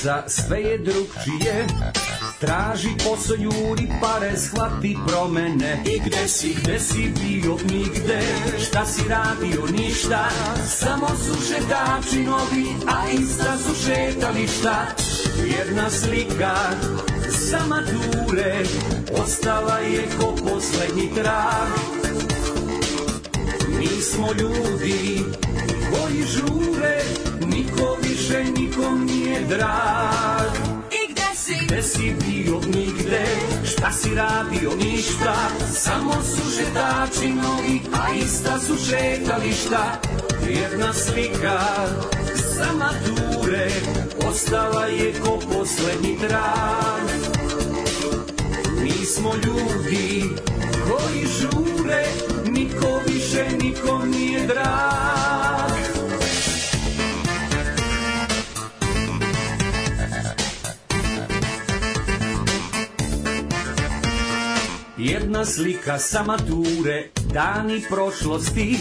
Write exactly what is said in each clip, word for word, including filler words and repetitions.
Za sve je drugčije, traži posao, juri pare, shvati promene. I gde si, gde si bio, nigde, šta si radio, ništa. Samo su šetači novi, a ista su šetališta. Jedna slika sa mature, ostala je ko poslednji trag. Mi smo ljudi koji žure, niko više nikom nije drag. I gde si? Gde si bio, nigde, šta si radio, ništa. Samo su šetači novi, a ista su šetališta. Jedna slika sa mature, ostala je ko poslednji trag. Mi smo ljudi koji žure, niko više nikom nije drag. Jedna slika sa mature, dani prošlosti.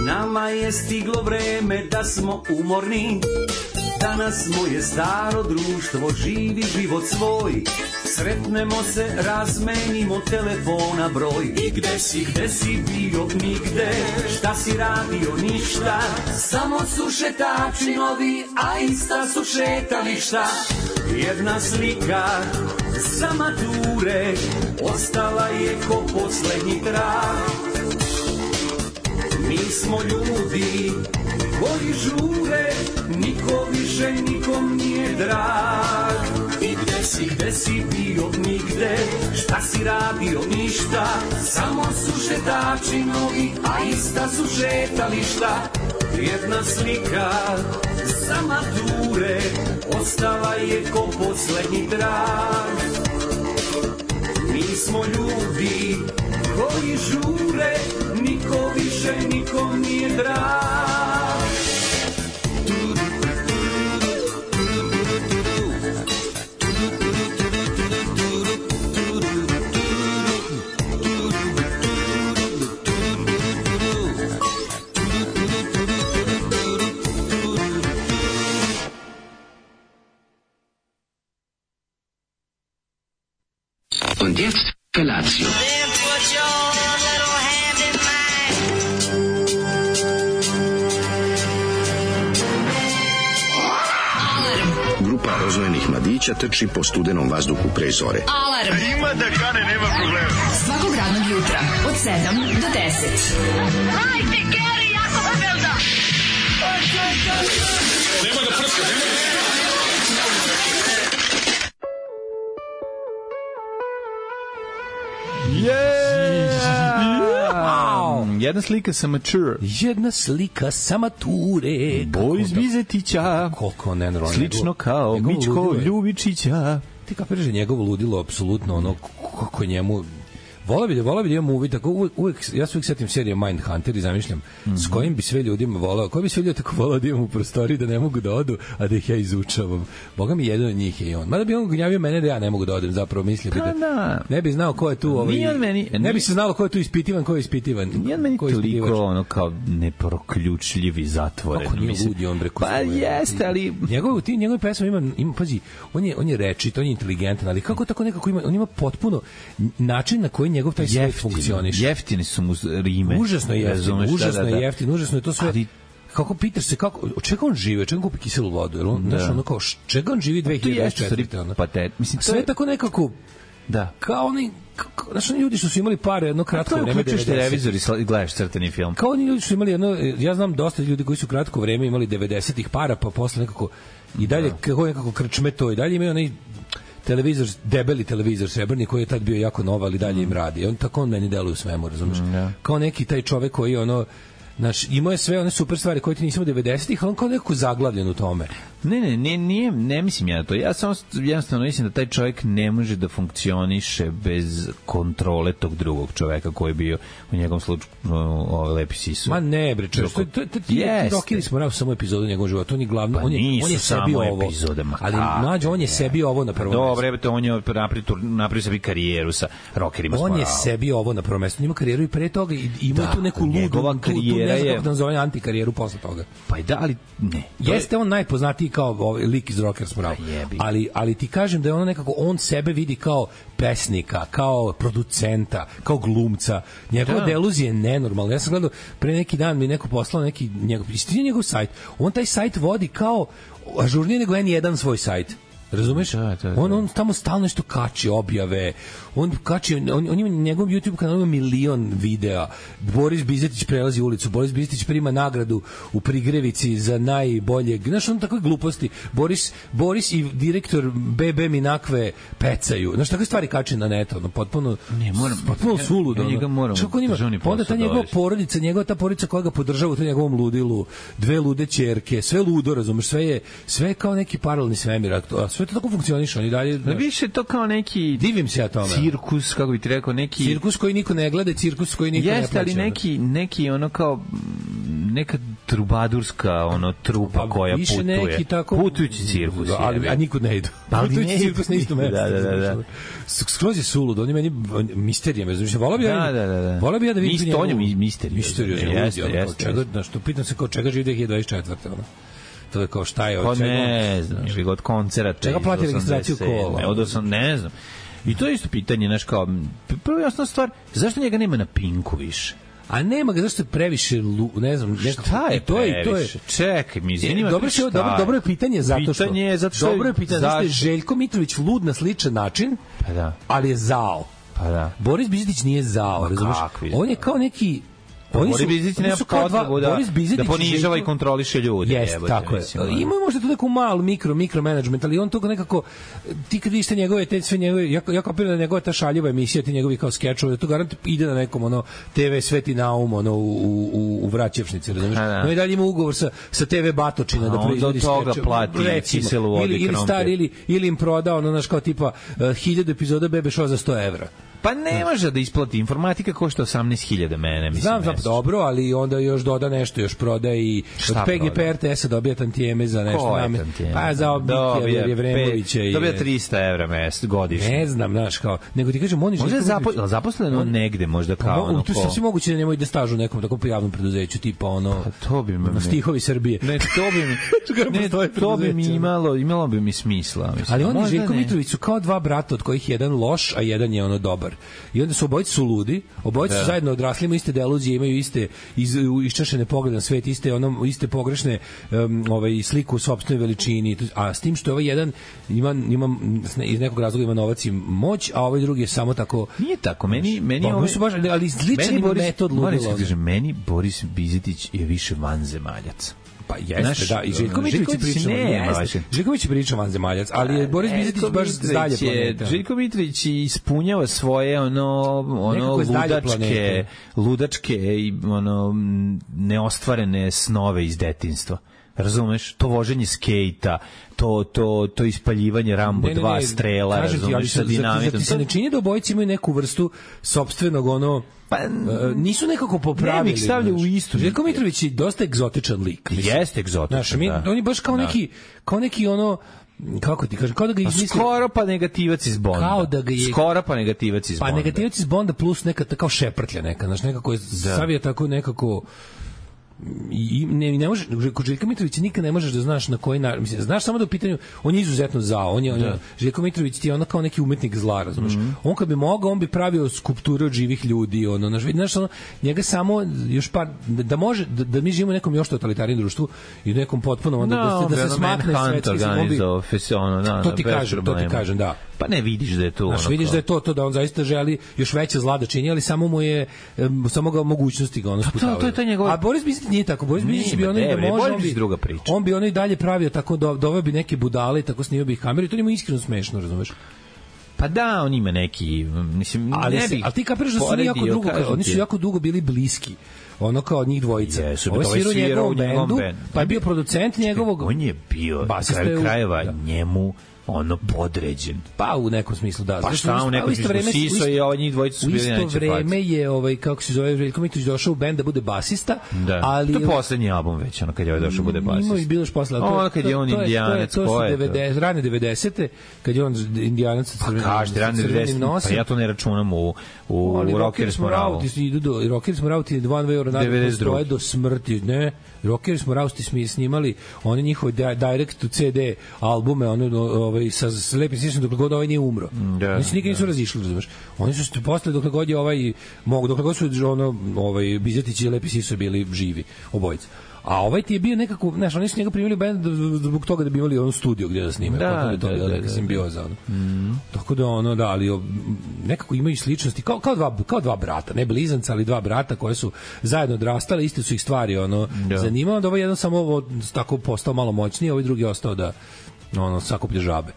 Nama je stiglo vreme da smo umorni. Danas moje staro društvo živi život svoj. Sretnemo se, razmenimo telefona broj. I gde si, gde si bio, nigde, šta si radio, ništa. Samo su šetači novi, a ista su šetališta. Jedna slika sa mature, ostala je ko poslednji trag. Mi smo ljudi koji žure, niko više nikom nije drag. I gde si, gde si bio, nigde, šta si radio, ništa. Samo su šetači novi, a ista su šetališta. Jedna slika sa mature, ostala je ko poslednji trag. Mi smo ljudi koji žure, niko više nikom nije drag. Und jetzt Felatio. Then put your little hand in mine. Alarm. Grupa rozvojenih mladića trči po studenom vazduhu pre zore. Alarm. Ima da kane, nema problema. Svakog radnog jutra od sedam do deset. Hajde, Geri, jako se velda. Nema da prska, nema da prska. Yeah! Jedna slika sa mature. Jedna slika sa mature. Boj iz Vizetića. Koliko nenrojno. Slično kao Mičko Ljubičića. Ti kapiraš da njegovo ludilo apsolutno ono kako njemu. Vola bi da, vola bi da imam uvid, tako uvijek, uvijek, ja se uvijek setim serije Mindhunter i zamišljam mm-hmm. s kojim bi sve ljudima volao, koji bi sve ljudi tako volao da imam u prostoriji da ne mogu da odu, a da ih ja izučavam. Boga mi jedan od njih je i on. Mada bi on gnjavio mene da ja ne mogu da odem, zapravo mislio bi da ne bi znao ko je tu ovaj, meni, ne bi se znalo ko je tu ispitivan, ko je ispitivan. Nije meni toliko ono kao neproključljivi zatvoren. Kako nije ludi on bre. Pa jeste, ali njegov ti njegov pesma ima ima pazi, on je on je rečit, on je inteligentan, ali kako tako nekako ima, on ima potpuno način na koji njegov taj svet funkcioniše. Jeftini su mu rime. Užasno je jeftino, užasno da, da, da. je jeftino, užasno je to sve. Ali kako pitaš se kako od čega on živi, čega kupi kiselu vodu, jel on da. Znaš ono kao čega on živi dve hiljade dvadeset četvrte ono. Pa te, mislim sve je tako nekako da. Kao oni znaš, oni ljudi što su imali pare jedno kratko vreme, uključiš televizor i gledaš crtani film. Kao oni ljudi su imali jedno, ja znam dosta ljudi koji su kratko vreme imali devedesetih para, pa posle nekako i dalje da. Kako nekako krčme to i dalje imaju onaj televizor, debeli televizor srebrni koji je tad bio jako nov, ali dalje im radi. On tako on meni deluje u svemu, razumiješ? Mm, kao neki taj čovek koji ono Znaš, imao je sve one super stvari koje ti nisam u devedesetih, ali on kao nekako zaglavljen u tome. Ne, ne, ne, nije, ne mislim ja na to. Ja samo jednostavno mislim da taj čovjek ne može da funkcioniše bez kontrole tog drugog čoveka koji je bio u njegovom slučaju ovaj lepi sisu. Ma ne, bre, čovjek. To, to, to, ti dokili smo rao samo epizodu njegovog života. On je glavno, pa on je, on je sebi ovo. Epizode, ali mlađe, on je sebi ovo na prvom mestu. Dobre, to on je napravio, napravio sebi karijeru sa rockerima. On je sebi ovo na prvom mestu. On ima karijeru i pre toga i ima da, tu neku ludu, tu karijera ne znam je... kako da nazove antikarijeru posle toga. Pa i da, ali ne. Jeste on najpoznatiji kao ovaj lik iz Rockers Morale. Ali, ali ti kažem da je ono nekako, on sebe vidi kao pesnika, kao producenta, kao glumca. Njegova Da. deluzija je nenormalna. Ja sam gledao, pre neki dan mi neko poslao neki njegov, istinio njegov sajt. On taj sajt vodi kao ažurnije nego en jedan svoj sajt. Razumeš? Da, da, da. On, on tamo stalno nešto kači, objave. On kači, on, on ima na njegovom YouTube kanalu ima milion videa. Boris Bizetić prelazi ulicu. Boris Bizetić prima nagradu u Prigrevici za najboljeg. Znaš, on takve gluposti. Boris, Boris i direktor B B Minakve pecaju. Znaš, takve stvari kači na net. Ono, potpuno, Ne, moram- potpuno ja- suludo. ja njega ono. moram Čak on ima, državni pa onda ta posao njegova dovesti. porodica, njegova ta porodica koja ga podržava u tom njegovom ludilu, dve lude ćerke, sve ludo, razumeš, sve je, sve je kao neki paralelni svemir, a to- a sve to tako funkcioniše, oni dalje... Da više to kao neki Divim se ja tome. cirkus, kako bi ti rekao, neki... Cirkus koji niko ne gleda, cirkus koji niko ne Jeste, plaća. ali neki, neki ono kao mm, neka trubadurska ono trupa Pa koja više putuje. neki tako- Putujući cirkus. Da, ali, jebi. a nikud ne idu. Ali Putujući ne idu. cirkus na isto mesto. Da, da, da, da. S- Skroz je sulud, on je meni on- misterija, me znači, volao bi ja, Da, da, da, da. volao bi ja da vidim Mist- njegovu- on je mi- misterija. Misteriozan Jeste, ljudi, ono, kao jeste, čega, jeste. znaš, to pitam se kao čega živi dve hiljade dvadeset četvrte ono. To je kao šta je Pa od čega. ne znam, ili od koncerata. Čega iz plati registraciju osamdeset sedme, kola? Od osam, ne znam. I to je isto pitanje, znaš, kao, prvo jasna stvar, zašto njega nema na Pinku više? A nema ga zašto je previše lu, ne znam, nešto. Šta je i to je i to je. previše? Čekaj, mi zanima Dobro me se šta dobro dobro je pitanje zato što Pitanje je zato što dobro je pitanje zato što je zašto- Željko Mitrović lud na sličan način. Pa da. Ali je zao. Pa da. Boris Bizetić nije zao, razumeš? kakvi On je kao neki Oni Boris Bizetić oni nema su kao dva- potrebu da, Boris Bizetić da i ponižava Željko- i kontroliše ljude. Jeste, jebote, tako je. mislim, ono. Ima možda tu neku malu mikro, mikro management, ali on to nekako, ti kad vidiš te njegove, te sve njegove, ja, ja kapiram da njegova ta šaljiva emisija, ti njegovi kao skečovi, da to garant ide na nekom, ono, te ve Sveti Naum, ono, u, u, u Vraćevšnici, razumiješ? A, da. No i dalje ima ugovor sa, sa te ve Batočina A da onda proizvodi od toga skečeve. plati Recimo. kiselu vodu ili, i ili krompir. star, ili, ili im proda, ono, znaš, kao tipa, uh, hiljadu epizoda Bebe Show za sto evra. Pa ne može da isplati. Informatika košta osamnaest hiljada mene, mislim. Znam, znam, mesečno. dobro, ali onda još doda nešto, još prodaje i Šta od P G P prodaje? R T S-a dobija tantijeme za nešto. Ko je name- tantijeme? Pa za Dobija Obike, Jevremovića. pe- i Dobija trista evra mes, godišnje. Ne znam, znaš, kao, nego ti kažem, on je Možda je Željko zapo, Mitrović- zaposleno on- negde, možda Pa, kao mo- ono tu je ko... sasvim moguće da nemoj ide staž u nekom tako javnom preduzeću, tipa ono, Pa to bi me... na stihovi Srbije. Ne, to bi mi... Čekaj, ne, postoje to bi mi preduzeća. imalo, imalo bi mi smisla. Mislim. Ali on i Možda Željko ne. Mitrović su kao dva brata od kojih je jedan loš, a jedan je ono dobar. I onda su obojice su ludi, obojice su zajedno odrasli, imaju iste deluzije, imaju iste iz, iščašene poglede na svet, iste ono iste pogrešne um, ovaj sliku u sopstvenoj veličini, a s tim što je ovaj jedan ima ima iz nekog razloga ima novac i moć, a ovaj drugi je samo tako. Nije tako, meni... meni Pa, ovaj- su baš, ali sličan meni ima Boris, metod moram ludila. se kažem, meni Boris Bizetić je više vanzemaljac. Pa jeste, Znaš, da, i Željko Mitrović Željko priča, Mitrović nema jeste. vaše. Željko Mitrović priča vanzemaljac, ali je Boris Bizetić Željko baš s dalje Mitrović je- planeta. Željko Mitrović ispunjava svoje ono ono Nekako je s dalje ludačke planete. ludačke i ono m, neostvarene snove iz detinjstva. Razumeš? To voženje skejta, to to to ispaljivanje Rambo dva strela, kažem ti, ali razumeš, sa zar ti- zar dinamitom. ti se ne čini da obojice imaju neku vrstu sopstvenog ono Pa, e, nisu nekako popravili. ne bih stavljao znaš. u istu. Željko Mitrović je dosta egzotičan lik. mislim. Jeste egzotičan, Znaš, mi, da. on je baš kao Da. neki, kao neki ono, kako ti kažem, kao da ga Pa izmislio. skoro pa negativac iz Bonda. Kao da ga je- Skoro pa negativac iz Pa Bonda. negativac iz Bonda plus neka ta- kao šeprtlja neka, znaš, nekako je savija tako nekako i i ne, ne može kod Željka Mitrovića nikad ne možeš da znaš na koji način, mislim, znaš samo da u pitanju, on je izuzetno zao, on je, on je Željko Mitrović ti je ono kao neki umetnik zla, razumeš. Mhm. On kad bi mogao, on bi pravio skulpture od živih ljudi, ono, znaš, vidi, znaš, ono, njega samo još par da, da može da, da mi živimo u nekom još totalitarnijem društvu i u nekom potpuno onda da, se, da se smakne svetski, on bi, organizovao fes- ono, da, to da, ti bez kažem, to ti problema. kažem, da. Pa ne vidiš da je to Znaš, ono vidiš kao- da je to to da on zaista želi još veće zla da čini, ali samo mu je em, samo ga mogućnosti ga ono sputavaju. to je to njegova- A Boris Bizetić nije tako. Boris Nije, Bizetić bi ma, ono i da ne, bre, može, Boris on bi Bizetić druga priča. On bi ono i dalje pravio tako do, doveo bi neke budale i tako snimio bi ih kameru i to njemu iskreno smešno, razumeš? Pa da, on ima neki, mislim, Ali, ne se, bih ali ti kapiraš da su oni jako poredio, dugo, kažem oni ti. su jako dugo bili bliski. Ono kao od njih dvojica. Jesu, Ovo je ovaj svirao u svirao njegovom u njegovom bendu, bendu. pa je bio producent njegovog. On je bio, na basista je kraju u- krajeva, da. njemu ono podređen. Pa u nekom smislu da. Pa šta u nekom smislu? Siso i ovaj njih dvojica su bili neće. U isto vreme je ovaj kako se zove Željko Mitrović došao u bend da bude basista, da. ali to je poslednji album već, ono kad je ovaj došao bude basista. Ima i bilo još posle, to ono kad je on Indijanac, to je devedeset rane devedesete kad je on Indijanac sa crvenim. Kažete rane devedesete, pa ja to ne računam u u Rockers Morale. Idu do Rockers Morale ti One Way or Another postoje do smrti, ne? Rockers Morale ti snimali oni njihove direct to C D albume, ono ovaj sa lepim siskom dok god ovaj nije umro. Da, oni se nikad nisu razišli, razumeš? Oni su se posle dok god je ovaj mogu dok god su ono ovaj Bizetić i Lepi Siso bili živi obojica. A ovaj ti je bio nekako, znaš, oni su njega primili u bend zbog toga da bi imali on studio gdje da snime. Da, da, to je bila neka simbioza. Mm. Tako da ono, da, ali nekako imaju sličnosti, kao, kao, dva, kao dva brata, ne blizanca, ali dva brata koje su zajedno odrastali, iste su ih stvari ono, da. zanimalo, da ovaj jedan samo ovo, tako postao malo moćniji, a ovaj drugi ostao da ono sakuplje žabe.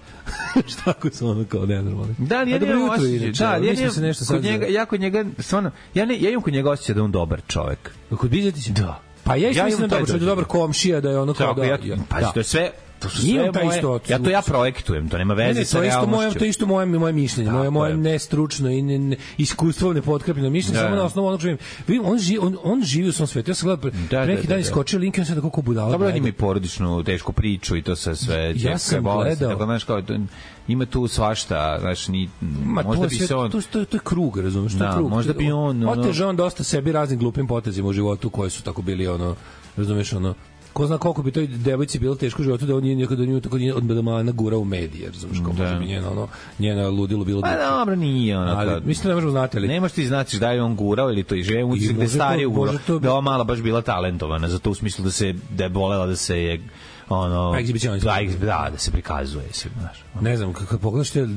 Šta ako su ono kao nenormalni. Da, ja nemam osjećaj. Da, ja nemam se nešto kod njega, ja kod njega, stvarno, ja, ne, ja imam kod njega osjećaj da je on dobar čovek. Kod Bizetića? Da. Pa ja isto mislim da je dobar komšija, da je ono kao da... Ja, pa da. To je sve... To su sve moje, isto, ja to ja projektujem, to nema veze ne, ne, sa realnošću. Moje, to je isto moje, moje mišljenje, moje, moje nestručno i ne, ne, iskustvo nepotkrepljeno mišljenje, da, samo na osnovu onog živim. On, živi, on, on živi u svom svetu. Ja sam gledao, pre, da, pre neki da, dan iskočio link i on sam tako budala. Dobro, on ima i porodičnu tešku priču i to sa sve... Ja sam gledao... Tako, znaš, kao, ima tu svašta, znaš, ni, Ma, možda bi se on... To, to, to je krug, razumiješ, to je krug. Možda bi on... Oteže on dosta sebi raznim glupim potezima u životu koji su tako bili, ono, razumiješ, ono, ko zna koliko bi toj devojci bilo teško u životu da on nije nekada nju tako od medamana gura u medije, razumiješ, kako da. Bi njena, ono, njena ludilo bilo... Pa dobro, nije ono. Ali, mislim da ne možemo znati, ali... Nemaš ti značiš da je on gurao ili to i žena, uči gde stari ugurao, to... da ova mala baš bila talentovana, zato u smislu da se, da je bolela da se je ono da, da, da se prikazuje se, znaš. Ne znam, kako pogledaš te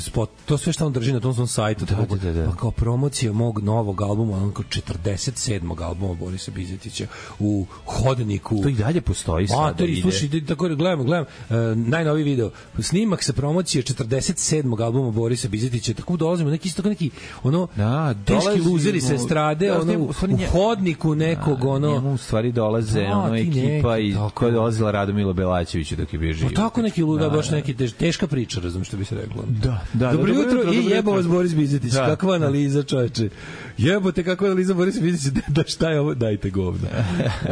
spot, to sve što on drži na tom svom sajtu, da, tako, da, da, da. kao promocija mog novog albuma, on kao četrdeset sedmog albuma Borisa Bizetića u hodniku. To i dalje postoji sada. A, to je, slušaj, tako gledam, gledam, uh, najnoviji video, snimak sa promocije četrdeset sedmog albuma Borisa Bizetića, tako dolazimo, neki isto neki, ono, da, teški luzeri se strade, da, ono, u, u hodniku nekog, da, ono... Njemu u stvari dolaze, da, ono, ekipa i koja je dolazila Radomilo Belačeviću dok je bio živ. Pa tako neki luda, da, baš neki tež, teška priča, razum što bi se reklo. Da, da. Dobro jutro i jebo vas Boris Bizetić. Da, kakva analiza, čoveče. Jebote, kakva analiza Boris Bizetić, da šta je ovo, dajte govna. uh,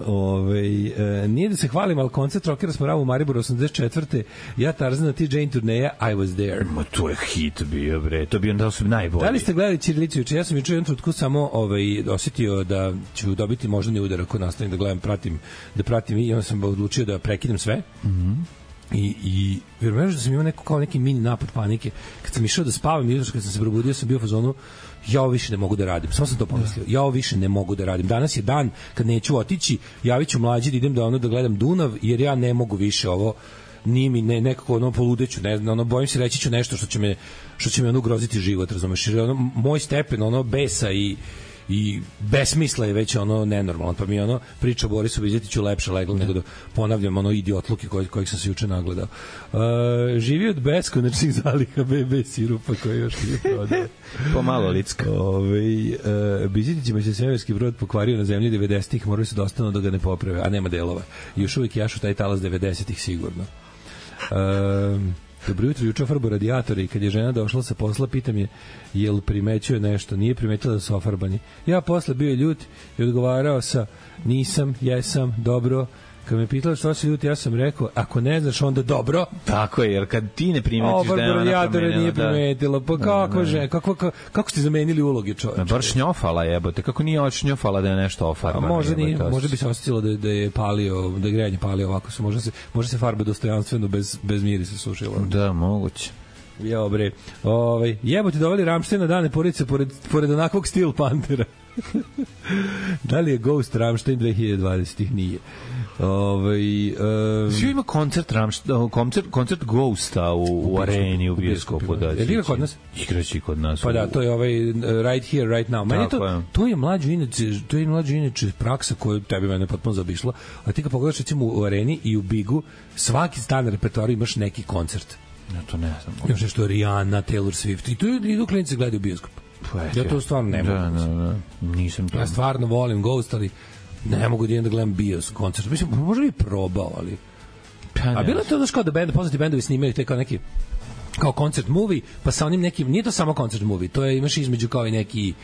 ovaj, uh, nije da se hvalim, ali koncert Rockera smo ravu u Mariboru osamdeset četvrte Ja Tarzan na T J turneja I was there. Ma to je hit bio, bre. To bi onda su najbolji. Da li ste gledali Ćirilicu juče? Ja sam juče jednom trenutku samo ovaj osetio da ću dobiti moždani udar ako nastavim da gledam, pratim, da pratim i onda sam odlučio da prekidam sve. Mhm. I, i vjerujem da sam imao neko, kao neki mini napad panike. Kad sam išao da spavam, jutros kad sam se probudio, sam bio u fazonu, ja ovo više ne mogu da radim. Samo sam to pomislio. Ja ovo više ne mogu da radim. Danas je dan kad neću otići, javit ću mlađi da idem da ono da gledam Dunav, jer ja ne mogu više ovo ni mi ne nekako ono poludeću, ne znam, ono bojim se reći ću nešto što će me što će me ono ugroziti život, razumeš? Jer ono moj stepen ono besa i i besmisla je već ono nenormalno, pa mi ono priča o Borisu Bizetiću lepše leglo nego da ponavljam ono idiotluke koje, kojih sam se juče nagledao. Uh, živi od beskonačnih zaliha be be sirupa koji još nije prodao. Pomalo licka. Ove, uh, Bizetićima se svemirski brod pokvario na zemlji devedesetih, morali su dostano da ga ne poprave, a nema delova. I još uvijek jašu taj talas devedesetih sigurno. Uh, Dobro jutro, juče farbo radijatore i kad je žena došla sa posla, pitam je jel primećuje nešto, nije primetila da su ofarbani. Ja posle bio ljut i odgovarao sa nisam, jesam, dobro. Kad me pitala što si ljut, ja sam rekao, ako ne znaš, onda dobro. Tako je, jer kad ti ne primetiš o, da je ona promenila... nije primetila, pa kako, da, žena, kako, kako, kako ste zamenili uloge čovječe? Bar šnjofala jebote, kako nije odšnjofala da je nešto ofarbano? Možda nije, možda bi se osjetilo da, da je palio, da je grejanje palio ovako, su, možda se, možda se farbe dostojanstveno bez, bez mirisa sušila. Da, moguće. Ja, bre, ovaj, jebote doveli Rammstein na dane porodice pored, pored onakvog Steel Panthera. Da li je Ghost Rammstein dve hiljade dvadesete Nije. Ovaj um, svi ima koncert Rammstein, koncert koncert Ghosta u, u areni u bioskopu, da. Je li kod nas? Igraći kod nas. Pa da, to je ovaj Right Here Right Now. Meni to je. to je mlađi inače, to je mlađi inače praksa koju tebi mene potpuno zabišla. A ti kad pogledaš recimo u areni i u Bigu, svaki stan repertoar imaš neki koncert. Ja to ne znam. Imaš nešto Rihanna, Taylor Swift i tu idu klinci gledaju bioskop. Ja to stvarno ne mogu. Da, da, da. Nisam to. Ja stvarno volim Ghost, ali ne mogu da idem da gledam bios koncert. Mislim, možda bi probao, ali A bilo je to da kao da bend, poznati bendovi snimaju te kao neki kao koncert movie, pa sa onim nekim, nije to samo koncert movie, to je, imaš između kao i neki,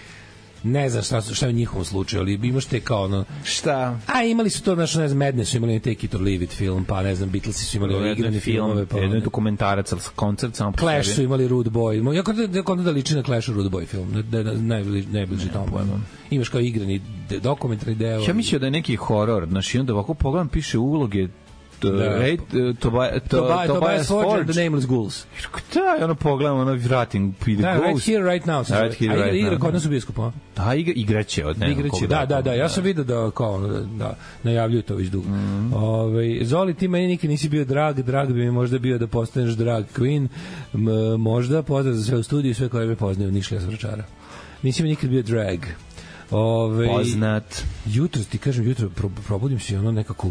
ne znam šta, šta je u njihovom slučaju, ali imaš te kao ono... Šta? A imali su to, znaš, ne znam, Madness su imali Take It or Leave It film, pa ne znam, Beatlesi su imali igrane filmove, pa... Jedno je dokumentarac, ali koncert samo... Clash su imali Rude Boy, jako da, da, da liči na Clash Rude Boy film, da, da, najbliži, najbliži ne, tomu. Imaš kao igrani dokumentarni deo... Ja mislio da je neki horor, znaš, i onda ovako pogledam, piše uloge Tobias Forge, The Nameless Ghouls. Da, ono pogledam, ono vratim The Ghost. Right Here, Right Now. Right Here, Right Now. Igra kod nas u bioskopu. Da, igraće od nema. Igraće, da, da, da. Ja sam vidio da, kao, da najavljuju to već dugo. Ove, Zoli, ti meni nikad nisi bio drag, drag bi mi možda bio da postaneš drag queen. Možda, pozdrav za sve u studiju, sve koje me poznaju, Nišlija Zvračara. Nisi mi nikad bio drag. Ove, Poznat. Jutro, ti kažem, jutro probudim se i ono nekako,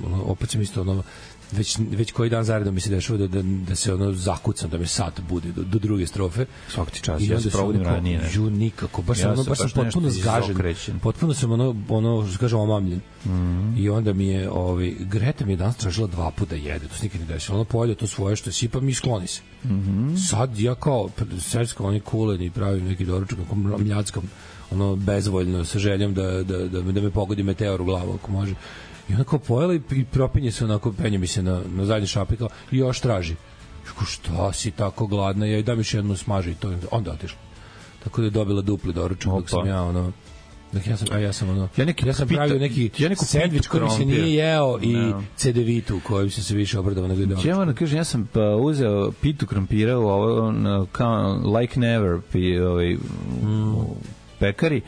ono, opet sam isto ono, već, već koji dan zaredom mi se dešava da, da, da se ono zakucam, da me sat bude do, do druge strofe. Svaki ti čas, ja se probudim ranije. Ju, nikako, baš, ja ono, baš sam potpuno zgažen, potpuno sam ono, ono što kažem, omamljen. Mm -hmm. I onda mi je, ovaj, Greta mi je danas tražila dva puta jede, to se nikad ne desilo, ono polje to svoje što sipa mi skloni se. Mm -hmm. Sad ja kao, srpsko, oni kulen i pravim neki doručak, kako mljackam, ono bezvoljno sa željom da, da, da, da me pogodi meteor u glavu ako može. I ona kao pojela i, i propinje se onako, penje mi se na, na zadnji šapi kao, i još traži. Kako, šta si tako gladna? Ja i dam još jednu smažu i to onda otišla. Tako da je dobila dupli doručak dok sam ja ono... Dok ja sam, a ja sam ono... Ja, neki ja sam pita, pravio neki ja sendvič koji mi se nije jeo i no. cedevitu kojim sam se više obradao nego i doručak. Ja moram kažem, ja sam pa uzeo pitu krompira u ovo, kao like never pi, ovaj, mm. pekari,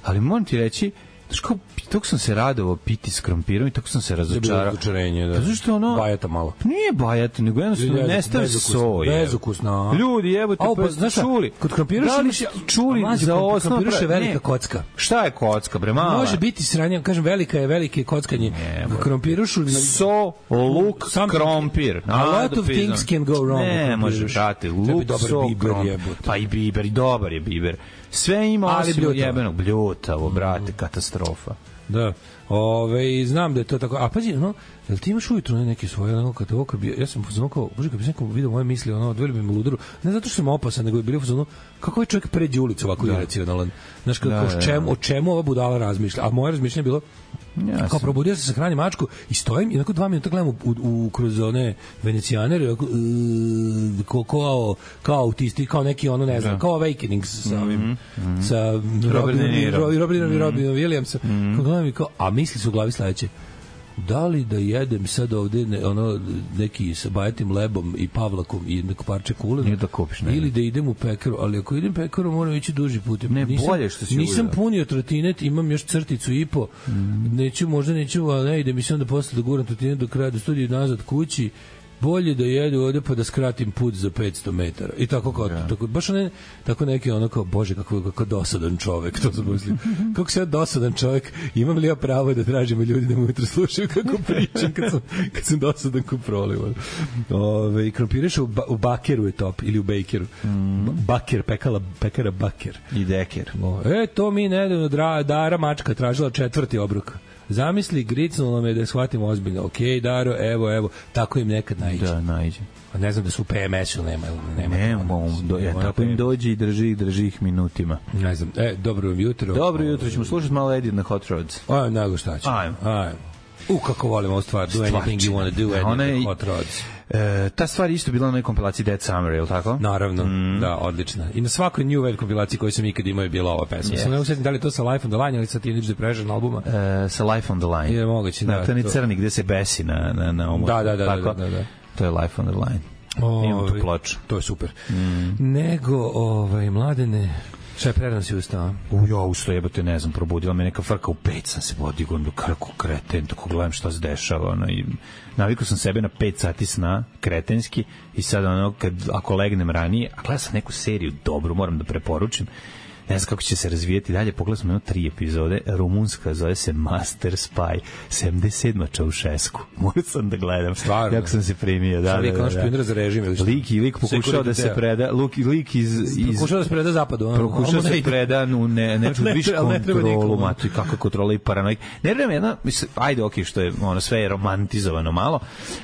ali moram ti reći, znaš kao, tako sam se radovao piti s krompirom i tako sam se razočarao. Razočarenje, da. Pa zašto ono... Bajata malo. Nije bajata, nego jednostavno nestaje soje. Bezukusno. Ljudi, jebote, pa, pa znaš čuli. Kod krompira da li čuli mazi, za osnovu... Krompira je velika ne. kocka. Šta je kocka, bre, mala? Može biti sranje, kažem, velika je, velike kockanje. Krompirušu... So, luk, krompir. A lot of things can go wrong. Ne, može, brate, luk, so, krompir. Pa i biber, i dobar je biber. Sve ima osim jebenog bljutavo, brate, katastrofa. Da. Ove, znam da je to tako. A pazi, no, jel ti imaš ujutro neke svoje, ono, kad ovo, kad bi, ja sam pozvao kao, bože, kad bi neko vidio moje misli, ono, odveli bi me ludaru, ne zato što sam opasan, nego je bilo pozvao, kako ovaj čovjek pređe ulicu ovako da. iracionalan. Znaš, kako, da, da, čemu, o čemu ova budala razmišlja? A moje razmišljanje je bilo, ja kao probudio se sa hranim mačku i stojim i nakon dva minuta gledam u, u, u, kroz one venecijanere uh, kao, kao, kao autisti, kao neki ono, ne znam, da. kao Awakening sa ovim, mm -hmm. sa Robinom i Robinom i Robinom Williamsom. Mm -hmm. Kao, a misli su u glavi sledeće, da li da jedem sad ovde ne, ono, neki sa bajatim lebom i pavlakom i neko parče kulena da kupiš, ne, ili da idem u pekaru, ali ako idem pekaru moram ići duži put. Ne, nisam, bolje što si nisam punio trotinet, imam još crticu i po, mm. neću, možda neću, ali ne idem i sam da posle da guram trotinet do kraja, do studiju nazad kući, bolje da jedu ovde pa da skratim put za petsto metara. I tako kao, ja. tako, baš ne, tako neki ono kao, bože, kako, kako dosadan čovek, to sam mislim. Kako se ja dosadan čovek, imam li ja pravo da tražimo ljudi da me ujutro slušaju kako pričam kad sam, kad sam dosadan ko prolivan. Ove, krompiraš u, ba, u bakeru je top, ili u bakeru. Mm. Baker, pekala, pekara baker. I deker. O, e, to mi nedavno dra, Dara Mačka tražila četvrti obrok. Zamisli, gricnulo me da shvatim ozbiljno. Ok, Daro, evo, evo, tako im nekad naiđe. Da, naiđe. A ne znam da su u P M S-u, nema. Nema, nema, do, ja, tako im dođe i drži ih, drži ih minutima. Ne znam, e, dobro jutro. Dobro jutro, ćemo slušati malo Edit na Hot Rods. Ajmo, nego šta ćemo. Ajmo. Ajmo. U, kako volim ovu stvar. Do anything you want to do, Edit na Hot Rods. E, ta stvar isto bila na nekoj kompilaciji Dead Summer, je li tako? Naravno, mm. da, odlična. I na svakoj New Wave kompilaciji koju sam ikad imao je bila ova pesma. Yes. Sam ne usetim da li to sa Life on the Line ili sa Teenage Depression albuma. E, sa Life on the Line. Je moguće, da. Da, to je crni gde se besi na, na, na ovom. Da, da, da, da, da, da. To je Life on the Line. O, imamo tu ploču. To je super. Mm. Nego, ovaj, mladene... Šta je prerano si ustao? U, ja ustao, jebate, ne znam, probudila me neka frka, u pet sam se podigao, kako kreten, tako gledam šta se dešava, ono, i navikao sam sebe na pet sati sna, kretenski, i sad, ono, kad, ako legnem ranije, a gledam sam neku seriju dobru, moram da preporučim, ne znam kako će se razvijeti dalje, pogledali smo jedno tri epizode, rumunska, zove se Master Spy, sedamdeset sedma Čaušesku, morao sam da gledam, stvarno, jako sam se primio, da, da, da, da, da. za režim, lik i lik pokušao da se preda, lik, lik iz, iz pokušao da se preda zapadu, pokušao da se preda u ne, ne, ne, viš kontrolu, matu, kakva kontrola i paranoik, ne vreme jedna, ajde, ok, što je, ono, sve je romantizovano malo,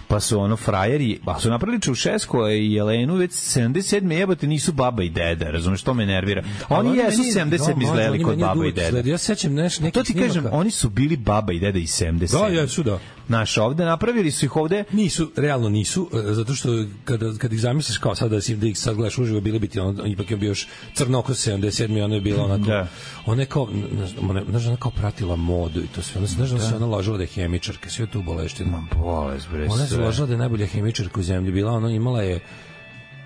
pa su ono frajeri, pa su napravili Čaušesku i Jelenu već sedamdeset sedme jebote nisu baba i deda, razumeš, to me nervira. Oni jesu sedamdeset sedme izgledali kod baba i deda. Ja sećam nešto neki. To ti kažem, oni su bili baba i deda i sedamdeset sedme. Da, jesu, da. Naš ovde napravili su ih ovde. Nisu, realno nisu, zato što kada kad ih zamisliš kao sada da si da ih sad gledaš uživo, bili bi ti on ipak je bio još crnoko sedamdeset sedme, ono je bilo onako. Da. Ona je kao, znaš, ona kao pratila modu i to sve. Ona znaš da se ona lažala da je hemičarka, sve to boleština. Ma bolest, bre. Ona se lažala da je najbolja hemičarka u zemlji bila, ona imala je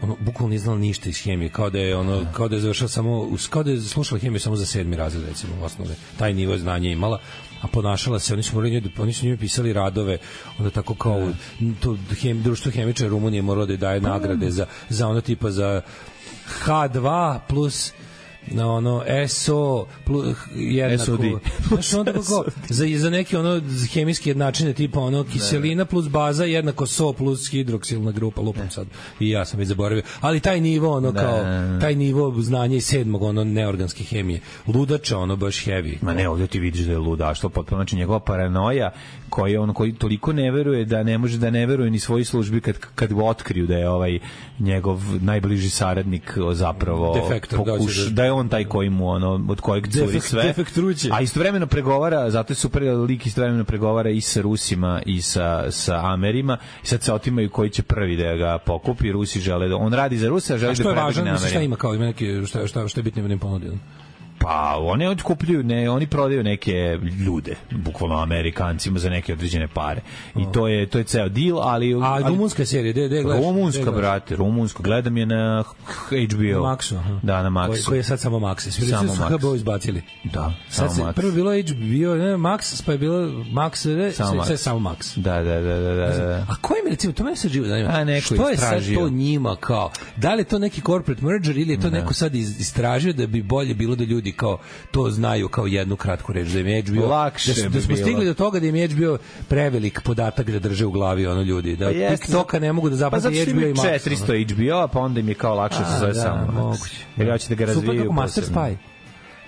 ono bukvalno nije znala ništa iz hemije, kao da je ono kao da je završila samo kao da je slušala hemiju samo za sedmi razred, recimo, u osnovne. Taj nivo znanja imala, a ponašala se, oni su morali njoj, oni su njoj pisali radove, onda tako kao to hem, društvo hemičara Rumunije moralo da daje nagrade za za ono tipa za ha dva plus na ono S O plus jednako znaš onda kako za, za neki ono hemijski jednačine tipa ono kiselina plus baza jednako S O plus hidroksilna grupa, lupam sad i ja sam već zaboravio, ali taj nivo ono kao taj nivo znanja iz sedmog ono neorganske hemije, ludača ono baš heavy. Ma ne, ovdje ti vidiš da je ludaštvo potpuno, znači njegova paranoja koji on koji toliko ne veruje da ne može da ne veruje ni svojoj službi kad kad ga otkriju da je ovaj njegov najbliži saradnik zapravo defektor, pokuš, da, da je on taj koji mu ono od kojeg curi sve, a istovremeno pregovara, zato je super lik istovremeno pregovara i sa Rusima i sa sa Amerima i sad se otimaju koji će prvi da ga pokupi. Rusi žele da on radi za Rusa, želi da prebegne na Ameriku. Šta ima kao ima neke šta šta šta je bitno da im ponudio? Pa oni otkupljuju, ne, oni prodaju neke ljude, bukvalno Amerikancima za neke određene pare. I to je to je ceo deal, ali a ali, rumunska serija, de de gledaš? Rumunska, brate, rumunsko, gledam je na H B O. Na Maxu, aha. Da, na Maxu. Koji, koji je sad samo Max. Svi su H B O izbacili. Da, sad samo se, Max. Prvo bilo H B O, ne, Max, pa je bilo Max, ne, samo sve, sve samo Max. Da, da, da, da, da. A koji mi recimo, to me se živo zanima. A neko što istražio. Je sad to njima kao? Da li je to neki corporate merger ili je to da. Neko sad istražio da bi bolje bilo da ljudi kao to znaju kao jednu kratku reč da im je H B O lakše da, da smo stigli do toga da im je H B O prevelik podatak da drže u glavi ono ljudi da pa TikToka ne mogu da zapamte pa H B O i Max četiristo H B O pa onda im je kao lakše se zove samo jer ja ću da ga razviju super Master Spy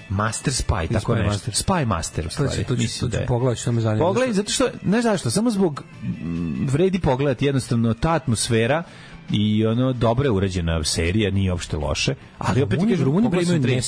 Master Spy, tako nešto. Master. Spy Master, u stvari. To ću pogledati, što me zanima. Pogledaj, zato što, ne znaš što, samo zbog vredi pogledati jednostavno ta atmosfera i ono dobro je urađena serija, nije uopšte loše, ali opet ti kažem, Rumuni imaju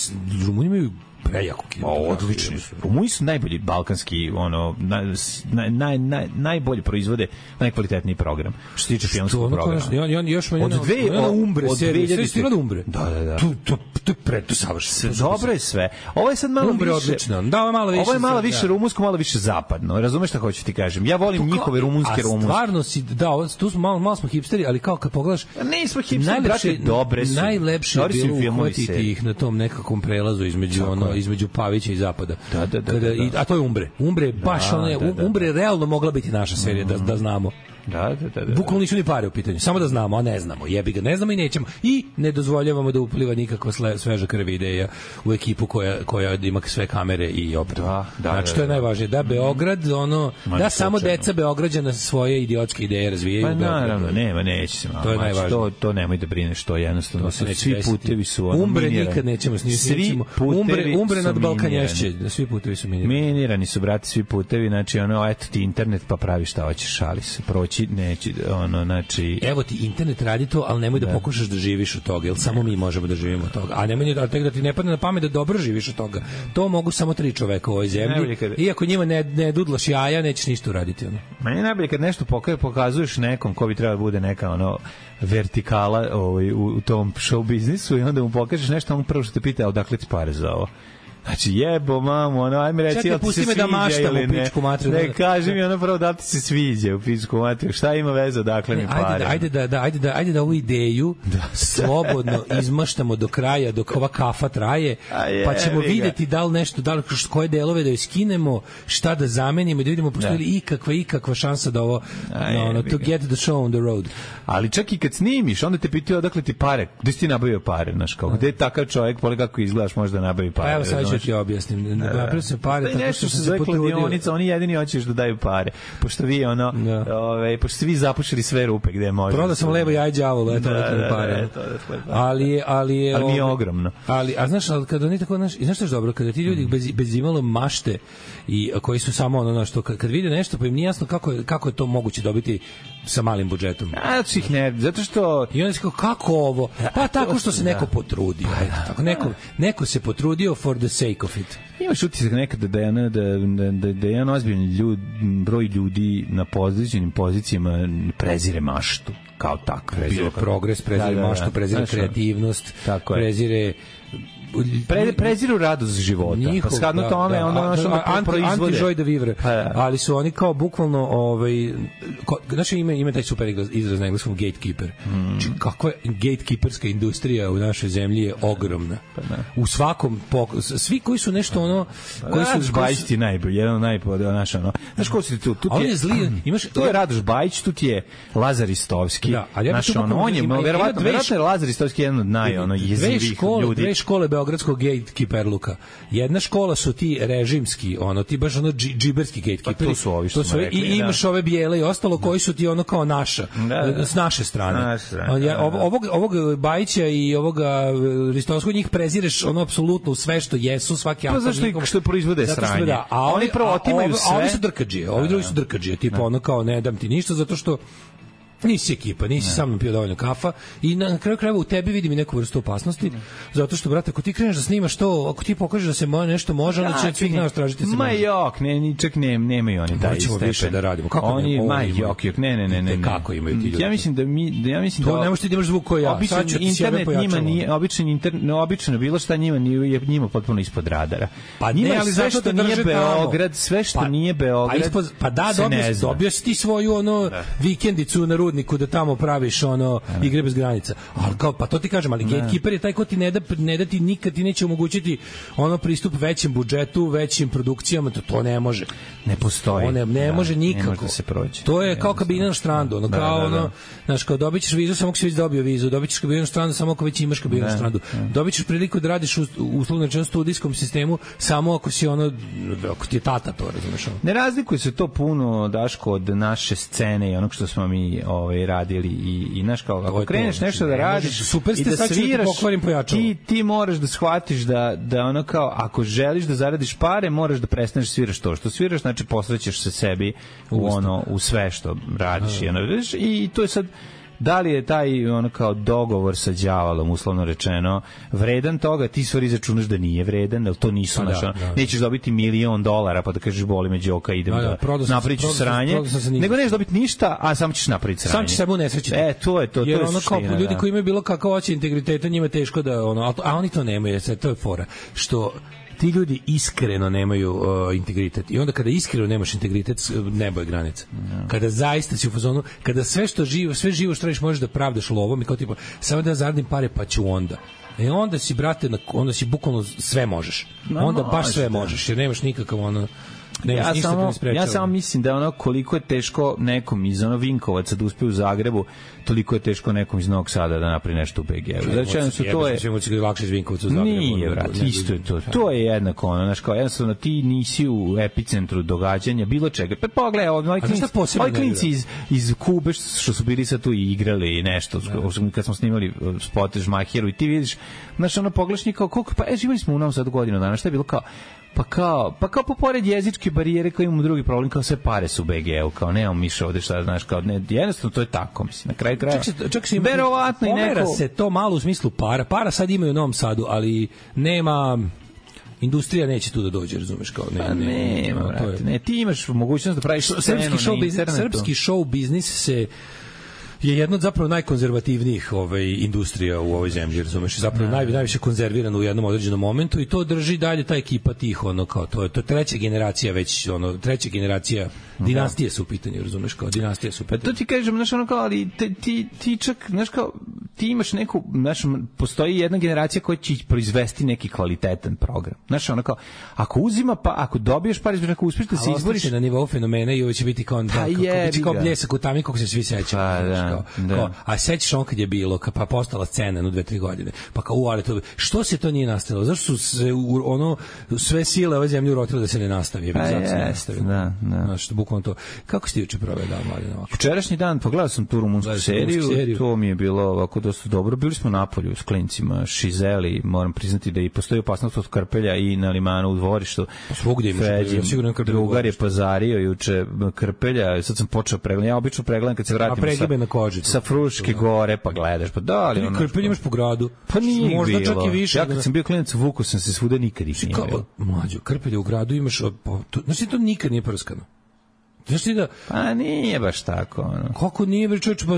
Rumuni imaju prejako kino. Odlični su. Rumuni su najbolji balkanski, ono, naj, naj, naj, najbolje proizvode, najkvalitetniji program. Što se tiče filmskog programa. I on još meni od dve od Umbre serije, sve stigla do Umbre. Da, da, da. Tu to to pre to savršeno. Dobro je sve. Ovo je sad malo Umbre više. Odlično. Da, ovo malo više. Ovo je malo više rumunsko, malo više zapadno. Razumeš šta hoću ti kažem? Ja volim njihove rumunske rumunske. Stvarno si, da, tu smo malo malo smo hipsteri, ali kao kad pogledaš, nismo hipsteri, brate, dobre su. Najlepše je bilo uhvatiti ih na tom nekakvom prelazu između ono između Pavića i Zapada. Da, da, da, Kada, da, da. I, a to je Umbre. Umbre baš da, ona je, da, da. Umbre je realno mogla biti naša serija, da, da znamo. Da, da, da, da. Bukvalno nisu ni pare u pitanju, samo da znamo, a ne znamo. Jebi ga, ne znamo i nećemo. I ne dozvoljavamo da upliva nikakva sveža krv ideja u ekipu koja, koja ima sve kamere i opremu. Da, da, znači, to je najvažnije. Da Beograd, ono, da slučajno. Samo deca Beograđana svoje idiotske ideje razvijaju. Pa naravno, nema, neće se malo. To je najvažnije. To, to nemoj da brineš, to jednostavno. To svi putevi su ono Umbre minirani. nikad nećemo snimiti. Svi Umbre, umbre nad Balkanješće. Svi putevi su minirani. Minirani su, brate, svi putevi. Znači, ono, eto ti internet, pa pravi šta hoćeš, šali se. Proći, neće, ono, znači... Evo ti internet radi to, ali nemoj da, da pokušaš da živiš od toga, jer samo mi možemo da živimo od toga. A nemoj da, tek da ti ne padne na pamet da dobro živiš od toga. To mogu samo tri čoveka u ovoj zemlji. Kada... Iako njima ne, ne dudlaš jaja, nećeš ništa uraditi. Ono. Meni najbolje kad nešto pokazuješ nekom ko bi trebalo da bude neka ono vertikala ovaj, u, u tom show biznisu i onda mu pokažeš nešto, on prvo što te pita odakle ti pare za ovo. Znači, jebo, mamo, ono, ajme reći, čekaj, pusti me da maštam u pičku materiju. Ne, kaži mi ono prvo da li ti se sviđa u pičku materiju. Šta ima veze, odakle mi pare? Ajde da, da, ajde da, ajde da ovu ideju da. slobodno izmaštamo do kraja, dok ova kafa traje, je, pa ćemo videti da li nešto, da li koje delove da joj skinemo, šta da zamenimo, da vidimo postoji li ikakva, ikakva šansa da ovo, no, ono, to get the show on the road. Ali čak i kad snimiš, onda te pitaju odakle ti pare, gde si ti nabavio pare, znaš, kao, gde je takav čovjek, poli kako izgledaš, može da nabavi pare. Evo sad ću ti objasnim. Napravio sam pare tako što sam se potrudio. Oni jedini hoćeš da daju pare. Pošto vi ono, da. Ovaj, pošto svi zapušili sve rupe gde može. Prodao sam levo jaj đavolu, eto da, da, pare. Da, ali ali ali je ogromno. Ali a znaš, al kad oni tako, znaš, i znaš što je dobro, kada ti ljudi bez bez imalo mašte i koji su samo ono što kad, kad vide nešto pa im nije jasno kako je, kako je to moguće dobiti sa malim budžetom. A ih ne, zato što i onda se kao kako ovo? Pa tako što se neko potrudio. Tako neko neko se potrudio for the sake of it. Imaš utisak nekada da je da da da, da jedan ozbiljan ljud, broj ljudi na pozicionim pozicijama prezire maštu kao tako. Prezire progres, prezire da, da, maštu, prezire znaš, kreativnost, prezire Pre, preziru radost života. Njihov, pa skadno da, tome, da, ono da, što proizvode. Anti-joy de vivre. Pa, da. Ali su oni kao bukvalno, ovaj, ko, znači ima, ima taj super izraz na engleskom gatekeeper. Mm. Či, kakva gatekeeperska industrija u našoj zemlji je ogromna. Pa, u svakom, pok, svi koji su nešto ono... Koji su, Radoš Bajić ti najbolji, jedan od najbolji, naš ono. Znaš ko si tu? Tu je, je zli, imaš, tu je Radoš Bajić, tu ti je Lazar Istovski. Da, ali ja naš ono, on je, verovatno, verovatno je Lazar Istovski jedan od naj, ono, jezivih ljudi. Dve škole beogradskog gatekeeperluka. Jedna škola su ti režimski, ono ti baš ono džiberski gatekeeperi. Pa to su ovi što to su rekli, i imaš da. Ove bijele i ostalo koji su ti ono kao naša, da, da. S naše strane. Naš strane ja, ovog ovog Bajića i ovoga Ristovskog njih prezireš ono apsolutno u sve što jesu, svaki akt. Pa zašto ih što proizvode sranje? Da, a oni prvo otimaju sve. A ovi su drkadžije, ovi drugi su drkadžije, tipa ono kao ne dam ti ništa zato što nisi ekipa, nisi ne. Sa mnom pio dovoljno kafa i na kraju krajeva u tebi vidim i neku vrstu opasnosti, ne. Zato što, brate, ako ti kreneš da snimaš to, ako ti pokažeš da se mo, nešto može, onda će svih nas tražiti se ma može. Jok, ne, ni čak ne, nemaju oni taj stepen. Više da radimo. Kako oni, ne, ma jok, jok, ne, ne, ne, ne. Kako imaju ti ljudi? Ja mislim da mi, da ja mislim to da... ne možeš ti da imaš zvuk koji ja. Običan internet njima nije, običan internet, obično bilo šta njima nije, njima potpuno ispod radara. Pa ne, ali sve što nije Beograd, sve što nije Beograd. Pa da, dobio si ti svoju ono vikendicu na Rudniku da tamo praviš ono ne. Igre bez granica. Al kao pa to ti kažem, ali ne. Gatekeeper je taj ko ti ne da ne da ti nikad ti neće omogućiti ono pristup većem budžetu, većim produkcijama, to to ne može. Ne postoji. To ne, ne da, može nikako. Ne može da se proći. To je ne kao kabina na štrandu, ono da, kao da, da. Ono, znaš, kao dobićeš vizu samo ako si već dobio vizu, dobićeš kabinu na štrandu samo ako već imaš kabinu na štrandu. Dobićeš priliku da radiš u uslovno rečeno studijskom sistemu samo ako si ono ako ti je tata to, razumeš? Ne razlikuje se to puno, Daško, od naše scene i onog što smo mi ovaj radili i i znaš kao ako kreneš to, nešto da radiš super ste, i da sviraš, ti ti moraš da shvatiš da da ono kao ako želiš da zaradiš pare, moraš da prestaneš sviraš to što sviraš, znači posvećaš se sebi u ono u sve što radiš i ono, i to je sad da li je taj ono kao dogovor sa đavolom uslovno rečeno vredan toga, ti stvari izračunaš da nije vredan, jer to nisu naš, da, da. Nećeš dobiti milion dolara pa da kažeš boli me đoka, idem da, da, da napravit ću sranje, nego nećeš dobiti ništa, a samo ćeš napraviti sranje. Sam ćeš sebe unesrećiti. E, to je to. Jer to je ono kao suština, ljudi da. koji imaju bilo kakav hoće integriteta, njima je teško da, ono, a oni to nemaju, to je fora. Što ti ljudi iskreno nemaju uh, integritet. I onda kada iskreno nemaš integritet, nebo je granica. No. Kada zaista si u fazonu, kada sve što živo, sve živo što radiš možeš da pravdaš lovom i kao tipa, samo da zaradim pare pa ću onda. E onda si, brate, onda si bukvalno sve možeš. No, onda baš sve možeš, jer nemaš nikakav ono... Ja samo, ja samo mislim da ono koliko je teško nekom iz ono Vinkovaca da uspe u Zagrebu, toliko je teško nekom iz Novog Sada da napravi nešto u B G. Znači su to je sve će lakše iz Vinkovca u Zagrebu. Nije, brat, isto je to. To je jednako ono, znači kao jednostavno ti nisi u epicentru događanja bilo čega. Pa pogledaj, ovaj klinci iz iz Kube što su bili sad tu i igrali i nešto, kad smo snimali spot Žmahiru i ti vidiš, znači ono pogledaš kao koliko pa e, živeli smo u Novom Sadu godinu dana, šta je bilo kao Pa kao, pa kao pored jezičke barijere kao imamo drugi problem, kao sve pare su u B G-u, kao nemamo miša ovde šta, znaš, kao ne, jednostavno to je tako, mislim, na kraju kraja. Čak se verovatno i neko... se to malo u smislu para, para sad imaju u Novom Sadu, ali nema... Industrija neće tu da dođe, razumeš, kao ne, pa ne, ne, ne, to je... ne, ti imaš mogućnost da praviš srpski show biznis, srpski show biznis se je jedna od zapravo najkonzervativnijih ovaj, industrija u ovoj zemlji, razumeš, zapravo naj, najviše konzervirana u jednom određenom momentu i to drži dalje ta ekipa tih, ono, kao, to je to treća generacija već, ono, treća generacija dinastije su u pitanju, razumeš, kao dinastije su u pitanju. Pa to ti kažem, znaš, ono kao, ali te, ti, ti čak, znaš, kao, ti imaš neku, znaš, postoji jedna generacija koja će proizvesti neki kvalitetan program. Znaš, ono kao, ako uzima, pa, ako dobiješ par izbora, ako uspeš da se izboriš... na nivou fenomena i ovo će biti kao, da, biti kao bljesak u tami kako se svi sećaju. Pa, da, kao, da. Kao, a sećaš on kad je bilo, ka, pa postala scena no dve, tri godine. Pa kao, u, ali to, što se to nije nastavilo? Zašto su se, u, ono, sve sile ove zemlje urotile da se ne nastavi? Pa jest, da, da. Znaš, bukvalno to. Kako si ti juče proveo dan, Mladen? Jučerašnji dan, pogledao sam tu rumunsku seriju, seriju, to mi je bilo ovako dosta dobro. Bili smo na polju s klincima, šizeli, moram priznati da i postoji opasnost od krpelja i na limanu u dvorištu. Svugdje imaš, ja sigurno krpelja. Drugar je pazario juče krpelja, sad sam počeo pregledati. Ja obično pregledam kad se vratim sa, na koži, sa Fruške gore, pa gledaš, pa da li ono... Krpelj imaš po gradu. Pa nije možda bilo. Čak i više. Ja kad sam bio klinac, vukao sam se svuda, nikad ih nije bilo. Mlađo, krpelje u gradu imaš, znači to nikad nije prskano. Znaš ti da... Pa nije baš tako. Ono. Kako nije, bre čovječ, pa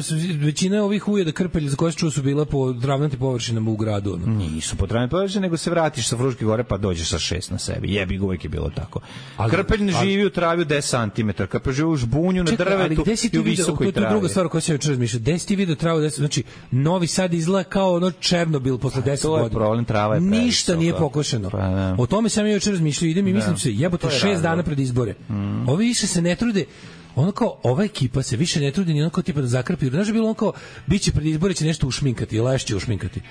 većina ovih ujeda krpelja za koje se čuo su bila po travnatim površinama u gradu. Ono. Nisu po travnatim površinama, nego se vratiš sa Fruške gore pa dođeš sa šest na sebi. Jebi ga, uvijek je bilo tako. Ali, krpelj ne živi u travi u deset santimetara, krpelj živi u žbunju, na drvetu i u visokoj travi. To je druga stvar koja se juče razmišlja. Gde si ti vidio travu deset? Znači, Novi Sad izgleda kao ono Černobil posle deset godina. To je problem, trava je previsoka. Ništa nije pokošeno. Pa, o tome sam ja juče razmišljao. Idem i mislim se, jebote, šest dana pred izbore. Mm. Ovi više se ne trude. Ono kao, ova ekipa se više ne trudi ni ono kao tipa da zakrpi. Znaš je bilo ono kao, bit će pred izbore, će nešto ušminkati, lešće ušminkati.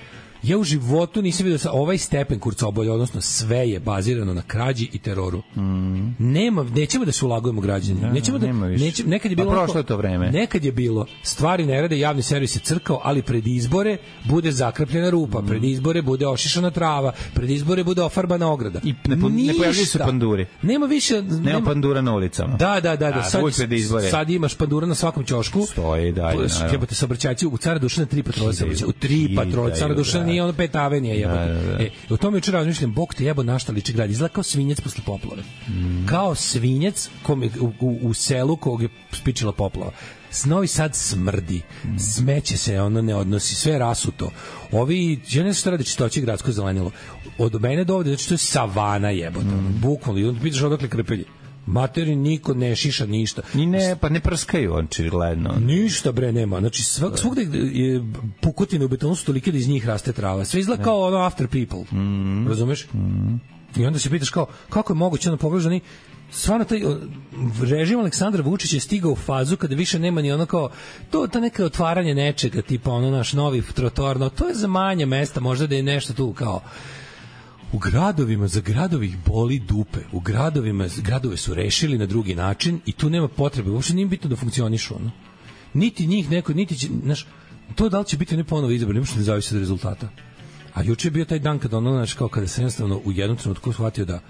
Ja u životu nisam vidio sa ovaj stepen kurcobolja, odnosno sve je bazirano na krađi i teroru. Mm. Nema, nećemo da se ulagujemo građani. Da, nećemo da, neće, nekad je bilo... Pa prošlo je to vreme. Nekad je bilo, stvari ne rade, javni servis je crkao, ali pred izbore bude zakrpljena rupa, mm. pred izbore bude ošišana trava, pred izbore bude ofarbana ograda. I ne, ne pojavljaju se panduri. Nema više... Nema, nema pandura na ulicama. Da, da, da. da. Sad, sad imaš pandura na svakom ćošku. Stoji dalje. Jebote, saobraćajci u Cara Dušana tri patrole saobraćaja. U tri patrole. Cara Dušana nije ono pet avenija jebote. Da, da, da. E, u tome jučer razmišljam, bog te jebo našta liči grad. Izgleda kao svinjec posle poplave. Mm. Kao svinjec kom je, u, u, u selu kog je spičila poplava. Novi Sad smrdi, mm. smeće se, ono ne odnosi, sve rasuto. Ovi, ja ne znam što radi čistoći gradsko zelenilo. Od mene do ovde, znači to je savana jebote. Mm. Bukvalno, i onda pitaš odakle krpelji. Materi niko ne šiša ništa. Ni ne, pa ne prskaju on očigledno. Ništa bre nema. Znači svak, svugde je pukotine u betonu su tolike da iz njih raste trava. Sve izgleda kao ono after people. Mm. Razumeš? Mm. I onda se pitaš kao kako je moguće ono pogležani stvarno taj režim Aleksandra Vučića je stigao u fazu kada više nema ni ono kao to ta neka otvaranje nečega tipa ono naš novi trotoar, no to je za manje mesta, možda da je nešto tu kao u gradovima, za gradovih boli dupe. U gradovima, gradove su rešili na drugi način i tu nema potrebe. Uopšte nije bitno da funkcionišu. Ono. Niti njih neko, niti će, znaš, to da li će biti ne ponovo izabran, ne može ne zavisi od rezultata. A juče je bio taj dan kada ono, znaš, kao kada sam jednostavno u jednom trenutku shvatio da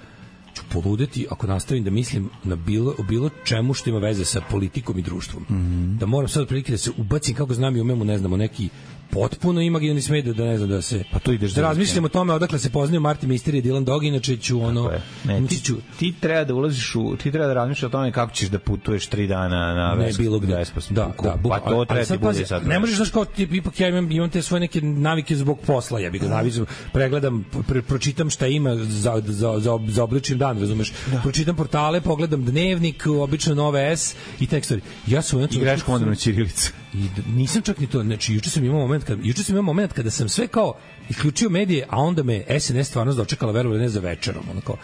ću poludeti ako nastavim da mislim na bilo, o bilo čemu što ima veze sa politikom i društvom. Mm-hmm. Da moram sad otprilike da se ubacim kako znam i umem u, ne znamo, neki potpuno imaginarni smet da ne znam da se pa to ideš da razmišljamo o tome odakle se poznaju Martin Misteri i Dylan Dog, inače ću ono ne, ti, ću, ti treba da ulaziš u ti treba da razmišljaš o tome kako ćeš da putuješ tri dana na ne bilo gde da, da, pa to treba ti bude sad ne možeš znaš kao ti ipak ja imam, imam te svoje neke navike zbog posla ja bih ga navizam pregledam pre, pročitam šta ima za za za, za oblični dan razumeš da. Pročitam portale pogledam dnevnik obično Nove S i tekstovi ja sam igraš komandnu ćirilicu i nisam čak ni to znači juče sam imao moment kad juče sam imao moment kada sam sve kao isključio medije, a onda me S N S stvarno dočekala verovali ne za večerom, onako.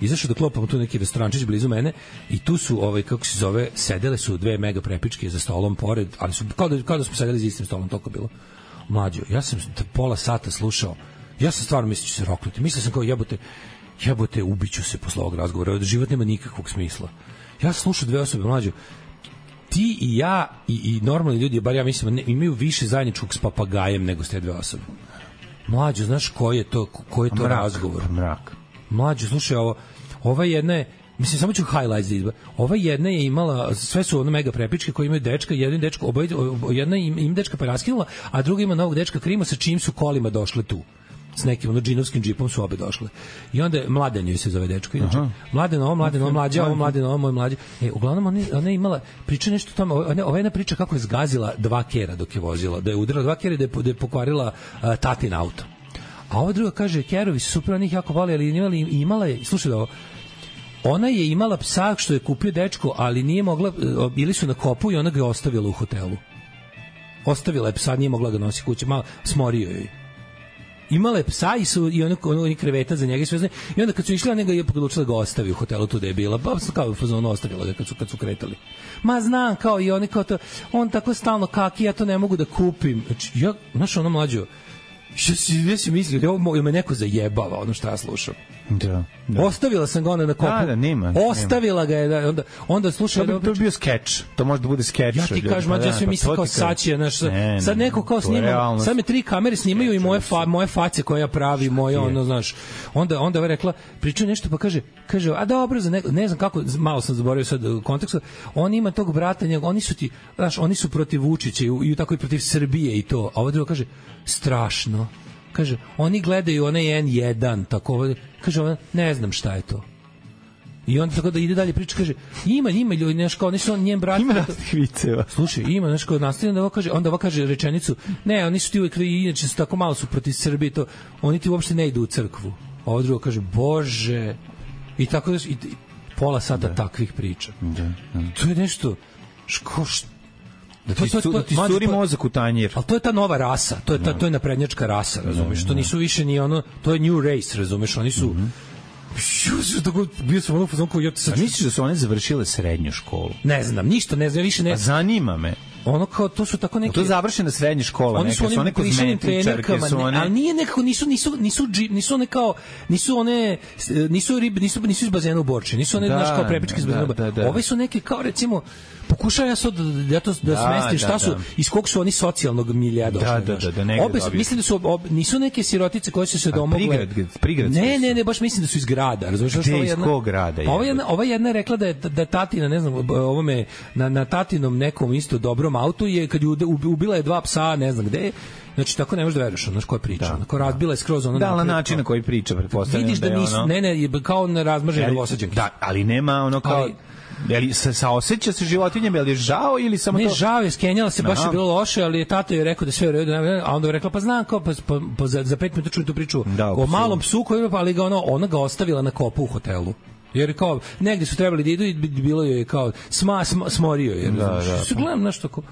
Izašao da klopam tu neki restorančić blizu mene i tu su ovaj kako se zove sedele su dve mega prepičke za stolom pored, ali su kao da kao da smo sedeli za istim stolom, toliko bilo. Mlađo, ja sam pola sata slušao. Ja sam stvarno mislio da ću se roknuti. Mislio sam kao jebote, jebote ubiću se posle ovog razgovora. Život nema nikakvog smisla. Ja sam slušao dve osobe, mlađo. Ti i ja i, i normalni ljudi, bar ja mislim, ne, imaju više zajedničkog s papagajem nego s te dve osobe. Mlađo, znaš koji je to, koji je to mrak, razgovor? Mrak. Mlađo, slušaj, ovo, ova jedna je, mislim, samo ću highlights da izba. Ova jedna je imala, sve su ono mega prepičke koji imaju dečka, jedan dečko, oboje, jedna im, im dečka pa raskinula, a druga ima novog dečka Krima sa čim su kolima došle tu. s nekim ono džinovskim džipom su obe došle. I onda je Mladen joj se zove dečko. Inače, Mladen ovo, Mladen ovo, mlađa ovo, Mladen ovo, moj mlađa. E, uglavnom ona, ona je imala, priča nešto o tome, ova jedna priča kako je zgazila dva kera dok je vozila, da je udarila dva kera i da je, da je pokvarila uh, tatin auto. A ova druga kaže, kerovi su super, onih jako voli, ali imala, imala je, slušaj da ovo, ona je imala psa što je kupio dečko, ali nije mogla, bili su na kopu i ona ga je ostavila u hotelu. Ostavila je psa, nije mogla ga nosi kući, malo smorio joj. Imala je psa i su i ono oni kreveta za njega i sve zna. I onda kad su išli, ona ga je odlučila da ga ostavi u hotelu tu da je bila. Pa kao fazon ostavila ga kad su kad su kretali. Ma znam kao i oni kao to, on tako stalno kaki, ja to ne mogu da kupim. Znači ja, znaš, ono mlađo, što si ja si mislio da ovo me neko zajebava, ono što ja slušam. Da, da. Ostavila sam ga onda na kopu. Da, da, nima, Ostavila nima. ga je da onda onda slušaj, to bi, to bi bio skeč. To može da bude skeč. Ja ti kažem, ja sve mislim kao sačije, znaš, sad neko kao snima, sad me tri kamere snimaju i moje fa, moje face koje ja pravi, moje ono, znaš. Onda onda je rekla, priča nešto pa kaže, kaže, a dobro za ne, ne znam kako, malo sam zaboravio sad u kontekstu. On ima tog brata, njega, oni su ti, znaš, oni su protiv Vučića i, i tako i protiv Srbije i to. A ovo drugo kaže, strašno. Kaže, oni gledaju onaj en jedan, tako, kaže, ona, ne znam šta je to. I on tako da ide dalje priča, kaže, ima, ima ljudi, nešto kao, nisu on njen brat. Ima raznih viceva. Slušaj, ima nešto kao nastavljeno da ovo kaže, onda ovo kaže rečenicu, ne, oni su ti uvijek, inače su tako malo su protiv Srbije, to, oni ti uopšte ne idu u crkvu. A ovo drugo kaže, Bože, i tako da, i, pola sata da. Takvih priča. Da, da. To je nešto, ško, što, da ti, to, to, to, da ti sturi mozak u tanjir. Ali to je ta nova rasa, to je ta, to je naprednjačka rasa, razumeš? To nisu više ni ono, to je new race, razumeš? Oni su mm -hmm. tako, bio sam ono fazon kao ja sad. A misliš da su one završile srednju školu? Ne znam, ništa, ne znam, više ne. A zanima me. Ono kao to su tako neki. To je završena srednja škola, oni su neka, one kozmetičarke, su one. Ali nije nekako nisu nisu nisu nisu one kao nisu one nisu rib, nisu nisu iz bazena u Borči, nisu one naš kao prepičke iz bazena. Da, da, da. Ove su neke kao recimo pokušavam ja sad da to da, da smestim šta da, su da. Iz kog su oni socijalnog milija došli. Da, da, da, da, da obe mislim da su ob, nisu neke sirotice koje su se domogle. Prigrad, prigrad. Ne, ne, ne, baš mislim da su iz grada, razumeš što je jedna. Kog grada je? Ova jedna, ova jedna je rekla da je da tatina, ne znam, ovome na na tatinom nekom isto dobrom autu je kad je ubila je dva psa, ne znam gde. Znači tako ne možeš da veruješ, znaš koja priča. Da, onako razbila je skroz ono. Da, na način na koji priča, pretpostavljam. Vidiš da, da nisu, ono... ne, ne, kao na razmažene novosađenke. Da, ali nema ono kao ali, Jeli se saoseća se životinjama, je li žao ili samo ne, to? Ne, žao je, skenjala se, baš je bilo loše, ali je tata je rekao da sve u redu, a onda je rekla pa znam kao pa, pa, pa za, za pet minuta čujem tu priču da, o malom psu koji pa ali ga ono ona ga ostavila na kopu u hotelu. Jer kao negde su trebali da idu i bilo je kao sma, sma smorio je. Da, da, da. Gledam nešto kao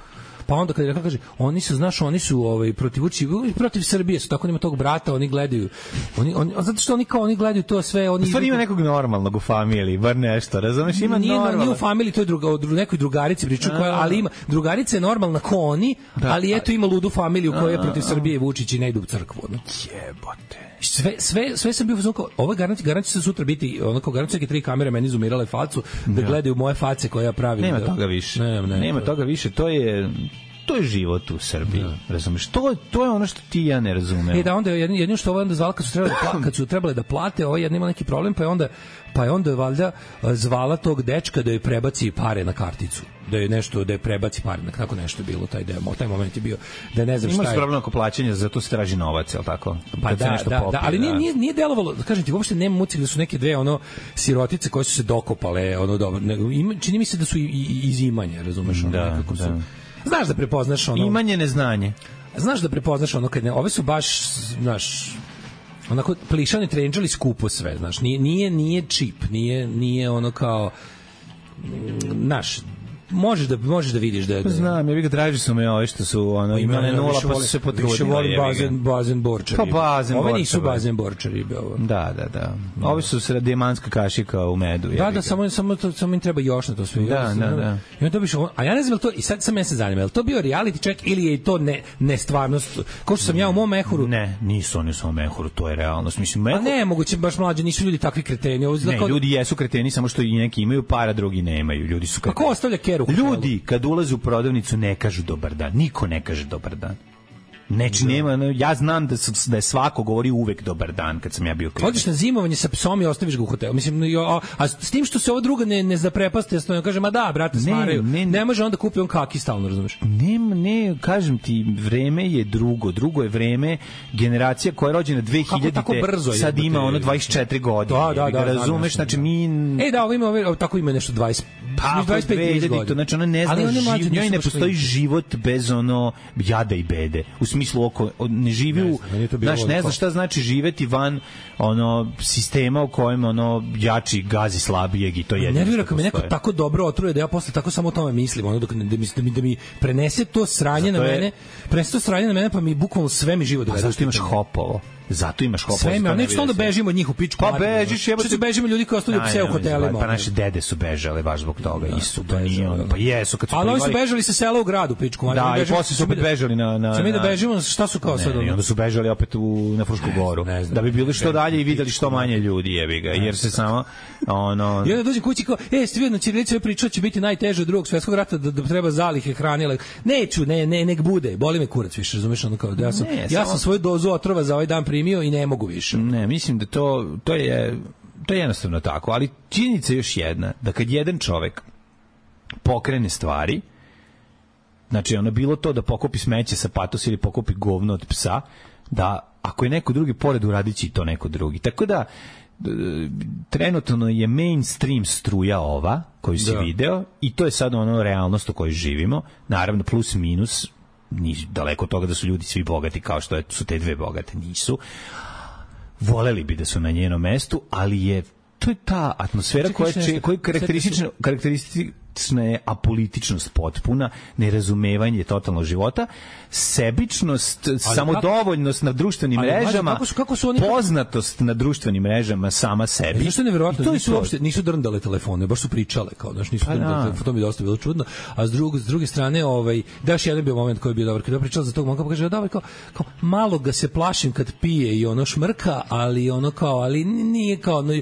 pa onda kad je rekao, kaže, oni su, znaš, oni su ovaj, protiv Vučića, protiv Srbije su, tako nima tog brata, oni gledaju, oni, oni, zato što oni kao, oni gledaju to sve, oni... Stvari ima nekog normalnog u familiji, bar nešto, razumeš, ima nije, normalno. Nije u familiji, to je druga, o nekoj drugarici priču, koja, ali ima, drugarica je normalna ko oni, da, ali eto ima ludu familiju koja je protiv Srbije i Vučića i ne ide u crkvu. No? Jebote. Sve, sve, sve sam bio uzmano kao, ovo garanti, garanti se sutra biti, onako garanti neke tri kamere meni zoomirale facu, da ja. Gledaju moje face koje ja pravim. Nema da, toga više. Ne, ne, Nema to. toga više, to je... To je život u Srbiji, da. Razumeš? To, to je ono što ti ja ne razumem. E da, onda jedino, jedino što ovo onda zvala kad su trebali da, kad su trebali da plate, ovo jedno ima neki problem, pa je onda, pa je onda valjda zvala tog dečka da joj prebaci pare na karticu. Da je nešto, da je prebaci pare, tako nešto je bilo, taj demo, taj moment je bio, da ne znam šta je. Imaš problem oko plaćanja, zato se traži novac, je li tako? Pa kad da, nešto da, popije, da, ali nije, nije, nije delovalo, da kažem ti, uopšte nema mucik da su neke dve ono sirotice koje su se dokopale, ono dobro, ima, čini mi se da su i, i, iz imanja, razumeš, ono, da, nekako su. Da. Znaš da prepoznaš ono... Imanje neznanje. Znaš da prepoznaš ono kad ne... Ove su baš, znaš... Onako, plišani trenđali skupo sve, znaš. Nije, nije, nije čip, nije, nije ono kao... Znaš, možeš da možeš da vidiš da je... Znam, ja bih ga tražio su me ove što su ono, imane nula pa su se potrudili. Više volim bazen, bazen borčari. Pa bazen Ove nisu bazen borčari. Ovo. Da, da, da. Ovi su sred dijamanska kašika u medu. Da, da, samo, samo, to, samo im treba još na to sve. Da, da, da. I onda biš, a ja ne znam to, i sad sam ja se zanima, je li to bio reality check ili je to ne, ne stvarnost? Kao što sam ja u mom mehuru... Ne, nisu oni u svom mehuru, to je realnost. Mislim, mehur... A ne, moguće baš mlađe, nisu ljudi takvi kreteni. Ovo ne, kao... ljudi jesu kreteni, samo što i neki imaju para, drugi nemaju. Ljudi su kreteni. Kako ostavlja keru? Ljudi, kad ulaze u prodavnicu ne kažu dobar dan. Niko ne kaže dobar dan. Neči nema, ja znam da, su, da je svako govori uvek dobar dan kad sam ja bio klinac. Odeš na zimovanje sa psom i ostaviš ga u hotelu. Mislim, a, a s tim što se ovo drugo ne, ne zaprepaste, ja kažem, a da, brate, smaraju. Ne, ne, ne može onda kupi on kaki stalno, razumeš? Ne, ne, kažem ti, vreme je drugo. Drugo je vreme, generacija koja je rođena dve hiljadite sad ima ono dvadeset četiri godine. Da, da, da, razumeš, znači mi... E, da, ovo ima, ovo, tako ima nešto dvadeset, pa, dvadeset pet godina. Znači, ona ne zna, živ, njoj ne postoji život bez ono jada i bede. U smislu oko ne živi u, znaš, ne zna šta znači živeti van ono sistema u kojem ono jači gazi slabijeg i to je. Nervira kad me neko tako dobro otruje da ja posle tako samo o tome mislim, ono dok da mi da mi, da mi prenese to sranje zato na mene, je... prenese to sranje na mene pa mi bukvalno sve mi život dovede. A zašto imaš hopovo? Zato imaš hopovo. Sve me, neću onda bežimo od njih u pičku. Pa bežiš, jebote. Što se bežimo ljudi koji ostavljaju pse u hotelima. Pa naše dede su bežale baš zbog toga. Da, Isu, to nije ono. Pa jesu kad su ali oni su bežali sa sela u gradu, pičku. Da, i posle su opet bežali na na. Ćemo mi da bežimo, šta su kao sad? I onda su bežali opet u na Frušku goru. Da bi bili što dalje i videli što manje ljudi, jebi ga, jer se samo ono. I onda dođe kući kao, ej, ste vidno ćirilica priča će biti najteže od Drugog svetskog rata da, da treba zalihe hrane. Neću, ne, ne, nek bude. Boli me kurac više, razumeš, ono kao da ja sam ne, ja sam svoju dozu otrova za ovaj dan primio i ne mogu više. Ne, mislim da to to je to je jednostavno tako, ali činjenica je još jedna, da kad jedan čovek pokrene stvari, znači ono bilo to da pokupi smeće sa patos ili pokupi govno od psa, da ako je neko drugi pored uradići to neko drugi. Tako da trenutno je mainstream struja ova koju si da. video i to je sad ono realnost u kojoj živimo, naravno plus minus, ni daleko od toga da su ljudi svi bogati kao što je, su te dve bogate, nisu. Voleli bi da su na njenom mestu, ali je to je ta atmosfera koja je koja karakteristična karakteristična je apolitičnost potpuna, nerazumevanje totalno života, sebičnost, ali samodovoljnost kako, na društvenim ali, mrežama, kako su, kako su oni, poznatost na društvenim mrežama sama sebi. Zašto je neverovatno? Nisu to... uopšte nisu drndale telefone, baš su pričale kao, znači nisu pa drndale telefone, to mi je dosta bilo čudno. A s druge s druge strane, ovaj daš jedan bio moment koji je bio dobar, kad je pričala za tog momka, pa kaže da kao, kao malo ga se plašim kad pije i ono šmrka, ali ono kao, ali nije kao no,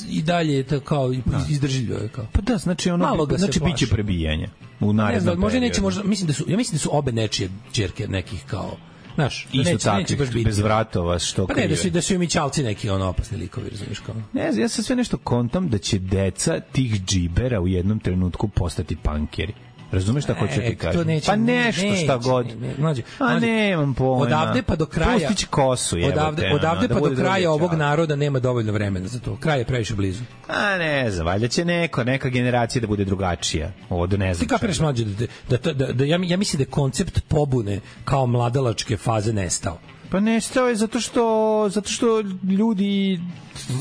i dalje je to kao izdržljivo je kao. Pa da, znači ono malo ga znači biće prebijanje u narednom periodu. Možda neće, možda mislim da su ja mislim da su obe nečije ćerke nekih kao znaš, isto neće, tako, neće baš biti bez vratova što pa ne, da su da su i mićalci neki ono opasni likovi, razumiješ kao. Ne, ja sam sve nešto kontam da će deca tih džibera u jednom trenutku postati pankeri. Razumeš šta hoću ti kažem? Pa nešto neće, šta god. Ne, ne, a nemam pojma. Odavde pa do kraja. Pustić kosu, jebote. Odavde, odavde pa do kraja ovog naroda nema dovoljno vremena za to. Kraj je previše blizu. A ne znam, valjda će neko, neka generacija da bude drugačija. Ovo ne znam. Ti kapiraš mlađe da, da, da, da, ja, ja mislim da je koncept pobune kao mladalačke faze nestao. Pa nestao je zato što zato što ljudi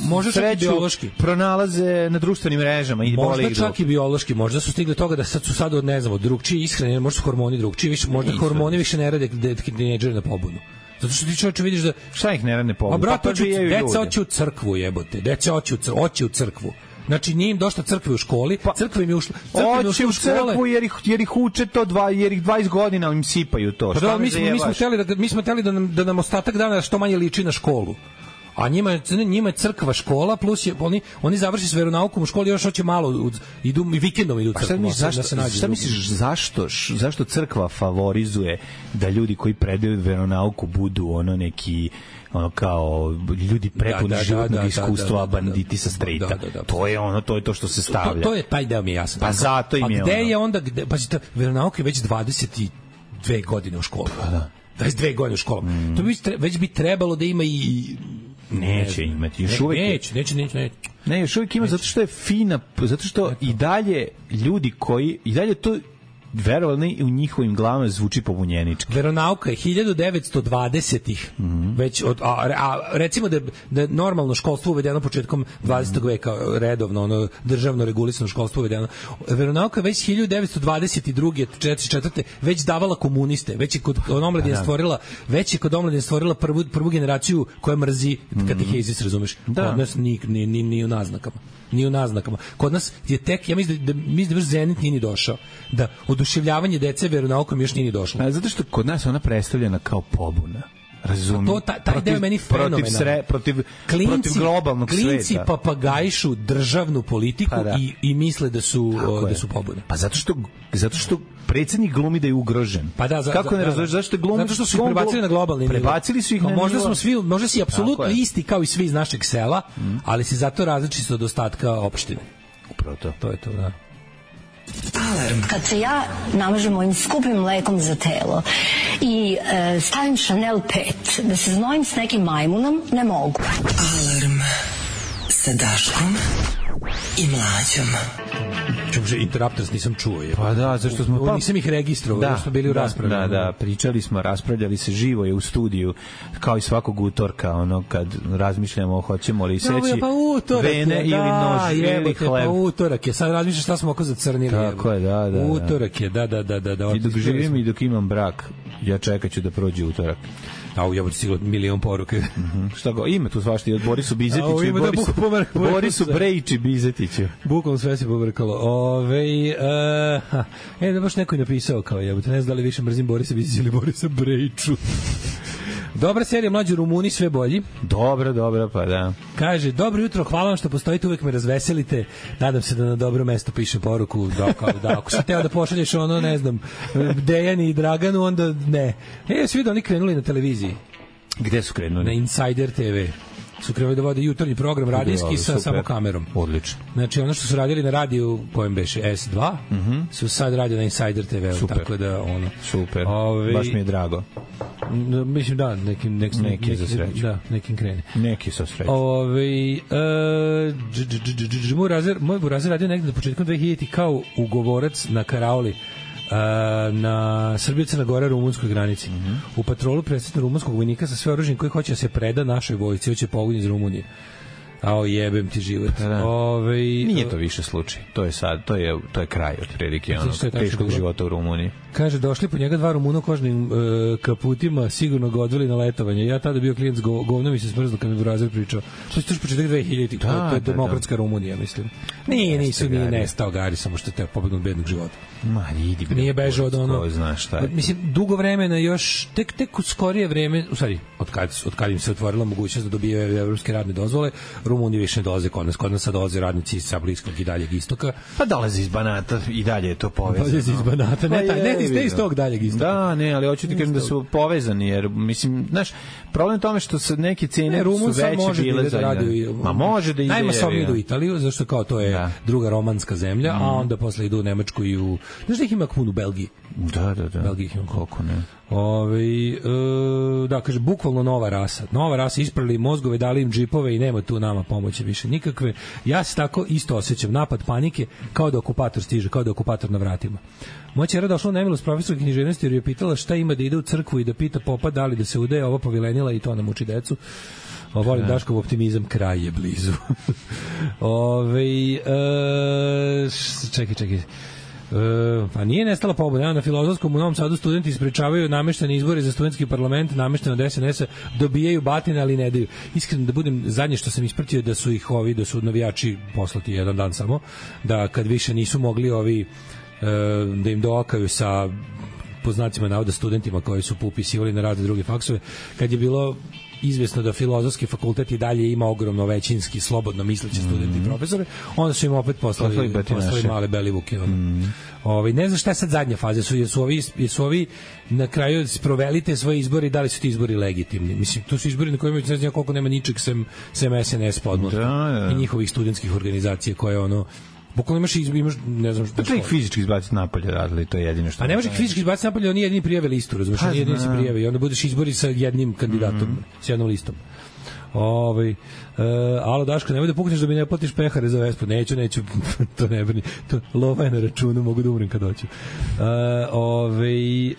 možda čak i biološki pronalaze na društvenim mrežama i možda čak drugi. I biološki, možda su stigli toga da sad su sad od ne znam, od drugčije ishrane, možda su hormoni drugčiji, više možda Nisu. hormoni više ne rade tinejdžeri na pobunu. Zato što ti čovječe vidiš da šta ih ne rade pobunu. A brate, deca hoće u crkvu, jebote. Deca hoće u crkvu, hoće u crkvu. Znači nije im došla crkve u školi, pa, crkva im je ušla, crkva im ušla u crkvu jer ih, jer ih uče to dva, jer ih dvadeset godina im sipaju to. Pa da, mi smo, mi smo hteli da, mi smo hteli da nam, da nam ostatak dana što manje liči na školu. A njima je, njima je crkva škola, plus je, oni, oni završi s veronaukom u školi, još hoće malo, idu i vikendom idu u crkvu. Misliš, zašto, da se nađe šta misliš, zašto, zašto crkva favorizuje da ljudi koji predaju veronauku budu ono neki ono kao ljudi prepuni da, da, životnog da, da, iskustva, da, da, da, banditi sa strejta. Da, da, da, to je ono, to je to što se stavlja. To, to je taj deo mi je jasan. Pa zato im je ono. A gde je onda, gde, pa veronauka je već dvadeset dve godine u školi. Pa da. dvadeset dve godine u školi. Mm. To bi već bi trebalo da ima i neće ne, imati. Još ne, uvek neće, neće, neće, neće. Ne, još uvijek ima neće. Zato što je fina, zato što i dalje ljudi koji, i dalje to verovali u njihovim glavama zvuči pobunjenički. Veronauka je hiljadu devetsto dvadesetih mm -hmm. već od, a, a recimo da da normalno školstvo uvedeno početkom dvadesetog mm -hmm. veka, redovno ono državno regulisano školstvo uvedeno. Veronauka već hiljadu devetsto dvadeset druge četrdeset četvrte već davala komuniste, već je kod omladine stvorila, već je kod omladine stvorila prvu prvu generaciju koja mrzi katehezis, razumeš? Da. Kod nas ni ni ni, ni u naznakama. Ni u naznakama. Kod nas je tek, ja mislim da, da, mislim da Zenit nije ni došao. Da oduševljavanje dece veronaukom još nije ni došlo. A zato što kod nas ona predstavljena kao pobuna. Razumem. To, taj, taj protiv, deo meni fenomenalno. Protiv, sre, protiv, klinci, protiv globalnog klinci sveta. Klinci papagajšu državnu politiku pa da. i, i misle da su, o, da su pobune. Pa zato što, zato što predsjednik glumi da je ugrožen. Pa da, za, kako za, ne razumeš zašto je glumi? Zato što su ih prebacili na globalni nivo. Prebacili su ih na možda nivo. smo svi, možda si apsolutno isti kao i svi iz našeg sela, mm. ali si zato različit od ostatka opštine. Upravo to. To je to, da. Alarm. Kad se ja namažem mojim skupim mlekom za telo i e, stavim Chanel pet, da se znojim s nekim majmunom, ne mogu. Alarm sa Daškom i Mlađom. Čuže, Interrupters nisam čuo. Je. Pa da, zašto smo... Pa, nisam ih registrovao, da, smo bili u da, raspravi. Da, da, pričali smo, raspravljali se, živo je u studiju, kao i svakog utorka, ono, kad razmišljamo, hoćemo li seći no, pa vene je, ili da, nož ili hleb. Pa utorak je, sad razmišljaš šta smo oko zacrnili. Tako je, da, da. Utorak je, da, da, da. da, da I dok živim i dok imam brak, ja čekat ću da prođe utorak. A u jebote sigurno milion poruke. Mhm. Šta go, ima tu svašta i od Borisu Bizetiću i Borisu, da Borisu Brejići Bizetiću. Bukvalno sve se pobrkalo. Ove, uh, e, da baš neko je napisao kao jebote, ne znam da li više mrzim Borisa Bizetića ili Borisa Brejiću. Dobra serija, Mlađi Rumuni, sve bolji. Dobra, dobra, pa da. Kaže, dobro jutro, hvala vam što postojite, uvek me razveselite. Nadam se da na dobro mesto piše poruku. Da, kao, da, ako si teo da pošalješ ono, ne znam, Dejani i Draganu, onda ne. E, svi da oni krenuli na televiziji. Gde su krenuli? Na Insider te ve. Su krenuli da vode jutarnji program radijski sa samo kamerom. Odlično. Znači, ono što su radili na radiju, kojem beše es dva, mm -hmm. su sad radio na Insider te ve. Super. Tako da, ono... Super, ove, baš mi je drago. No, mislim, da, nekim, nekim, neki, neki, za sreću. Da, nekim krene. Neki sa sreću. Ove, uh, moj Burazer, moj Burazer radio negde do početkom dve hiljadite kao ugovorac na Karaoli, Uh, na Srbija-Crna Gora rumunskoj granici. Mm -hmm. U patrolu predstavlja rumunskog vojnika sa sve oružjem koji hoće da se preda našoj vojsci, hoće pogon iz Rumunije. Ao jebem ti život. Da. Ove, nije to više slučaj. To je sad, to je to je kraj otprilike onog teškog života u Rumuniji. Kaže, došli po njega dva Rumuna u kožnim e, kaputima, sigurno ga odveli na letovanje. Ja tada bio klijent s go, govnom i se smrzlo kad mi Burazer pričao. To je još početak dve hiljadite. Da, to je da, demokratska da. Rumunija, mislim. Nije, nisu, nije nestao Gari, samo što te pobegnu od bednog života. Ma, idi bre. Nije bežao od ono. Ko zna šta je. Mislim, dugo vremena još, tek, tek u skorije vreme, u stvari, od kad, od kad im se otvorila mogućnost da dobijaju evropske radne dozvole, Rumuni više ne dolaze kod nas. Kod nas sad dolaze radnici sa Bliskog i daljeg istoka. Pa dolaze iz Banata i dalje je to povezano. Dolaze iz Banata, ne, taj, ne, ne iz tog daljeg istoka. Da, ne, ali hoću ti kažem da su povezani, jer, mislim, znaš, problem tome što se neke cene ne, su veće bile za... Da ma može da ide... Najmasovnije idu u Italiju, zašto kao to je da. druga romanska zemlja, mm. a onda posle idu u Nemačku i u... Znaš da ih ima kmun u Belgiji? Da, da, da. Belgiji ih ima koliko ne. Ove, e, da, kaže, bukvalno nova rasa. Nova rasa, isprali mozgove, dali im džipove i nema tu nama pomoći više nikakve. Ja se tako isto osjećam. Napad panike, kao da okupator stiže, kao da okupator na vratima. Moja ćera došla u nemilost profesora književnosti jer je pitala šta ima da ide u crkvu i da pita popa da li da se udaje, ovo povilenila i to nam uči decu. O, volim Daškov optimizam, kraj je blizu. Ove, e, čekaj, čekaj. Uh, pa nije nestala pobuna. Na Filozofskom u Novom Sadu studenti isprečavaju nameštene izbore za studentski parlament, namešteno od es en es-a, dobijaju batine, ali ne daju. Iskreno da budem, zadnje što sam ispratio da su ih ovi, da su navijači poslati jedan dan samo, da kad više nisu mogli ovi uh, da im dookaju sa poznacima navoda studentima koji su upisivali na razne druge faksove, kad je bilo izvesno da filozofski fakultet i dalje ima ogromno većinski slobodno misleće studenti i profesore, onda su im opet poslali, poslali male belivuke. Mm. Ovaj, ne znam šta je sad zadnja faza, su, jesu, ovi, jesu ovi na kraju provelite svoje izbori, da li su ti izbori legitimni. Mislim, to su izbori na kojima ne znam koliko nema ničeg sem, sem es en es podmlatka da, da. i njihovih studentskih organizacija koje ono bukvalno imaš, imaš ne znam šta. Pa ih fizički izbaciti napolje radili, to je jedino što. A ne može ih fizički izbaciti napolje, oni jedini prijave listu, razumiješ, oni jedini se prijave i onda budeš izbori sa jednim kandidatom, mm. s jednom listom. Ovaj uh, alo Daško, nemoj da pukneš da mi ne platiš pehare za Vespu. Neću, neću, to ne brini. To lova je na računu, mogu da umrem kad hoću. Uh, ovaj uh,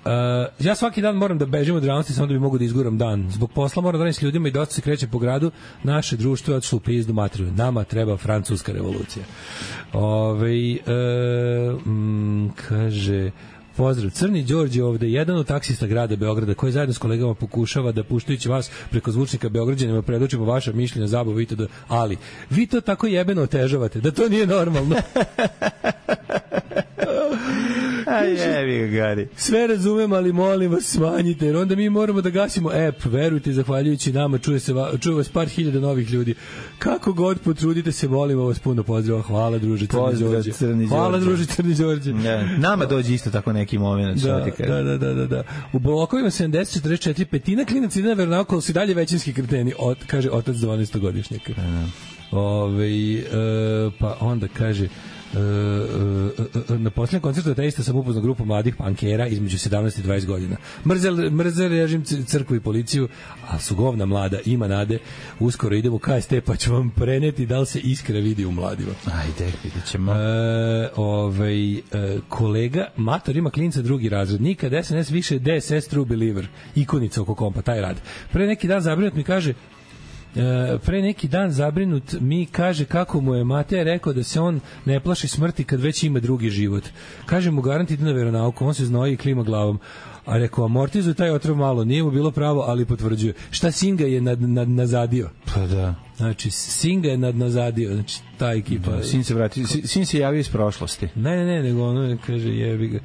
Uh, ja svaki dan moram da bežim od realnosti samo da bi mogu da izguram dan. Zbog posla moram da radim s ljudima i dosta se kreće po gradu. Naše društvo je otišlo u pizdu materiju. Nama treba francuska revolucija. Ove, uh, mm, kaže... Pozdrav, Crni Đorđe ovde, jedan od taksista grada Beograda koji zajedno s kolegama pokušava da puštajući vas preko zvučnika Beograđanima predočimo vaša mišljenja, zabavu, itd. Ali, vi to tako jebeno otežavate, da to nije normalno. jebi ga, Gari. Sve razumem, ali molim vas smanjite, jer onda mi moramo da gasimo app. Verujte, zahvaljujući nama čuje, se, čuje vas par hiljada novih ljudi. Kako god potrudite se, molimo vas puno pozdrava. Hvala, druže Crni Đorđe. Hvala, druže Crni Đorđe. Ne, nama dođe isto tako neki moment. Da, da, da, da, da, da. U blokovima sedamdeset četrdeset četiri petina klinaca ide na veronauk, ali su dalje većinski kreteni, od, kaže otac dvanaestogodišnjaka. Ove, e, pa onda kaže e, e, na posljednjem koncertu ateista sam upoznao grupu mladih pankera između sedamnaest i dvadeset godina. Mrze, mrze režim crkvu i policiju, a su govna mlada, ima nade. Uskoro idemo u K S T pa ću vam preneti da li se iskra vidi u mladima. Ajde, vidit ćemo. E, ovaj, e, kolega Mator ima klinca drugi razred. Nikad S N S više D S S True Believer. Ikonica oko kompa, taj rad. Pre neki dan zabrinut mi kaže E, pre neki dan zabrinut mi kaže kako mu je Mateja rekao da se on ne plaši smrti kad već ima drugi život. Kaže mu garant ide na veronauku, on se znoji i klima glavom. A rekao, amortizuj taj otrov malo, nije mu bilo pravo, ali potvrđuje. Šta Singa je nad, nad, nazadio? Pa da. Znači, Singa je nad, nazadio, znači, ta ekipa. Da, sin se vrati, sin se javio iz prošlosti. Ne, ne, ne, nego ono kaže, jebi ga.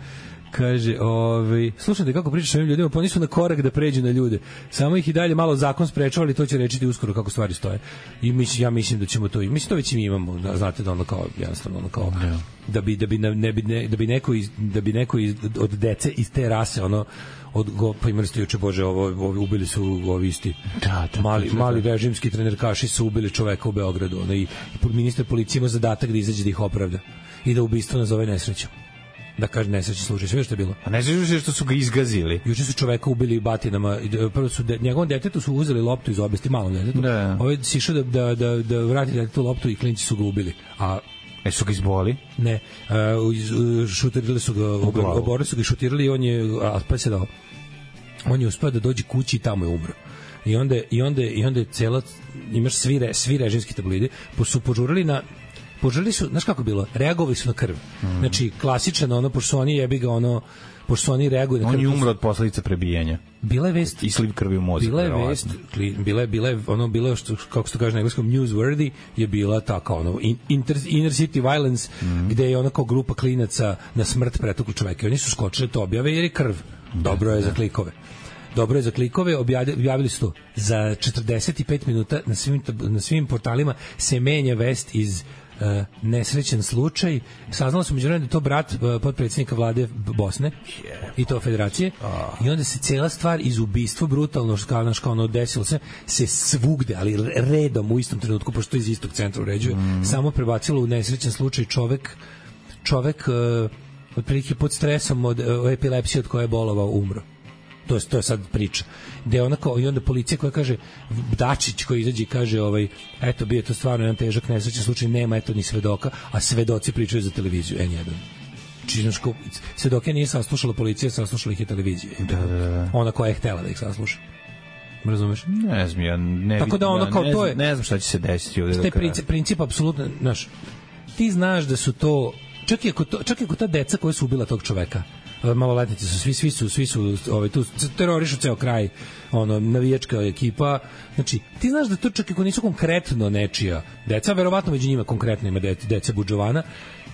Kaže, ovaj, slušajte kako pričaš o ovim ljudima, pa oni su na korak da pređu na ljude. Samo ih i dalje malo zakon sprečava, ali to će rečiti uskoro kako stvari stoje. I mislim, ja mislim da ćemo to i mislim to već i mi imamo, da, znate da ono kao jednostavno ono kao yeah. da bi da bi ne bi ne, da bi neko iz, da bi neko iz, od dece iz te rase ono od go, pa imali ste juče bože ovo, ovo ubili su ovi isti da, da, mali da, da. mali režimski trenerkaši su ubili čoveka u Beogradu, ono, i ministar policije ima zadatak da izađe da ih opravda i da ubistvo nazove nesrećom. Da kaže nesrećni slučaj, sve što je bilo. A ne znaš što su ga izgazili. Juče su čoveka ubili batinama, prvo su de, njegovom detetu su uzeli loptu iz obesti, malom detetu. Da. Ovaj si išao da, da, da, da vrati detetu loptu i klinci su ga ubili. A E su ga izboli? Ne, uh, šutirali su ga, oborili su ga i šutirali i on je, a pa se dao, on je uspeo da dođe kući i tamo je umro. I onda, i onda, i onda je cela, imaš svi, re, svi režimski tabloidi, pa su požurali na požurili su, znaš kako je bilo, reagovali su na krv. Mm. Znači, klasičan ono, pošto su oni jebi ga ono, pošto su oni reaguju na krv. On je umro od posledica prebijanja. Bila je vest. I sliv krvi u mozak. Bila je vest, bila je, bila je, ono, bilo je, što, kako se to kaže na engleskom, newsworthy, je bila taka, ono, inter, inner city violence, mm. gde je ona kao grupa klinaca na smrt pretukli čoveka. Oni su skočili to objave jer je krv. Dobro je da. Za klikove. Dobro je za klikove, objavili su to. Za četrdeset pet minuta na svim, na svim portalima se menja vest iz Uh, nesrećan slučaj. Saznalo se međunarodno da je to brat uh, potpredsjednika vlade Bosne yeah. i to federacije oh. i onda se cela stvar iz ubistva brutalno kao naš kao ono desilo se se svugde, ali redom u istom trenutku, pošto iz istog centra uređuje, mm. samo prebacilo u nesrećan slučaj čovek čovek uh, otprilike pod stresom od uh, epilepsije od koje je bolovao umro. To je, to je sad priča. Gde ona kao, i onda policija koja kaže, Dačić koji izađe i kaže, ovaj, eto, bio je to stvarno jedan težak nesrećan slučaj, nema eto ni svedoka, a svedoci pričaju za televiziju N jedan. Činaško, svedoke nije saslušala policija, saslušala ih je televizija. Da, da, da. Ona koja je htela da ih sasluša. Razumeš? Ne znam, ja ne, tako da ono, ja, kao, ne, to je, ne znam šta će se desiti ovde. Taj princip, princip apsolutno, znaš, ti znaš da su to, čak i ako, to, čak i ako ta deca koja su ubila tog čoveka, maloletnici su, svi, svi su, svi su ovaj, tu terorišu ceo kraj, ono, navijačka ekipa, znači, ti znaš da to čak ako nisu konkretno nečija deca, verovatno među njima konkretno ima deca, deca Budžovana,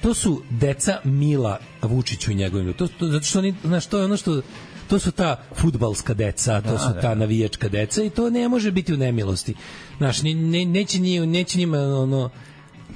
to su deca Mila Vučiću i njegovim, to, to, zato što oni, znaš, to je ono što, to su ta fudbalska deca, to su ta navijačka deca i to ne može biti u nemilosti, znaš, ne, ne, neće, njima, neće njima, ono,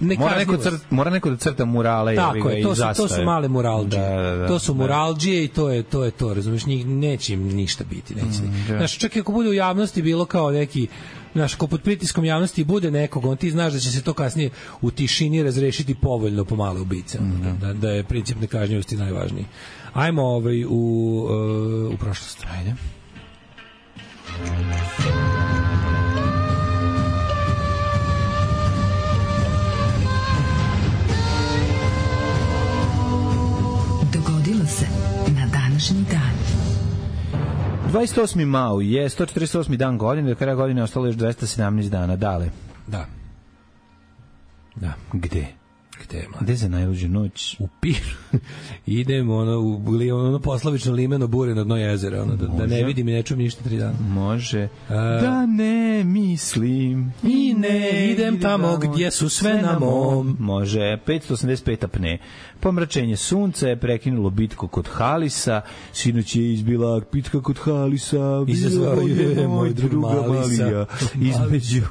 Ne mora, neko crt, mora neko da crta murale tako je, to su, to su male muralđije da, da, da, to su muralđije i to je to, je to razumiješ, neće im ništa biti neće. Mm, da. Znaš, čak i ako bude u javnosti bilo kao neki, znaš, ko pod pritiskom javnosti bude nekog, on ti znaš da će se to kasnije u tišini razrešiti povoljno po male ubice, mm, da, da je princip nekažnjivosti najvažniji. Ajmo ovaj, u, uh, u prošlost. Ajde. Se na današnji dan. dvadeset osmi maj je sto četrdeset osmi dan godine, do kraja godine ostalo još dvesta sedamnaest dana. Dale. Da. Da. Gde? uvek tema. Gde za najluđu noć? U Piru. Idemo ono, u ono poslovično limeno bure na dno jezera, ono, da, da ne vidim i ne čujem ništa tri dana. Može. A, da ne mislim i ne idem tamo gdje su sve na mom. Može. petsto osamdeset pet apne. Pomračenje sunca je prekinulo bitku kod Halisa. Sinoć je izbila bitka kod Halisa. Izazvao je moj drug Malisa. Između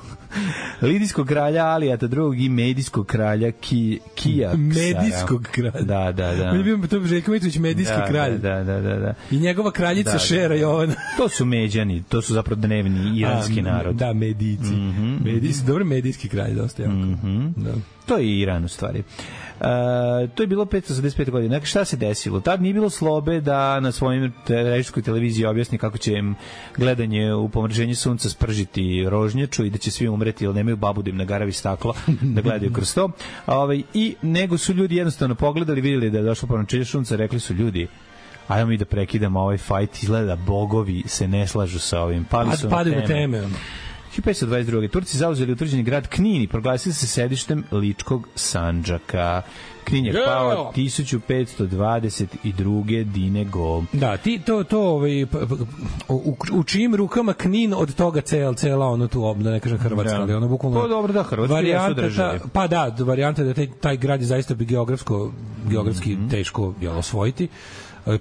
Lidijskog kralja Alijata drugog i Medijskog kralja Ki, Kijaksara. Medijskog kralja. Da, da, da. On je bio to Željko Mitrović, medijski da, kralj. Da, da, da, da. I njegova kraljica da, Šera da, da. Jovana. To su Međani, to su zapravo dnevni iranski A, narod. Da, Medijci. Mm -hmm. Medijski, dobro, medijski kralj, dosta jako. Mm -hmm. Da. To je Iran u stvari. Uh, to je bilo petsto osamdeset pete godine. Dakle, šta se desilo? Tad nije bilo Slobe da na svojim režijskoj televiziji objasni kako će im gledanje u pomraženju sunca spržiti rožnjaču i da će svi umreti jer nemaju babu da im nagaravi staklo da gledaju kroz to. Ovaj, I nego su ljudi jednostavno pogledali, vidjeli da je došlo pomraženje sunca, rekli su ljudi, ajmo mi da prekidamo ovaj fajt, izgleda bogovi se ne slažu sa ovim. Pali su Pade na teme. hiljadu petsto dvadeset druge. Turci zauzeli utvrđeni grad Knin i proglasili se sedištem Ličkog Sandžaka. Knin je pao hiljadu petsto dvadeset druge Dinego. Da, ti to to ovaj u, u čijim rukama Knin od toga cel cela ono tu obna, ne kažem Hrvatska, ali ono bukvalno. Pa dobro da Hrvatska jesu države. Pa da, varijanta da taj taj grad je zaista bi geografsko geografski mm -hmm. teško je osvojiti.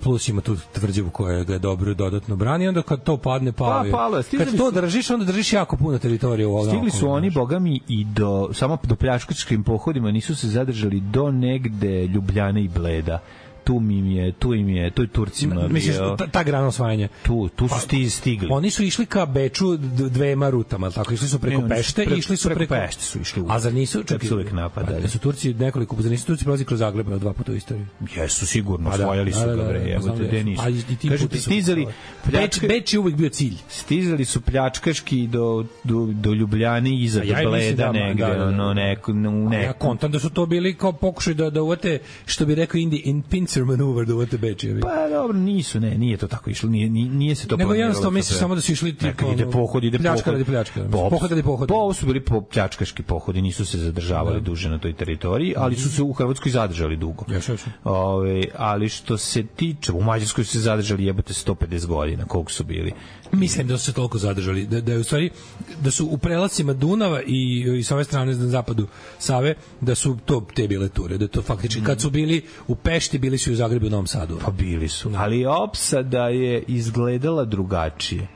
Plus ima tu tvrđavu koja ga je dobro dodatno brani, onda kad to padne pao. Pa, palo, kad to držiš, onda držiš jako puno teritorije u ovom. Stigli su oni, bogami, i do, samo do pljačkačkim pohodima nisu se zadržali do negde Ljubljane i Bleda. Tu im je, tu im je, to je Turcima. Misliš, ta, ta grana osvajanja? Tu, tu su sti, stigli. Oni su išli ka Beču dvema rutama, tako išli su preko ne, Pešte i išli su preko, preko Pešte su išli. A zar nisu, čak su uvek napadali. Da su Turci nekoliko, zar nisu Turci prolazi kroz Zagreb dva puta u istoriji? Jesu sigurno, osvajali su ga bre, evo te gde nisu. Kažu ti stizali, Beč, Beč je uvek bio cilj. Stizali su pljačkaški do do do Ljubljane i iza do Bleda negde, ono neko u neko. Ja kontam da su to bili kao pokušaj da da uvate, što bi rekao Indi, in pincer maneuver da uvate Beč. Pa dobro, nisu, ne, nije to tako išlo, nije nije se to planiralo. Nego jednostavno misliš samo da su išli tipa ide pohod, ide pljačka radi pljačka. Pohod radi pohod. Pa ovo su bili po pljačkaški pohodi, nisu se zadržavali duže na toj teritoriji, ali su se u Hrvatskoj zadržali dugo. Ove, ali što se tiče, u Mađarskoj su se zadržali jebote sto pedeset godina, koliko su bili. Mislim da su se toliko zadržali, da, da je u stvari, da su u prelacima Dunava i, i sa ove strane na zapadu Save, da su to te bile ture, da to faktički, mm. kad su bili u Pešti, bili su i u Zagrebu i u Novom Sadu. Pa bili su, no. Ali opsada je izgledala drugačije.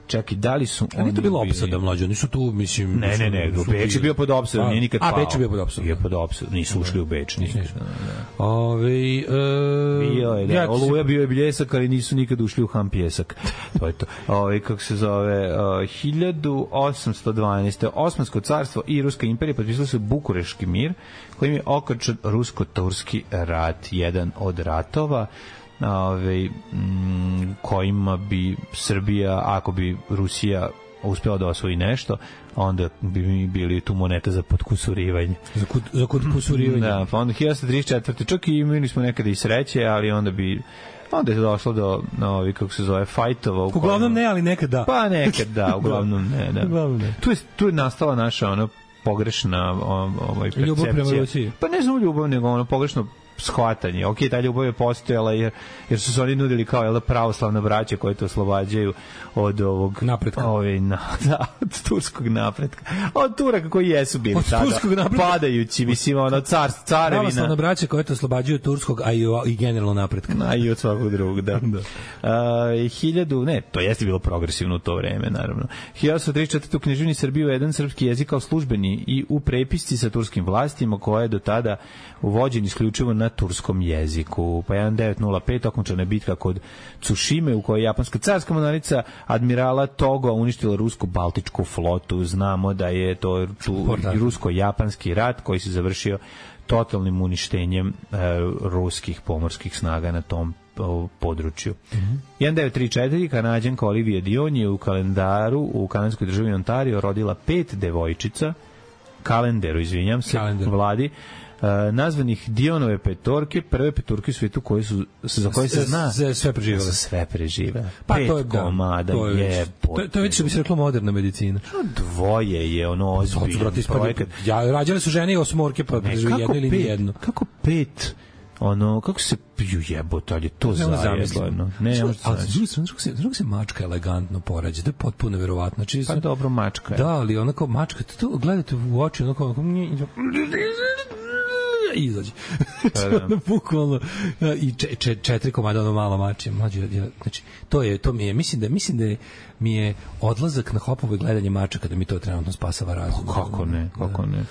Čak i da li su oni... Nije to bilo opsada, mlađe, oni su tu, mislim... Ne, ne, ne, u Beč je bio pod opsadom, nije nikad pao. A, Beč je bio pod opsadom. Bio pod opsadom, nisu ušli u Beč. Nisu. Ove, e, bio je, da, Oluja bio je bljesak, ali nisu nikad ušli u ham pjesak. To je to. Ove, kako se zove, hiljadu osamsto dvanaeste. Osmansko carstvo i Ruska imperija potpisali su Bukureški mir, kojim je okončan rusko-turski rat, jedan od ratova Ove, m, kojima bi Srbija, ako bi Rusija uspela da osvoji nešto, onda bi mi bili tu moneta za podkusurivanje. Za, kud, za podkusurivanje. Da, pa onda hiljadu trideset četvrte čak i imali smo nekada i sreće, ali onda bi onda je došlo do, no, kako se zove, fajtova. Uglavnom ne, ali nekad da. Pa nekad da, uglavnom ne. Da. Uglavnom ne. Tu je, tu je nastala naša ono pogrešna ovaj, percepcija. Ljubav prema Rusiji. Pa ne znam ljubav, nego ono pogrešno shvatanje. Ok, ta ljubav je postojala jer, jer su se oni nudili kao jel, pravoslavna braća koje to oslobađaju od ovog napretka. Ovaj, na, da, od turskog napretka. Od Turaka koji jesu bili od tada padajući, mislim, ono, car, carevina. Pravoslavna braća koje to oslobađaju turskog, a i, i generalno napretka. A i od svakog drugog, da. da. Uh, hiljadu, ne, to jeste bilo progresivno u to vreme, naravno. hiljadu trideset četvrte u književni Srbiji uveden srpski jezik kao službeni i u prepisci sa turskim vlastima koja je do tada uvođen isključivo na turskom jeziku. Pa hiljadu devetsto pete okončana je bitka kod Tsushime u kojoj je japanska carska mornarica admirala Togo uništila rusku baltičku flotu. Znamo da je to tu rusko-japanski rat koji se završio totalnim uništenjem e, ruskih pomorskih snaga na tom o, području. Mm-hmm. hiljadu devetsto trideset četvrte Kanadjanka Olivia Dion je u kalendaru u kanadskoj državi Ontario rodila pet devojčica, kalenderu, izvinjam se, Kalendar. vladi, nazvanih Dionove petorke, prve petorke u svijetu koje su, za koje se zna sve, sve preživele. Sve preživele. Pa Pet to je, komada to je, je to, to je već što bi se reklo moderna medicina. Dvoje je ono ozbiljno projekat. Ja, rađale su žene i osmorke, pa preživi jedno ili nijedno. Kako pet? Ono, kako se piju jebote, ali je to zajedno. Ne, ne može ali s druge strane, se, druge se mačka elegantno porađa, da je potpuno verovatno. Znači, pa dobro, mačka je. Da, ali onako, mačka, to gledate u oči, onako, onako, izađe. Ono, bukvalno, i če, če, četiri komada, ono malo mače. Mlađe, ja, znači, to je, to mi je, mislim da, mislim da je, mi je odlazak na Hopovo i gledanje mačaka da mi to trenutno spasava razum. Kako ne, kako ne.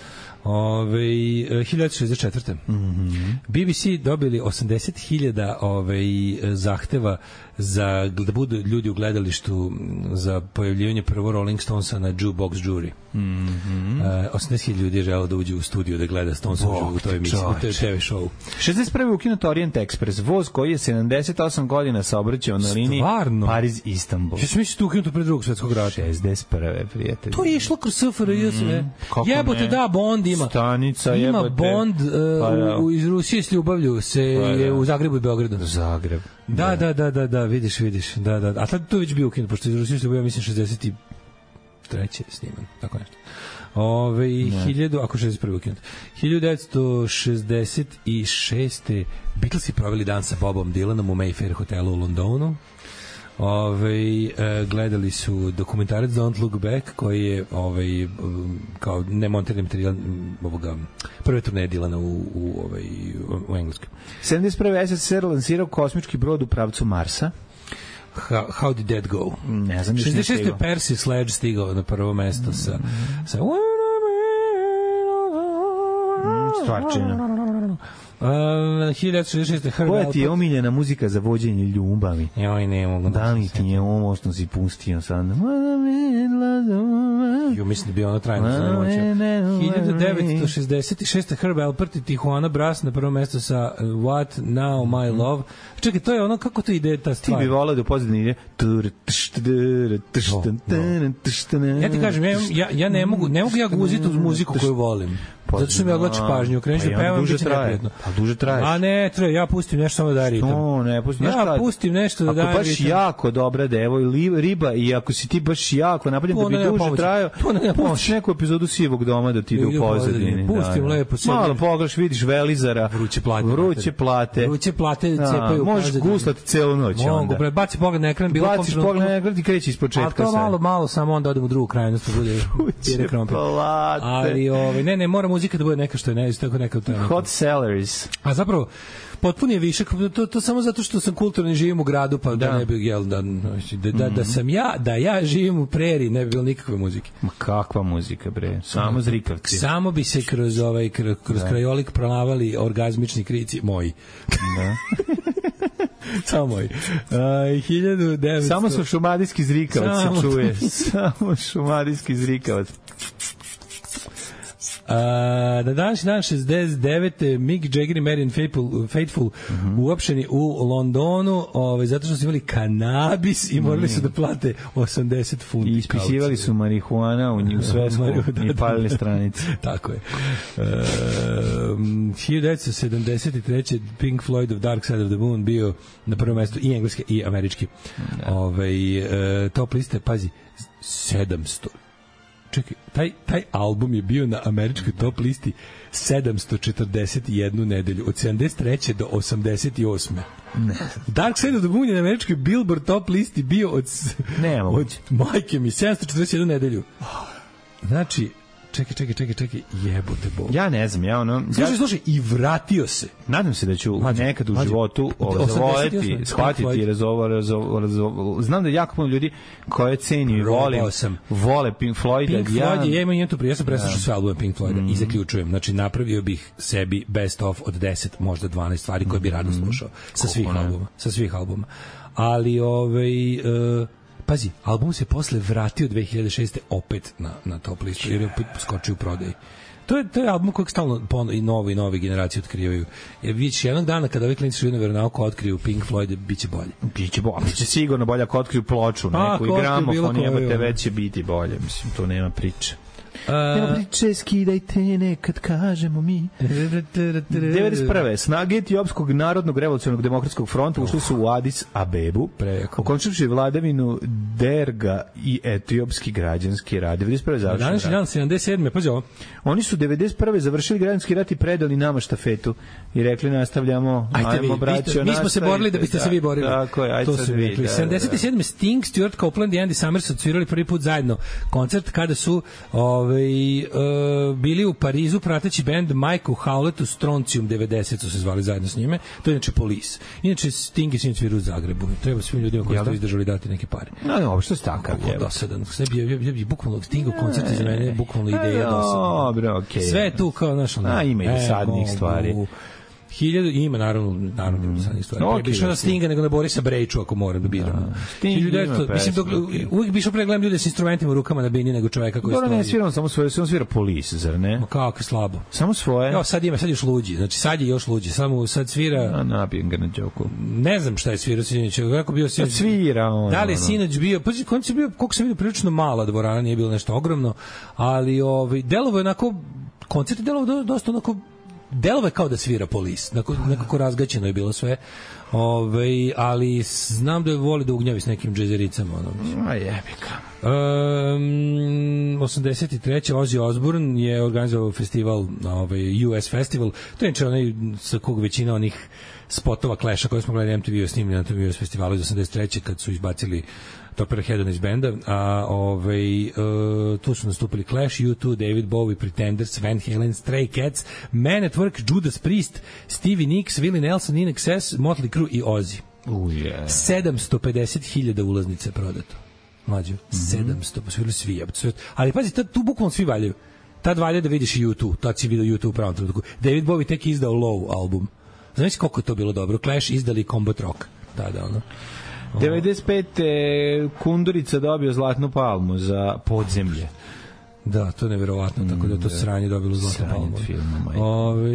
Ove, hiljadu devetsto šezdeset četvrte. Mm-hmm. B B C dobili osamdeset hiljada ovaj, zahteva za, da budu ljudi u gledalištu za pojavljivanje prvo Rolling Stonesa na Jukebox Jury. Mm-hmm. Uh, osamdeset hiljada ljudi je želeo da uđe u studio da gleda Stonesa u toj emisiji, u toj te ve show. šezdeset prve ukinut Orient Express, voz koji je sedamdeset osam godina saobraćao na liniji Pariz-Istanbul. Ja sam mislio da ukinuto pre drugog svetskog rata. šezdeset prve prijatelji. To je išlo kroz S F R J sve. Mm, jebote, da, Bond ima. Stanica, ima jebote. Bond uh, pa, da. u, iz Rusije s ljubavlju se pa, je u Zagrebu i Beogradu. Zagreb. Da, da, da, da, da, vidiš, vidiš. Da, da. A tad to već bio ukinut, pošto iz Rusije s ljubavlju, mislim, šezdeset treće sniman, tako nešto. Ove, hiljadu, ako šezdeset prve ukinut. hiljadu devetsto šezdeset šeste Beatlesi proveli dan sa Bobom Dylanom u Mayfair hotelu u Londonu. Ove, e, gledali su dokumentarac Don't Look Back koji je ovaj, kao nemontirani materijal ovoga, prve turneje Dylana u, u, ovaj, u Engleskoj. sedamdeset prve S S S R lansirao kosmički brod u pravcu Marsa. How, how did that go? Ne znam. šezdeset šeste Percy Sledge stigao na prvo mesto mm. sa, sa mm, stvarčina. Uh, hiljadu devetsto šezdeset šeste Koja ti je omiljena muzika za vođenje ljubavi? Joj, ne mogu da li ti je ovo što si pustio sad? Jo, mislim da bi ona trajno zanoćio. hiljadu devetsto šezdeset šeste Herb Alpert i Tijuana Brass na prvo mesto sa What Now My Love. Čekaj, to je ono, kako to ide ta stvar? Ti bi volao da u pozadini ide ja ti kažem, ja, ja, ja ne mogu ne mogu ja guziti uz muziku koju volim. Zato što mi odlači pažnju, kreneš da pevam, biće neprijatno. Pa duže traje. A ne, traje, ja pustim nešto samo da daje ritam. No, ne, pustim, ja pustim nešto da daje ritam. Ako baš jako dobra devo ili riba i ako si ti baš jako napravljen da bi duže trajao, pustiš neku epizodu Sivog doma da ti ide u pozadini. Pustim lepo sebi. Malo pogledaš, vidiš Velizara, vruće plate. Vruće plate. Vruće plate cepaju. Možeš guslati celu noć onda. Mogu, baci pogled na ekran, bilo baciš pogled na ekran i kreće ispočetka sve. A to malo, malo, samo onda odem u drugu krajnost, pa bude plate. Ali, ovaj, ne, ne, mora muzika da bude neka što je ne, tako neka to je neka. Hot sellers. A zapravo potpuni je višak, to, to samo zato što sam kulturni, živim u gradu, pa da, da ne bi jel, da, da, da, da sam ja, da ja živim u preriji, ne bi bilo nikakve muzike. Ma kakva muzika, bre? Samo zrikavci. Samo bi se kroz ovaj kroz, kroz da. krajolik prolavali orgazmični krici moji. Da. Samo moj. Uh, hiljadu devetsto Samo su šumadijski zrikavac se čuje. Samo šumadijski zrikavac. Uh, na današnji dan šezdeset devete Mick Jagger i Marian Faithful, Faithful uh-huh. uopšteni u Londonu, ovaj, zato što su imali kanabis i morali su da plate osamdeset funti. I ispisivali su marihuana u njih svesku i palili stranice. Tako je. Uh, hiljadu devetsto sedamdeset treće Pink Floyd of Dark Side of the Moon bio na prvom mestu i engleski i američki. Da. Ovaj, uh, top liste, pazi, sedamsto. Čekaj, taj, taj album je bio na američkoj top listi sedamsto četrdeset jednu nedelju, od sedamdeset treće do osamdeset osme Ne. Dark Side of the Moon je na američkoj Billboard top listi bio od, ne, od majke mi, sedamsto četrdeset jednu nedelju. Znači, čekaj, čekaj, čekaj, čekaj, jebote Bog. Ja ne znam, ja ono... Slušaj, ja... slušaj, i vratio se. Nadam se da ću mađu, nekad u mađu, životu zavoleti, shvatiti, razovo, razovo, razovo. Znam da je jako puno ljudi koje ceni i vole, vole Pink Floyd. Pink ja... Floyd je, ja imam jednu ja sam preslušao sve albume Pink Floyda mm. i zaključujem. Znači, napravio bih sebi best of od deset, možda dvanaest stvari koje bi rado slušao. Sa svih mm. albuma. Sa svih albuma. Ali, ovaj... Uh, pazi, album se posle vratio dve hiljade šeste opet na, na top listu, jer je opet skočio u prodaj. To je, to je album kojeg stalno pono, i novo i nove generacije otkrivaju. Jer vidiš, jednog dana kada ovi klinici šuju na veronauku otkriju Pink Floyd, bit će bolje. Biće bolje, biće sigurno bolje ako otkriju ploču, neku i gramofon, jebate, već će biti bolje. Mislim, to nema priče. Nema priče, skidajte nekad kažemo mi. devedeset prve Snage Etiopskog narodnog revolucionarnog demokratskog fronta ušli su u Adis Abebu, okončivši vladavinu Derga i Etiopski građanski rat. devedeset prve završen rat. Dan sedamdeset sedme pazi ovo. Oni su devedeset prve završili građanski rat i predali nama štafetu i rekli nastavljamo, ajmo braćo. Mi smo se borili da biste se vi borili. Tako je, ajde to su rekli. sedamdeset sedme Sting, Stuart Copeland i Andy Summers odsvirali prvi put zajedno koncert kada su ovaj uh, bili u Parizu prateći bend Michael Howlett Strontium devedeset su se zvali zajedno s njime. To je inače Police. Inače Sting je sinoć svirao u Zagrebu. Treba svim ljudima koji su to izdržali dati neke pare. No, no, što je takav je. Dosadan. Sve bi je, je, je bukvalno Stingo koncert za mene bukvalno ideja dosadan. Dobro, okej. Sve je tu kao naš ono. A ima i dosadnih stvari. Hiljadu, ima naravno, naravno ima dosadnih stvari. Okay, bi išao na Stinga nego na Borisa Brejču ako moram da biram. Mislim, dok, uvijek bi išao pregledam ljude s instrumentima u rukama na bini nego čoveka koji stoji. Dobro, ne svira on samo svoje, on svira Police, zar ne? Ma kako slabo. Samo svoje? Evo, sad ima, sad još luđi. Znači, sad je još luđi. Samo sad svira... A, nabijem ga na džoku. Ne znam šta je svirao sinoć. Kako bio sinoć? Svira on. Da li je sinoć bio... Pa, konc je bio, koliko sam vidio, prilično mala dvorana, nije bilo nešto ogromno, ali ovaj, delovo je onako... Koncert je delovo dosta onako... Delove kao da svira Police, nekako razgaćeno je bilo sve, Ove, ali znam da je voli da ugnjavi s nekim džezericama. Ono. A jebika. Um, osamdeset treće Ozzy Osbourne je organizovao festival, ovaj, U S Festival, to je neče onaj sa kog većina onih spotova Clash-a koje smo gledali M T V-u snimili na tom U S festivalu iz osamdeset treće kad su izbacili Topper Headon iz benda, a ovaj, uh, tu su nastupili Clash, U dva, David Bowie, Pretenders, Van Halen, Stray Cats, Man at Work, Judas Priest, Stevie Nicks, Willie Nelson, In Excess, Motley Crue i Ozzy. Uh, yeah. sedamsto pedeset hiljada ulaznica je prodato. Mlađo, mm-hmm. sedamsto, posvirali svi. Ali pazi, tad, tu bukvalno svi valjaju. Tad valja da vidiš i U dva, tad si vidio U dva u pravom trenutku. David Bowie tek izdao Low album. Znaš koliko je to bilo dobro? Clash izdali Combat Rock. Da, da, ono. devedeset pete Kundurica dobio Zlatnu palmu za Podzemlje. Da, to je neverovatno, tako da to sranje dobilo Zlatnu palmu. Ove,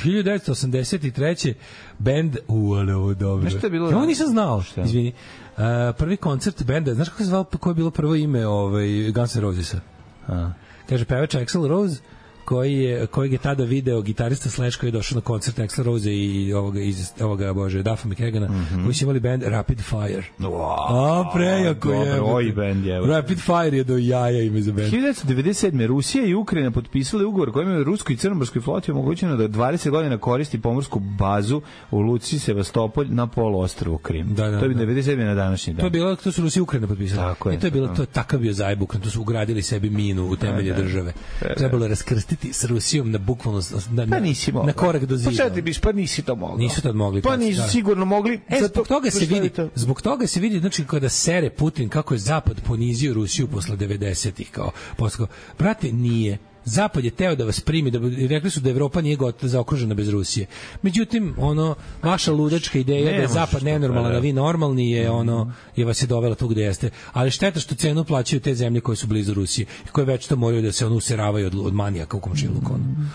hiljadu devetsto osamdeset treće bend, u, ali ovo dobro. Nešto je bilo... Ja nisam znao, šta? Izvini. Uh, prvi koncert benda, znaš kako se zvao, koje je bilo prvo ime ovaj, Guns N' Rosesa? A. Kaže, pevač Axl Rose, koji je, kojeg je tada video gitarista Slash koji je došao na koncert Axl Rose i ovoga, iz, ovoga bože, Duffa McKagana, mm-hmm. koji su imali band Rapid Fire. Wow. A, prejako je. Dobro, oj band je. Rapid Fire je do jaja ime za band. hiljadu devetsto devedeset sedme Rusija i Ukrajina potpisali ugovor kojim je ruskoj i crnomorskoj floti omogućeno da dvadeset godina koristi pomorsku bazu u luci Sevastopolj na poluostrvu Krim. Da, da, to je bilo devedeset sedme na današnji dan. To je bilo, to su Rusija i Ukrajina potpisali. Tako je. I to je bilo, to je takav bio zajebuk, to su ugradili sebi minu u temelje da, da. države. Trebalo raskrstiti s Rusijom na bukvalno na, na, pa na korak do zida. Pa šta ti biš, pa nisi to mogli. Nisu tad mogli. Pa nisu da. sigurno mogli. E, zbog toga se vidi, zbog toga se vidi, znači kada sere Putin kako je Zapad ponizio Rusiju posle devedesetih kao posle. Brate, nije. Zapad je teo da vas primi, da rekli su da Evropa nije gotova zaokružena bez Rusije. Međutim, ono vaša ludačka ideja ne da je Zapad nenormalan, da vi normalni je ono je vas je dovela tu gde jeste. Ali šteta što cenu plaćaju te zemlje koje su blizu Rusije i koje već to moraju da se ono useravaju od, od manijaka u komšiluku. Mm.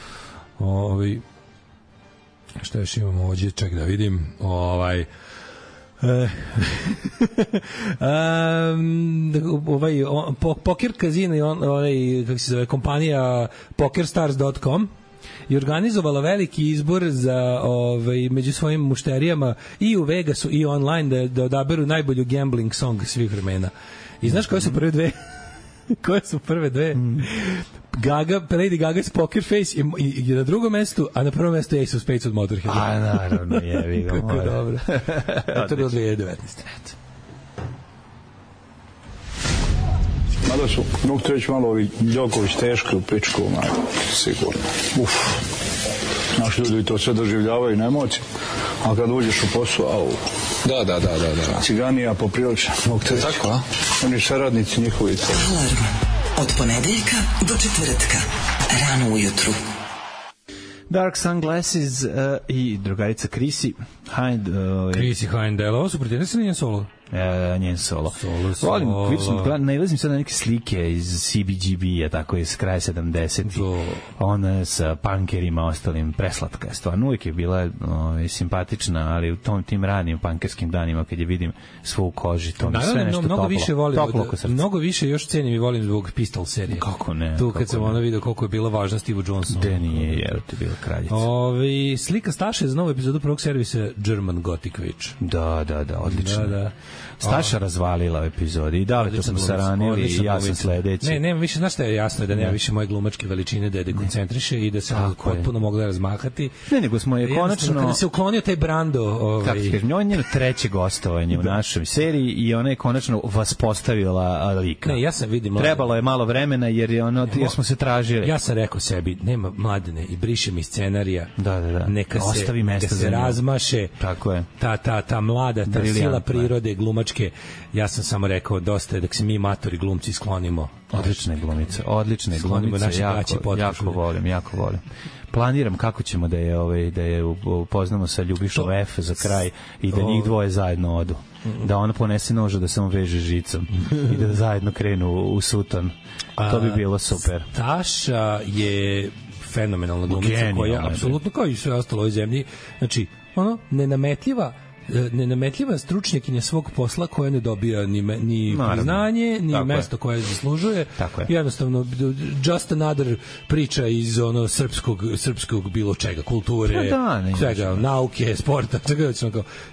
Ovi šta još imamo ovdje, ček da vidim. Ovaj um, ovaj on, po, Poker Casino i on, ovaj, kako se zove, kompanija pokerstars dot com je organizovala veliki izbor za ovaj, među svojim mušterijama i u Vegasu i online da, da odaberu najbolju gambling song svih vremena. I znaš koje su prve dve? Koje su prve dve? Mm. Gaga, Lady Gaga's Poker Face je, je na drugom mestu, a na prvom mestu je Ace of Spades od Motorhead. A, naravno, jevi ga. Kako dobro. To je bilo dve hiljade devetnaeste. Mada su, mogu te reći malo ovi Đoković teški u pičku, sigurno. Uf. Naši ljudi to sve doživljavaju na emociju, a kad uđeš u posao, au. Da, da, da, da, da. Ciganija poprilično, mogu te reći. Tako, a? Oni saradnici njihovi. Alarm. Od ponedeljka do četvrtka. Rano ujutru. Dark Sunglasses uh, i drugarica Chrissy Hind. Uh, Chrissy Hind, ovo su pretendenti na njen solo? E, njen solo. Solo, solo. Volim, vidim, nailazim sad na neke slike iz C B G B-a, tako iz kraja sedamdesetih. Ona sa punkerima, ostalim, preslatka je stvarno. Uvijek je bila o, simpatična, ali u tom tim ranim punkerskim danima, kad je vidim svu u koži, to mi naravno, sve nešto mnogo toplo. Više volim, toplo oko srca. Mnogo više još cenim i volim zbog Pistol serije. Kako ne? Tu kad sam ona vidio koliko je bila važna Steve Johnson. De nije, jer ti bila kraljica. Ove, slika Staše za novu epizodu prvog servisa German Gothic Witch. Da, da, da, odlično. Da, da. Staša razvalila u epizodi i da li to smo saranili i ja sam sledeći. Ne, nema više, znaš šta je jasno, da nema više moje glumačke veličine da je dekoncentriše i da se on potpuno mogla razmahati. Ne, nego smo je konačno... Kada se uklonio taj Brando... Ovaj... Kako ti kažem, on je njeno treće gostovanje u našoj seriji i ona je konačno vas postavila lika. Ne, ja sam vidim... Trebalo je malo vremena jer, je ono, jer smo se tražili. Ja sam rekao sebi, nema Mladene i briše mi scenarija. Da, da, da. Neka se, ostavi mesta neka se razmaše. Tako je. Ta, ta, ta mlada, ta sila prirode, glumačke. Ja sam samo rekao, dosta je da se mi matori glumci sklonimo. Odlične glumice, odlične glumice, jako, jako volim, jako volim. Planiram kako ćemo da je ovaj da je upoznamo sa Ljubišom F za kraj i da njih dvoje zajedno odu. Da ona ponese nož da se on veže žicom i da zajedno krenu u suton. To bi bilo super. Staša je fenomenalna glumica koja apsolutno kao i sve ostalo u ovoj zemlji, znači ono nenametljiva nenametljiva stručnjakinja svog posla koja ne dobija ni, ni priznanje, ni tako mesto je. Koje zaslužuje. Jednostavno, just another priča iz ono srpskog, srpskog bilo čega, kulture, da, ne, svega, nauke, sporta, čega,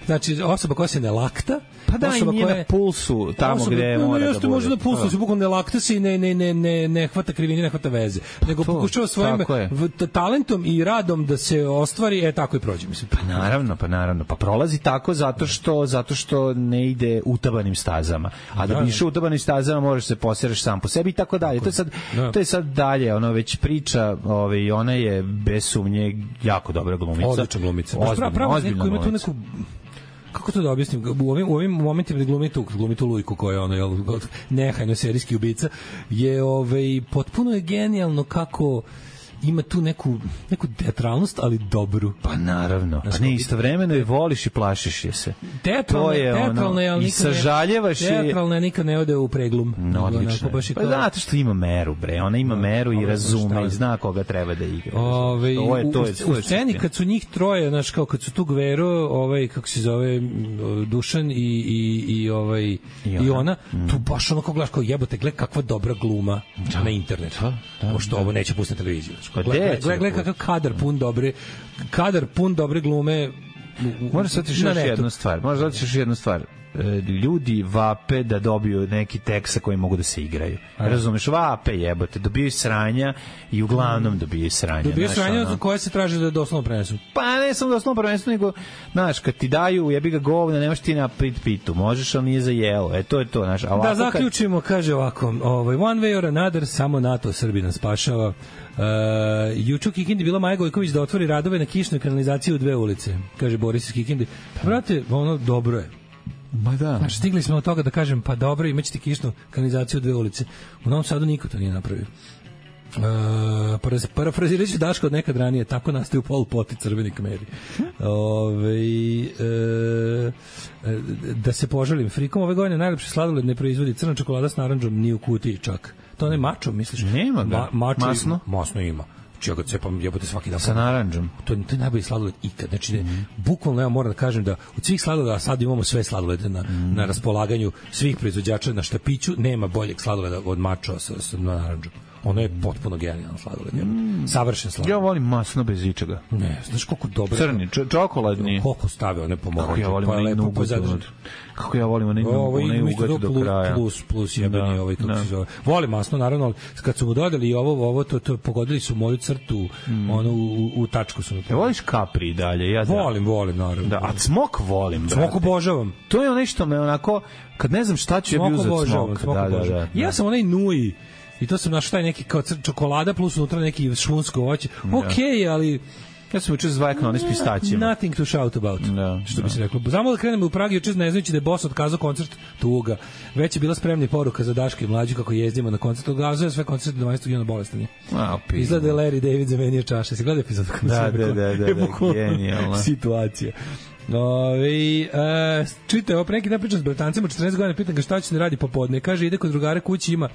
znači osoba koja se ne lakta, pa da, i nije na pulsu tamo osoba, gde mora no, da bude. Može na pulsu, se bukvalno ne lakta se i ne, ne, ne, ne, ne hvata krivine, ne hvata veze. Pa nego to, pokušava svojim talentom i radom da se ostvari, e tako i prođe, mislim. Pa naravno, pa naravno, pa prolazi tako zato što zato što ne ide utabanim stazama. A da bi išao utabanim stazama možeš se posereš sam po sebi i tako dalje. To je sad to je sad dalje, ono već priča, ovaj ona je bez sumnje jako dobra glumica. Odlična glumica. Ozbiljno, pravo neko ima tu neku kako to da objasnim, u ovim, u ovim momentima glumi tu, glumi tu Lujku koja je ono, jel, nehajno serijski ubica, je ovaj, potpuno je genijalno kako ima tu neku, neku teatralnost, ali dobru. Pa naravno. Pa ne, istovremeno i voliš i plašiš je se. Teatralna je, teatralna je, ali i sažaljevaš je. Teatralna je, nikad ne ode u preglum. No, odlično. Pa znate što ima meru, bre. Ona ima meru i razume i zna koga treba da igra. Ove, to je, to je, u, u sceni kad su njih troje, znaš, kao kad su tu Gvero, ovaj, kako se zove, Dušan i, i, i, ovaj, i ona, i ona mm. tu baš onako gledaš kao jebote, gled kakva dobra gluma da. Na internetu. Da, da, pošto da. Ovo neće pustiti na televiziju. Gledaj, gledaj kakav kadar pun dobre, kadar pun dobre glume. Možeš sad još jednu stvar. Možeš sad još jednu stvar. Ljudi vape da dobiju neki tekst sa kojim mogu da se igraju. Razumeš, vape jebote, dobiju sranja i uglavnom dobiju sranja. Dobiju sranja za koje se traži da doslovno prenesu. Pa ne samo doslovno prenesu, nego, znaš, kad ti daju, jebi ga govna, nemaš ti na pit pitu, možeš, ali nije za jelo. E, to je to, znaš. Da, zaključimo, kad... kaže ovako, ovaj, one way or another, samo NATO Srbi nas spašava. Uh, juče u Kikindi bila Maja Gojković da otvori radove na kišnoj kanalizaciji u dve ulice, kaže Boris iz Kikindi. Brate, ono dobro je. Ma da. Znači, stigli smo od toga da kažem, pa dobro, imaćete kišnu kanalizaciju u dve ulice. U Novom Sadu niko to nije napravio. Uh, parafrazirajući ću Daška od nekad ranije, tako nastaju Pol Pot i Crveni Kmeri. Ove, uh, da se požalim, frikom ove godine najlepši sladoled ne proizvodi crna čokolada s narandžom ni u kutiji čak. To ne mačo, misliš? Nema ga. Ma, mačo masno? Ima, masno ima. Čija ga cepam, jebote svaki dan. Sa narandžom. To, to je najbolji sladoled ikad. Znači, mm -hmm. bukvalno ja moram da kažem da od svih sladoleda, sad imamo sve sladolede na, mm. na raspolaganju svih proizvođača na štapiću, nema boljeg sladoleda od mačo sa, sa narandžom. Ono je potpuno genijalno sladoled. Mm. Savršen sladoled. Ja volim masno bez ičega. Ne, znaš koliko dobro. Crni, čokoladni. Koliko stavio, one pomoći. Kako ja volim onaj nugat. Kako ja volim onaj nugat do kraja. Plus, plus jebeni da, ovaj, kako da. Se zove. Volim masno, naravno, ali kad su mu dodali ovo, ovo, to, to pogodili su moju crtu, mm. ono, u, u tačku su. E, voliš kapri dalje? Ja volim, volim, naravno. Da, a cmok volim, brate. Cmok obožavam. To je ono što me onako, kad ne znam šta ću ja bi uzeti cmok. Da, da, da. Ja sam onaj nui. I to sam našao taj neki kao čokolada plus unutra neki šunsko voće. Okej, okay, ali ja sam učeo zvajkno one s pistaćima. Nothing to shout about. Da, što da. bi se reklo. Znamo da krenemo u Pragi juče ne znajući da je Boss otkazao koncert tuga. Već je bila spremna poruka za Daška i mlađu kako jezdimo na koncert. Otkazuje sve koncerte dvanaestog juna bolestan je. Izgleda je Larry David zamenio čaše. Se gleda epizod kako da, da, da, da, da, genijalno. Situacija. Ove, e, čite, ovo preki da pričam s bratancima, četrnaest godina, pitan ga šta će da radi popodne. Kaže, ide kod drugara kući, ima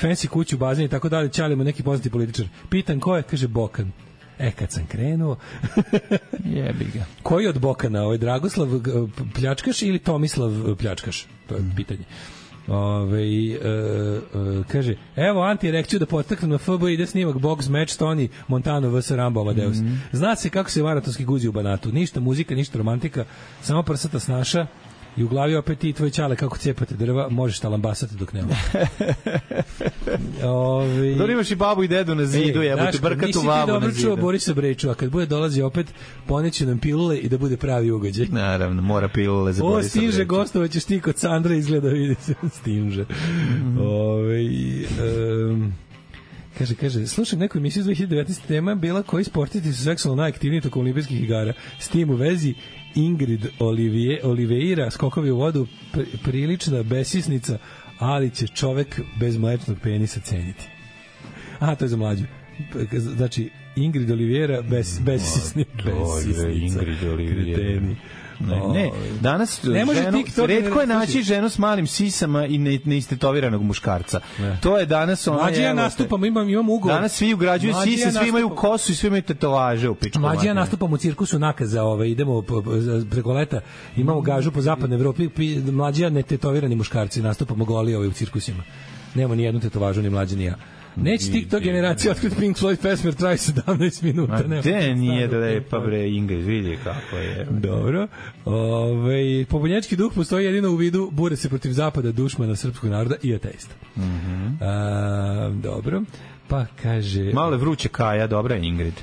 fancy kuću, bazen i tako dalje, ćalimo neki poznati političar. Pitan ko je, kaže Bokan. E, kad sam krenuo... Jebi ga. Koji od Bokana? Ovo je Dragoslav pljačkaš ili Tomislav pljačkaš? To je pitanje. Ove, e, e, kaže, evo anti-erekciju da potaknem na F B, ide snimak box match Tony Montano vs Rambo Amadeus. Mm -hmm. Zna se kako se maratonski guzi u Banatu. Ništa muzika, ništa romantika, samo prsata snaša i u glavi opet ti tvoje ćale kako cijepate drva, možeš talambasati dok nema. Ove... Dobro imaš i babu i dedu na zidu, jebote, brkatu babu na zidu. Nisi ti dobro čuo Borisa Breču, a kad bude dolazi opet, poneće nam pilule i da bude pravi ugođaj. Naravno, mora pilule za Borisa Breču. O, Stinže, gostovaćeš ti kod Sandra, izgleda, vidi se, Stinže. Mm -hmm. Ove, um, Kaže, kaže, slušam neku emisiju iz dve hiljade devetnaeste tema bila koji sportisti su seksualno najaktivniji tokom olimpijskih igara. S tim u vezi Ingrid Olivije, Oliveira, skokovi u vodu, pr prilična besisnica, ali će čovek bez mlečnog penisa ceniti. Aha, to je za mlađu. Znači, Ingrid Oliveira, bes, besisni, besisnica. Ingrid Oliveira. Ne, ne, danas ne ženu, retko je naći ženu s malim sisama i ne, neistetoviranog muškarca. Ne. To je danas ona. Mlađi ja nastupam, imam imam ugovor. Danas svi ugrađuju sise, ja svi imaju kosu i svi imaju tetovaže u pičku. Mlađi ja nastupam u cirkusu Nakaza, ovaj idemo po, po, preko leta, imamo gažu po zapadnoj Evropi, mlađi ja netetovirani muškarci nastupamo goli ovaj u cirkusima. Nema ni jednu tetovažu ni mlađi ni ja. Neće TikTok generacija otkriti Pink Floyd pesmer traje sedamnaest minuta. Ma te nije da lepa bre Ingrid, vidi kako je. Dobro. Ove, pobunječki duh postoji jedino u vidu bure se protiv zapada, dušmana srpskog naroda i ateista. Mm -hmm. A, dobro. Pa kaže... Malo vruće Kaja, dobra je Ingrid.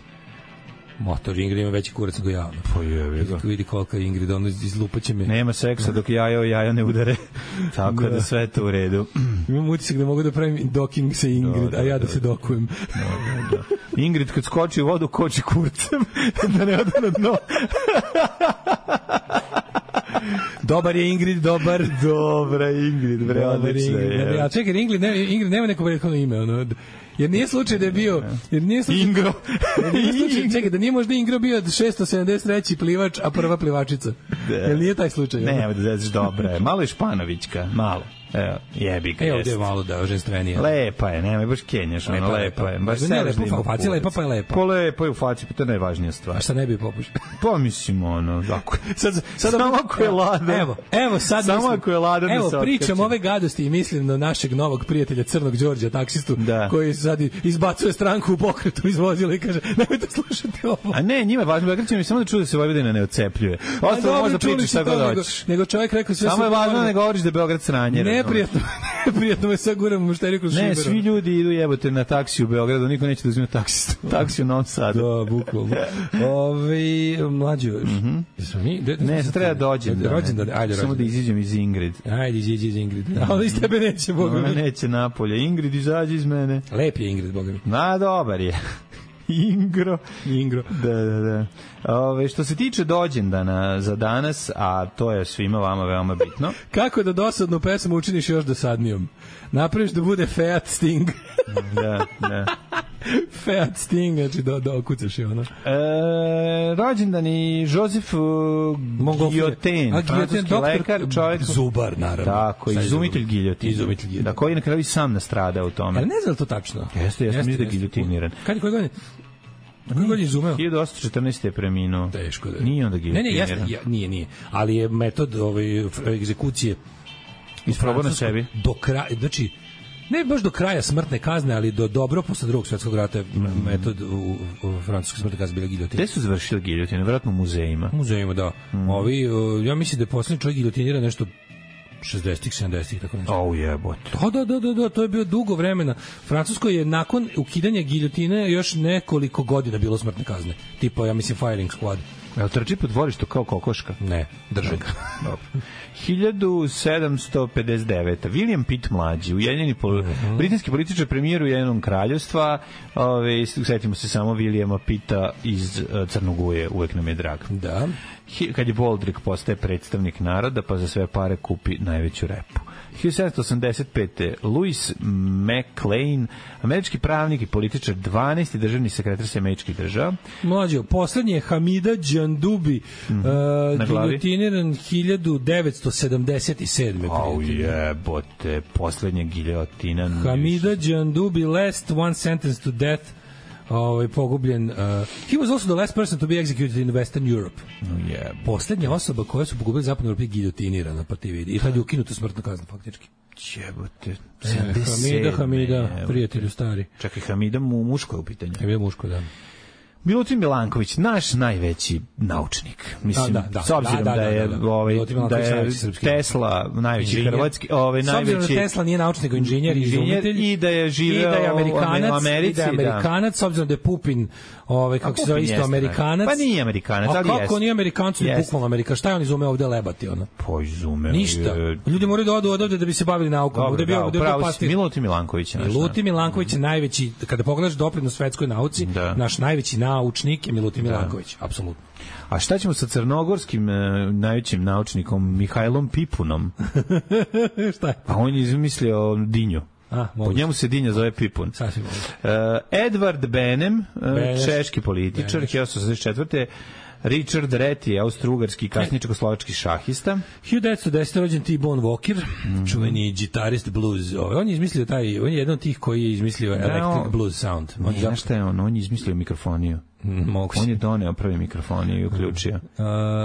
Motor Ingrid ima veći kurac nego ja. Pa je, ga. Vidi kolika je Ingrid, ono izlupaće me. Nema seksa dok jajo jajo ne udare. Tako da, da sve to u redu. Imam utisak da mogu da pravim docking sa Ingrid, da, da, a ja da, da se dokujem. Da, da, da. Ingrid kad skoči u vodu, koči kurcem. Da ne ode na dno. Dobar je Ingrid, dobar. Dobra Ingrid, bre, odlična je. Ja čekaj, Ingrid, ne, Ingrid nema neko prethodno ime, ono. Jer nije slučaj da je bio... Jer nije slučaj, Ingro. Jer nije slučaj, čekaj, da nije možda Ingro bio šesto sedamdeset treći plivač, a prva plivačica. Da. Jer nije taj slučaj. Ne, da zezaš dobra je. Malo je Španovićka, malo. Evo, jebi ga. Evo, ovdje je malo da ženstvenija. Lepa je, nemoj baš kenjaš, ono, lepa je. Baš ne lepa, u faci lepa pa je lepa. Po lepa je u faci, pa to je najvažnija stvar. A šta ne bi popušao? Pa mislim, ono, ako, sad, sad, samo ako je ladan. Evo, evo sad samo mislim, ako je ladan evo, pričam ove gadosti i mislim na našeg novog prijatelja Crnog Đorđa, taksistu, da. Koji sad izbacuje stranku u pokretu iz vozila i kaže, nemojte slušati ovo. A ne, njima je važno, građani mi samo da čuju da se Vojvodina ne ocepljuje. Ostalo možda pričaš šta god hoćeš. Nego čovjek rekao sve. Samo je važno da ne govoriš da je Beograd sranje. Neprijatno. Prijatno me sad guram u mušteriju kroz Šiberu. Ne, svi ljudi idu jebote na taksi u Beogradu, niko neće da uzme taksi, taksi u Novom Sadu. Da, bukvalno. Ove, mlađo, mm -hmm. ne, sad treba dođem. Da, rođendan, ajde, samo da iziđem iz Ingrid. Ajde, iziđi iz Ingrid. Ali iz tebe neće, boga mi. Neće napolje. Ingrid, izađi iz mene. Lep je Ingrid, boga mi. Na, dobar je. Ingro. Ingro. Da, da, da. Ove, što se tiče dođendana za danas, a to je svima vama veoma bitno. Kako da dosadnu pesmu učiniš još dosadnijom? Napraviš da bude Fiat Sting. Da, da. Fiat Sting, znači da, da okucaš je ono. E, rođendan i Josef Guillotin, francuski lekar, čovjek. Zubar, naravno. Tako, izumitelj giljotina. Izumitelj giljotina. Da, koji na kraju sam nastrada u tome. Ali ne znam to tačno. Jeste, jeste, mislim da je giljotiniran. Kad je koji godine? Kako je izumeo? hiljadu osamsto četrnaeste je preminuo. Teško da je. Nije onda giljotiniran. Ne, ne, jeste, ja, nije, nije. Ali je metod ove egzekucije isprobao na sebi. Do kraja, znači, ne baš do kraja smrtne kazne, ali do dobro posle drugog svjetskog rata mm. metod u, u francuskoj smrtne kazne bila giljotine. Gde su završili giljotine? Vjerojatno u muzejima. U muzejima, da. Mm. Ovi, ja mislim da je poslednji čovjek giljotinira nešto šezdesetih, sedamdesetih tako nešto. Au jebote. Da, da, da, da, da, to je bio dugo vremena. Francusko je nakon ukidanja giljotine još nekoliko godina bilo smrtne kazne. Tipo, ja mislim, firing squad. Jel trči po dvorištu kao kokoška? Ne, drže ga. hiljadu sedamsto pedeset devete. William Pitt mlađi, ujedinjeni pol... uh -huh. britanski političar, premijer Ujedinjenog kraljevstva. Ove, setimo se samo Williama Pitta iz uh, Crnoguje, uvek nam je drag. Da. Hi, kad je Boldrik postaje predstavnik naroda, pa za sve pare kupi najveću repu. hiljadu sedamsto osamdeset pete. Louis McLean, američki pravnik i političar, dvanaesti državni sekretar Američkih država. Mlađo, poslednji je Hamida Džandubi, mm -hmm. uh, giljotiniran hiljadu devetsto sedamdeset sedme. Au jebote, poslednja giljotina. Hamida Džandubi, last one sentence to death, ovaj pogubljen. Uh, he was also the last person to be executed in Western Europe. No, yeah. Poslednja osoba koja su pogubili zapadnu Evropu giljotinirana, pa ti vidi. I tad je ukinuta smrtna kazna faktički. Jebote. E, Hamida, Hamida, prijatelju stari. Čekaj, Hamida mu muško je u pitanju. Hamida muško, da. Milutin Milanković, naš najveći naučnik. Mislim, da, da, da, s obzirom da, da, da, da je, ovaj, da je Tesla najveći inženjer. Hrvatski, ovaj, s najveći... S obzirom da Tesla nije naučnik, inženjer, inženjer i da je živeo i da je Amerikanac, u Americi. I da je Amerikanac, da. S obzirom da je Pupin, ovaj, kako se zove isto, Amerikanac. Pa nije Amerikanac, ali jeste. A kako nije Amerikanac, ili bukvalno Amerika? Šta je on izume ovde lebati, ono? Po izume. Ništa. Ljudi moraju da odu odavde da bi se bavili naukom. Dobro, ovde bio, da, upravo si, Milutin Milanković. Milutin Milanković je najveći, kada pogledaš doprinos svetskoj nauci, naš najveći naučnik je Milutin Milanković, apsolutno. A šta ćemo sa crnogorskim uh, najvećim naučnikom Mihajlom Pipunom? Šta je? A on je izmislio dinju. A, po njemu se dinja zove Pipun. Sasvim uh, Edward Benem, uh, češki političar, hiljadu osamsto šezdeset četvrte Richard Reti, austro-ugarski kasnije čekoslovački šahista. hiljadu devetsto desete rođen T-Bone Walker, mm-hmm. čuveni gitarist blues. On je izmislio taj, on je jedan od tih koji je izmislio electric no, blues sound. On je znaš šta je on, on je izmislio mikrofoniju. Mogu on je doneo prvi mikrofoniju i uključio. Uh,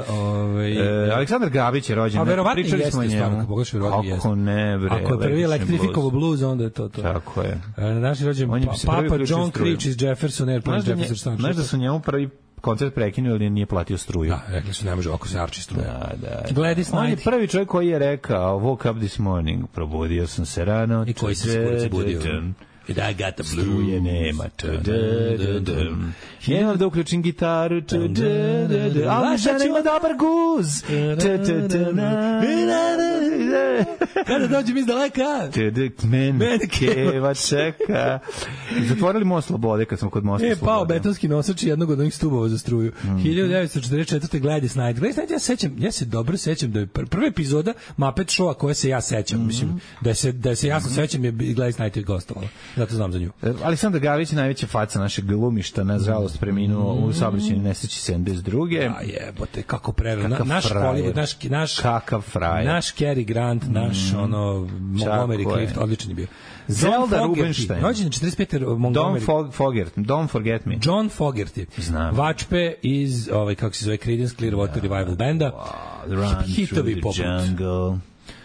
ovaj, e, Aleksandar Gabić je rođen. A verovatno jeste stvarno, pogledaš verovatno jeste. Kako ne, bre. Ako je prvi elektrifikovo blues, onda je to to. Tako je. Naš je rođen pa, Papa John Creech iz Jefferson Airplane. Znaš da su njemu prvi koncert prekinuo, ali nije platio struju. Da, rekli su ne može ovako se arči struja. Da, da. Gladys Knight. On je prvi čovjek koji je rekao woke up this morning, probudio sam se rano. I koji se skoro budio. And I got the blue. Struje nema. Nemam da uključim gitaru. Ali žena ima dobar guz. Kada dođem iz daleka. Men keva čeka. Zatvorili most Slobode kad smo kod mosta Slobode. E, pao betonski nosač jednog od onih stubova za struju. hiljadu devetsto četrdeset četvrte Gladys Knight. Gladys Knight, ja sećam, ja se dobro sećam da je prva epizoda Muppet Showa koja se ja sećam. Mislim, da se, da se jasno sećam je Gladys Knight je gostovala. Zato znam za nju. Aleksandar Gavić je najveća faca našeg glumišta, nažalost preminuo mm. u saobraćajnoj nesreći sedamdeset druge. Ja jebote, kako prerano. Na, naš Hollywood, naš naš kakav frajer. Naš Cary Grant, naš mm. ono Montgomery Clift, odličan je bio. Zelda Rubinstein. Rođen četrdeset pete Montgomery. Don't forget, don't forget me. John Fogerty. Znam. Vačpe iz ovaj kako se zove Creedence Clearwater yeah. Revival banda. Wow, run hitovi poput jungle.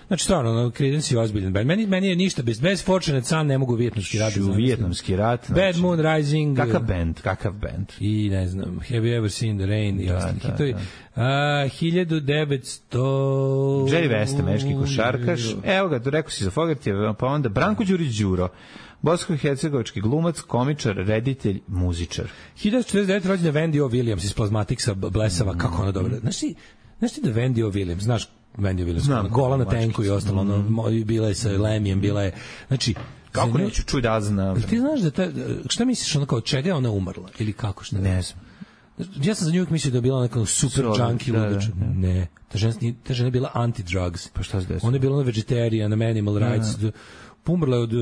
Znači, stvarno, no, Creedence je ozbiljan band. Meni, meni je ništa bez, bez Fortunate Son ne mogu vijetnamski rat. Vijetnamski rat. Znači, Bad Moon Rising. Kakav band, kakav band. I, ne znam, Have You Ever Seen the Rain i ostali hitovi. Uh, hiljadu devetsto Jerry West, američki košarkaš. Evo ga, rekao si za Fogerty, pa onda Branko Đurić Đuro. Bosansko-hercegovački glumac, komičar, reditelj, muzičar. hiljadu devetsto četrdeset devete rođena Wendy O. Williams iz Plazmatiksa Blesava, mm. kako ona dobra. Znaš ti, znaš ti da Wendy O. Williams, znaš Wendy O. Williams, Znam, gola na tenku i ostalo, mm. ono, bila je sa Lemijem, bila je, znači, kako neću čuj da znam. Ti znaš da ta, šta misliš, ono kao čega je ona umrla, ili kako, šta ne znam. Ja sam za nju uvijek mislio da je bila neka super junkie da, ludač. Da, da. Ne, ta žena, ta žena je bila anti-drugs. Pa šta se desilo? Ona je bila vegetarian, animal rights, da. Umrla je od,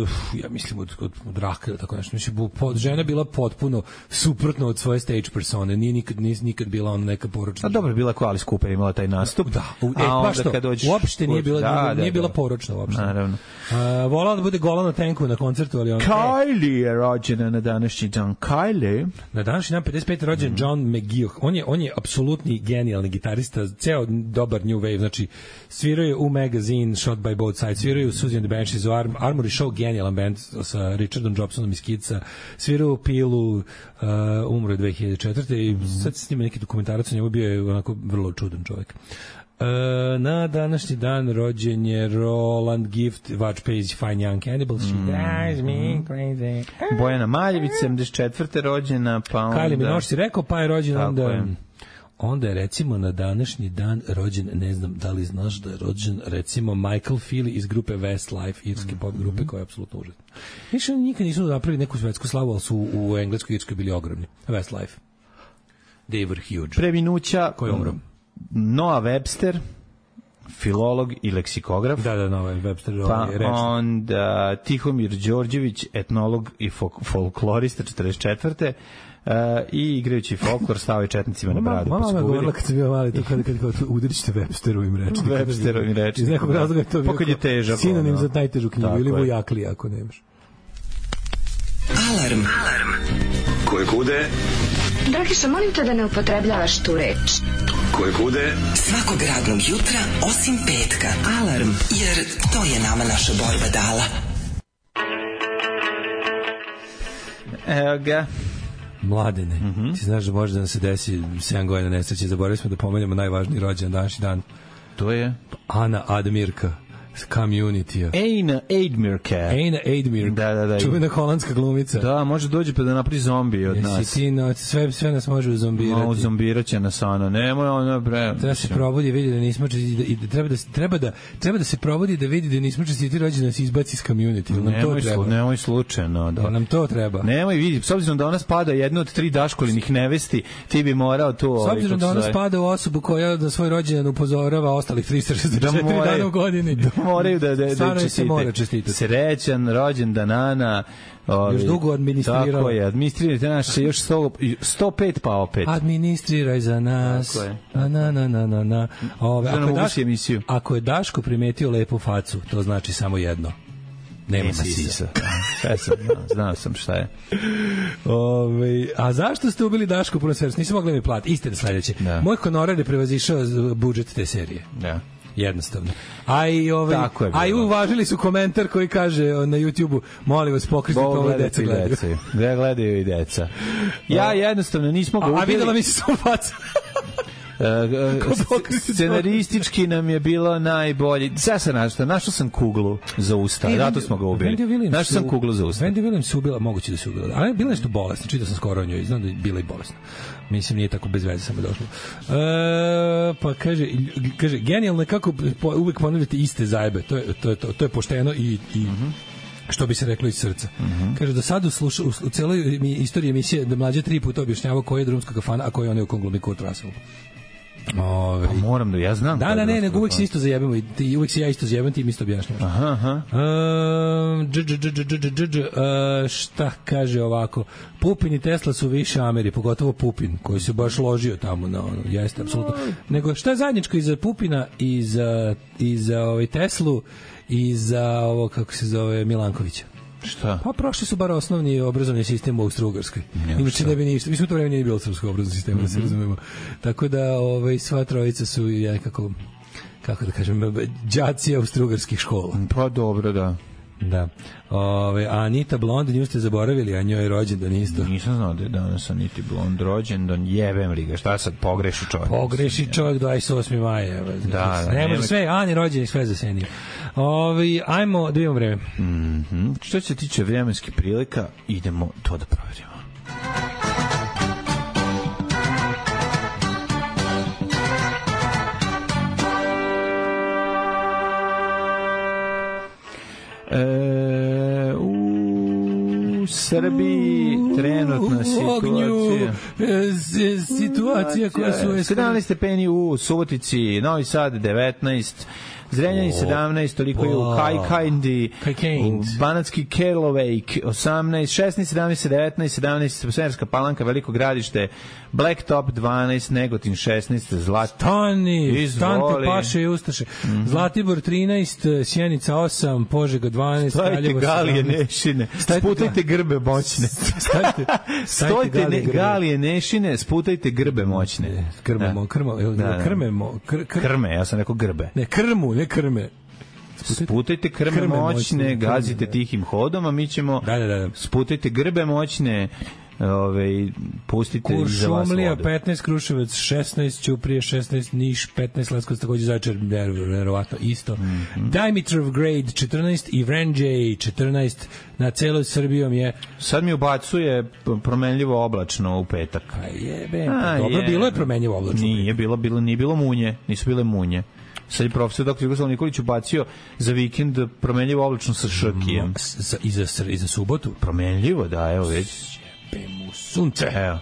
ja mislim, od, od, od raka ili tako nešto. Mislim, pod, žena je bila potpuno suprotno od svoje stage persone. Nije nikad, nije nikad bila ona neka poročna. A dobro je bila kao Alice Cooper, imala taj nastup. Da, u, e, baš to, dođeš, uopšte nije bila, da, nije, nije da, bila da. poročna uopšte. Naravno. Uh, volala da bude gola na tenku na koncertu, ali ona... Kylie je rođena na današnji dan. Kylie. Na današnji dan pedeset pete rođen mm. John McGeoch. On je, on je apsolutni genijalni gitarista, ceo dobar new wave, znači svirao je u Magazine, Shot by Both Sides, svirao je u Susie and the Banshees, u Arm, Armory Show, genijalan band sa Richardom Jobsonom iz Kidsa, svirao u Pilu, uh, umro je dve hiljade četvrte i sad se snima neki dokumentarac o njemu, bio je onako vrlo čudan čovjek. Uh, na današnji dan rođen je Roland Gift, Watch Page, Fine Young Cannibals, She mm. drives me crazy. Bojana Maljević, sedamdeset četvrte rođena, pa onda... Kylie Minogue si rekao, pa je rođen onda... Je. Onda je recimo na današnji dan rođen, ne znam da li znaš da je rođen recimo Michael Feely iz grupe Westlife, irske pop grupe, mm-hmm. koja je apsolutno užasna. Više oni nikad nisu napravili neku svetsku slavu, ali su u Engleskoj i Irskoj bili ogromni. Westlife. They were huge. Preminuća, koji je umro? Noah Webster, filolog i leksikograf. Da, da, no, Webster. Pa onda Tihomir Đorđević, etnolog i fol- folklorista, četrdeset četvrte Uh, i igrajući folklor stavio četnicima na bradu. Mama me govorila kad sam bio mali, to kada kad, kad, kad udrit ćete Websterovim rečnikom. Websterovim rečnikom. Iz nekog razloga je to bio je težak, sinonim za najtežu knjigu ili vojakli ako nemaš. Alarm. Alarm. Koje kude? Dragiša, molim te da ne upotrebljavaš tu reč. Koje kude? Svakog radnog jutra osim petka. Alarm, jer to je nama naša borba dala. Evo ga. Mladene, mm-hmm. Ti znaš da može da nam se desi sedam godina nesreće, zaboravili smo da pomenemo najvažniji rođendan današnji dan. To je? Ana Admirka. Community-a. Eina Admirka. Eina Admirka. Da, da, da. Čuvena holandska glumica. Da, može dođe pa da napravi zombi od nas. Jesi ti, no, sve, sve nas može uzombirati. No, uzombirat će nas ono. Nemoj ono, bre. Treba se probudi i vidi da nismo čestiti. I da, treba, da, treba, da, treba da se probudi da vidi da nismo čestiti rođendan da nas izbaci iz community. Nam nemoj, to treba. Nemoj slučajno. Da. Nam to treba. Nemoj vidi. S obzirom da ona spada jednu od tri Daškolinih nevesti, ti bi morao to... S obzirom da ona spada u osobu koja na svoj rođendan upozorava ostalih trista šezdeset četiri da dana u godini. Da moraju da, da, da se mora čestitati. Srećan rođendan Ana. Ovi, još dugo administrirao. Tako je, administrirajte nas još sto, sto pet pa opet. Administriraj za nas. Tako je. Na, na, na, na, na. Ove, ako, je Daško, ako je Daško primetio lepu facu, to znači samo jedno. Nema, Nema sisa. sisa. Sve sam, no, znao sam šta je. Ove, a zašto ste ubili Daško puno servis? Nisam mogli mi platiti. Istina sledeće. Da. Moj honorar je prevazišao budžet te serije. Da. Jednostavno. A i ovaj a i uvažili su komentar koji kaže na YouTubeu, molim vas pokrijte ovo deca gledaju. Gde gledaju i deca. Ja jednostavno nismo ga ubili. A videla mi se samo faca. Uh, scenaristički nam je bilo najbolji. Sada sam našao, našao sam kuglu za usta, e, zato smo ga ubili. Našao sam kuglu za usta. Wendy Williams ubila, moguće da se ubila. Ali je bila nešto bolesna, čitao sam skoro o njoj, znam da je bila i bolesna. Mislim, nije tako bez veze samo došlo. E, pa kaže, kaže genijalno je kako uvek ponavljate iste zajebe. To je, to je, to, to je pošteno i, i mm-hmm. što bi se reklo iz srca. Mm-hmm. Kaže, do sada u, sluša, u, u celoj istoriji emisije da mlađe tri puta objašnjavao koji je drumska kafana, a koji on je u Konglomiku od Russell. Ove. Pa moram da ja znam. Da, da, ne, nego uvijek se isto zajebamo i uvijek se ja isto zajebam, ti mi isto objašnjavaš. Aha, aha. Uh, dž, dž, dž, dž, dž, dž, uh, šta kaže ovako? Pupin i Tesla su više Ameri, pogotovo Pupin, koji se baš ložio tamo na ono, jeste, apsolutno. Nego šta je zajedničko i za Pupina i za, i za ovaj Teslu i za ovo, kako se zove, Milankovića? Šta? Pa prošli su bar osnovni obrazovni sistem u Austro-Ugarskoj. Inače ne bi ništa. Mi smo u to vreme nije bilo srpskog obrazovnog sistema, mm-hmm. da se razumemo. Tako da ovaj, sva trojica su nekako, kako da kažem, đaci austro-ugarskih škola. Pa dobro, da. Da. Ove, a Anita Blond, nju ste zaboravili, a njoj je rođendan isto. Nisam znao da je danas Anita Blond rođendan, jebem li ga, šta sad pogreši čovjek? Pogreši čovjek dvadeset osmi maja. Da, da. Ne može sve, Ani rođendan sve za seniju. Ovi, ajmo da imamo vreme. Mm-hmm. Što se tiče vremenskih prilika, idemo to da proverimo. E, u Srbiji trenutna situacija e, situacija koja su sedamnaest stepeni u Subotici, Novi Sad devetnaest, Zrenjanin sedamnaest, toliko je u Kajkajndi, u Banatski Karlovac osamnaest, šesnaest, sedamnaest, devetnaest, sedamnaest, Smerska Palanka, Veliko Gradište, Blacktop dvanaest, Negotin šesnaest, Zlat... Stani, stante paše i ustaše. Mm-hmm. Zlatibor trinaest, Sjenica osam, Požega dvanaest, Kraljevo galije nešine, sputajte grbe moćne. Stajte, stojte galije, ne, galije nešine, sputajte grbe moćne. Krmemo, krmemo, krmemo, krme, ja sam rekao grbe. Ne, krmu, ne krme. Sputajte, sputajte krme, krme moćne, moćne, gazite tihim hodom, a mi ćemo da, da, da. sputajte grbe moćne, ove, pustite iza vas vodu. Kuršumlija petnaest, Kruševac šesnaest, Ćuprije šesnaest, Niš petnaest, Leskovac takođe, Zaječar verovatno isto. Mm-hmm. Dimitrovgrad četrnaest i Vranđej četrnaest, na celoj Srbijom je. Sad mi ubacuje promenljivo oblačno u petak. Pa jebe, pa dobro, je. Bilo je promenljivo oblačno. Nije bilo, bilo, nije bilo munje, nisu bile munje. Sad je profesor doktor Jugoslav Nikolić ubacio za vikend promenljivo oblačno sa šrkijem. Mm, za, i, za, I za subotu? Promenljivo, da, evo već. Jebe mu sunce. Evo.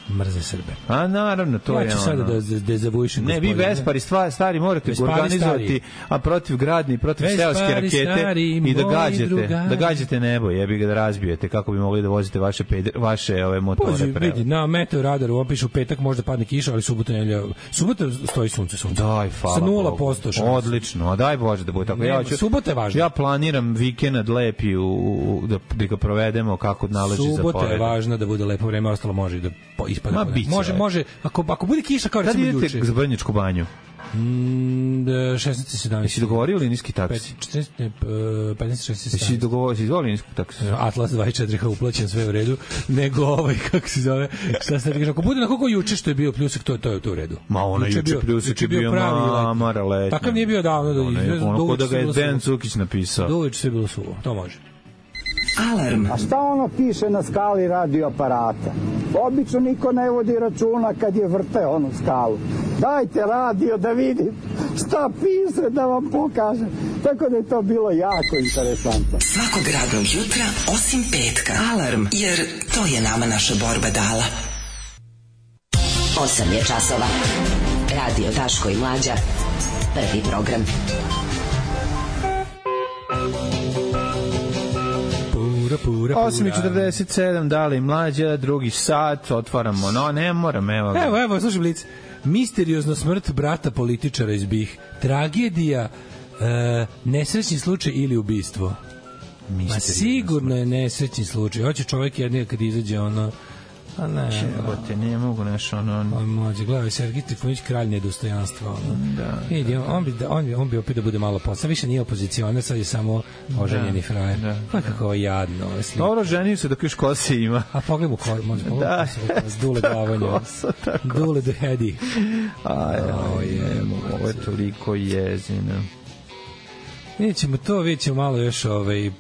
mrze Srbe. A naravno, to ja je ono. Ja ću sada da dezavuišem. Ne, vi Vespari stvari, stari morate Vespari organizovati, stari. A protiv gradni, protiv Vespari seoske rakete stari, i da gađate, drugari. Da gađate nebo, jebi ga da razbijete, kako bi mogli da vozite vaše peder, vaše ove motore. Pođi, vidi, na meteoradaru on piše u petak možda padne kiša, ali subota nedelja, subota stoji sunce, sunce. Daj, hvala. Sa nula posto šanse. Odlično, a daj Bože da bude tako. Nema, ja ću, subota je važna. Ja planiram vikend lepi u, u, da, da ga provedemo kako nalaži za zapoved. Subota je važna da bude lepo vreme, ostalo može da ispadne. Može, može, ako, ako bude kiša kao recimo juče. Kad idete za Brnjačku banju? Mm, šesnaest sedamnaest. Jesi dogovorio linijski taksi? četrnaest, petnaest, šesnaest, Jesi dogovorio, si izvolio linijski taksi? Atlas dvadeset četiri ha uplaćen, sve u redu. Nego ovaj, kako se zove, šta se kaže, ako bude na koliko juče što je bio pljusak, to, to je to u redu. Ma ono juče, juče pljusak je bio mamara letnja. Takav nije bio davno. Da, ono, ono ko da ga je Dejan Cukić napisao. Do uveče sve bilo suvo, to može. Alarm. A šta ono piše na skali radio aparata? Obično niko ne vodi računa kad je vrte onu skalu. Dajte radio da vidim šta piše da vam pokažem. Tako da je to bilo jako interesantno. Svakog radnog jutra osim petka. Alarm, jer to je nama naša borba dala. osam je časova. Radio Daško i Mlađa. Prvi program. osam i četrdeset sedam, dali Mlađa, drugi sat, otvaramo, no ne moram, evo. Evo, evo, slušaj Blic. Misteriozna smrt brata političara iz Bih. Tragedija, e, nesrećni slučaj ili ubistvo. Ma sigurno je nesrećni slučaj. Hoće čovjek jednije kad izađe ono... A ne, Čebote, ne mogu nešto ono... On mlađe, gledaj, Sergij Trifunić, kralj nedostojanstva, ono. Da. Vidi, on, on, bi, on, bi, on bi opet da bude malo posla. Više nije opozicionar, sad je samo oženjeni frajer. Da. Pa kako je jadno. Dobro, ženio se dok još kose ima. A pogledaj mu kose, može pogledaj kose, dule glavanje. Dule the heady. Aj, aj, ovo je toliko jezino. Vidjet ćemo to, vidjet ćemo malo još ovaj...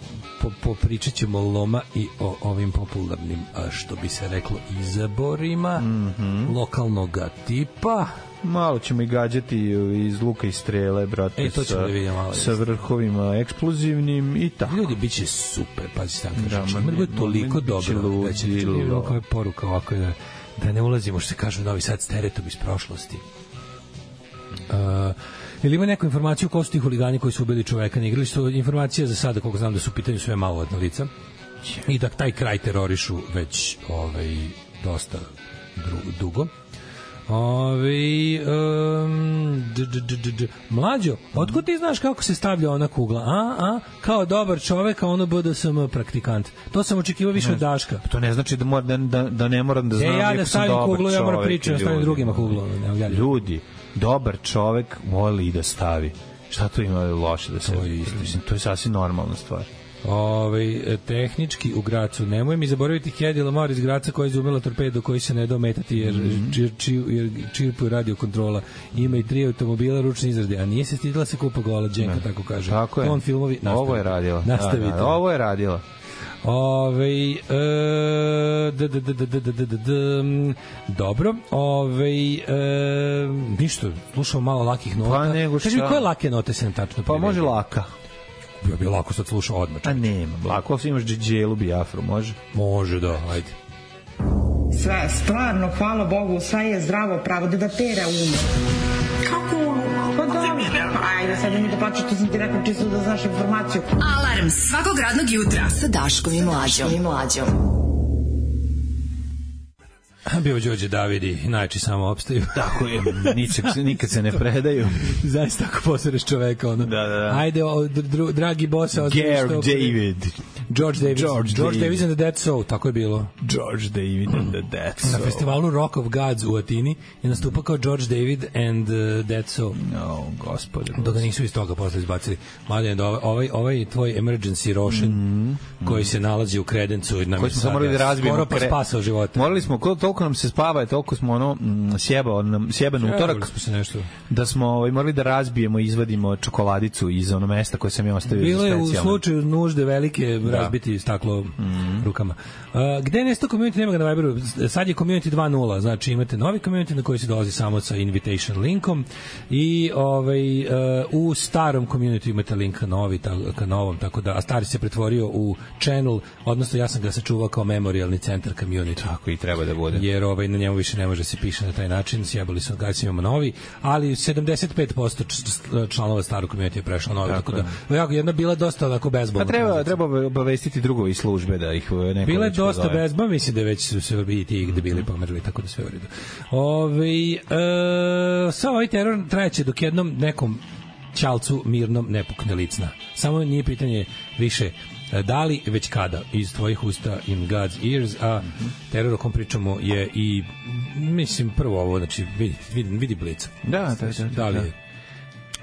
Po, popričat ćemo loma i o ovim popularnim, a što bi se reklo, izaborima mm -hmm. lokalnoga tipa. Malo ćemo i gađati iz luka i strele, brate, e, to sa, da malo, sa vrhovima eksplozivnim i tako. Ljudi, bit će super, pa će sam kažem, ima bude toliko dobro, da će biti ovako je poruka ovako da, da ne ulazimo, što se kaže u Novi Sad, s teretom iz prošlosti. Uh, Ili ima neku informaciju ko su ti huligani koji su ubili čoveka na igralištu? Informacija za sada, koliko znam da su u pitanju sve maloletna lica i da taj kraj terorišu već ovaj, dosta dugo. Ovaj um, Mlađo, otkud ti znaš kako se stavlja ona kugla? A, a, kao dobar čovek, a ono B D S M praktikant. To sam očekivao više od Daška. To ne znači da, mora, da, da ne moram da znam. E, ja da stavim kuglu, ja moram pričati, da stavim drugima kuglu. Ljudi, dobar čovek voli i da stavi. Šta to ima loše da se... To je, mislim, to je sasvim normalna stvar. Ove, tehnički u Gracu. Nemoj mi zaboraviti Hedi Lamar iz Graca koja je izumela torpedu koji se ne da ometati jer, mm. čir, čir, jer čirpuje radio kontrola. Ima i tri automobila ručne izrade, a nije se stidila se kupa gola Dženka, ne. Tako kaže. Tako je. On filmovi, nastavi. Ovo je radila. Nastavite. Da, da, ovo je radila. Ove, e, d, d, d, d, d, d, d, d, dobro. Ove, e, ništa, slušamo malo lakih nota. Pa nego šta? Kaži mi, koje lake note se nam tačno Pa može laka. Ja bi lako sad slušao odmah. A nema, lako ako imaš dželu Biafru, može? Može, da, ajde. Sve, stvarno, hvala Bogu, sve je zdravo pravo, da da tera umo. Kako umo? Pa dobro. Ajde, sad mi da plaćate, sam ti rekao čisto da znaš informaciju. Alarm svakog radnog jutra sa Daškom i Mlađom. I Mlađom. Bio Đorđe Davidi, najči samo opstaju. Tako je, ničeg, nikad se ne predaju. Zaista ako posereš čoveka, ono. Da, da, da. Ajde, o, dr, dragi bosa. Gary David. George David. George, George David and the Dead Soul, tako je bilo. George David and the Dead Soul. Na festivalu Rock of Gods u Atini je nastupao kao George David and the Dead Soul. No, gospode. Dok ga nisu iz toga posle izbacili. Mladen, ovaj, ovaj tvoj emergency Roshan, mm -hmm. koji se nalazi u kredencu. Koji smo morali da razbijemo. Skoro pa spasao života. Morali smo, toliko nam se spava, toliko smo ono, sjebao nam, sjeban utorak, smo se nešto. Da smo ovaj, morali da razbijemo i izvadimo čokoladicu iz ono mesta koje sam ja ostavio. Bilo je u slučaju nužde velike, razbiti staklo mm. rukama. Uh, gde je nesto community, nema ga na Viberu. Sad je community dva nula, znači imate novi community na koji se dolazi samo sa invitation linkom i ovaj, uh, u starom community imate link ka, novi, ta, ka novom, tako da, a stari se pretvorio u channel, odnosno ja sam ga sačuvao kao memorialni centar community. Tako i treba da bude. Jer ovaj, na njemu više ne može se piše na taj način, sjebali smo ga, imamo novi, ali sedamdeset pet posto članova starog community je prešlo novi, tako, tako da jako jedna bila dosta onako bezbolna. Pa treba, treba obavestiti drugovi službe da ih neko bila je dosta bezba, mislim da već su se i ti debili pomerili, tako da sve u redu. Ove, e, sa ovaj teror trajeće dok jednom nekom ćalcu mirnom ne pukne licna. Samo nije pitanje više da li, već kada, iz tvojih usta in God's ears, a teror o kom pričamo je i, mislim, prvo ovo, znači, vidi, vidi, vidi Blica. Da, da, da. Da li je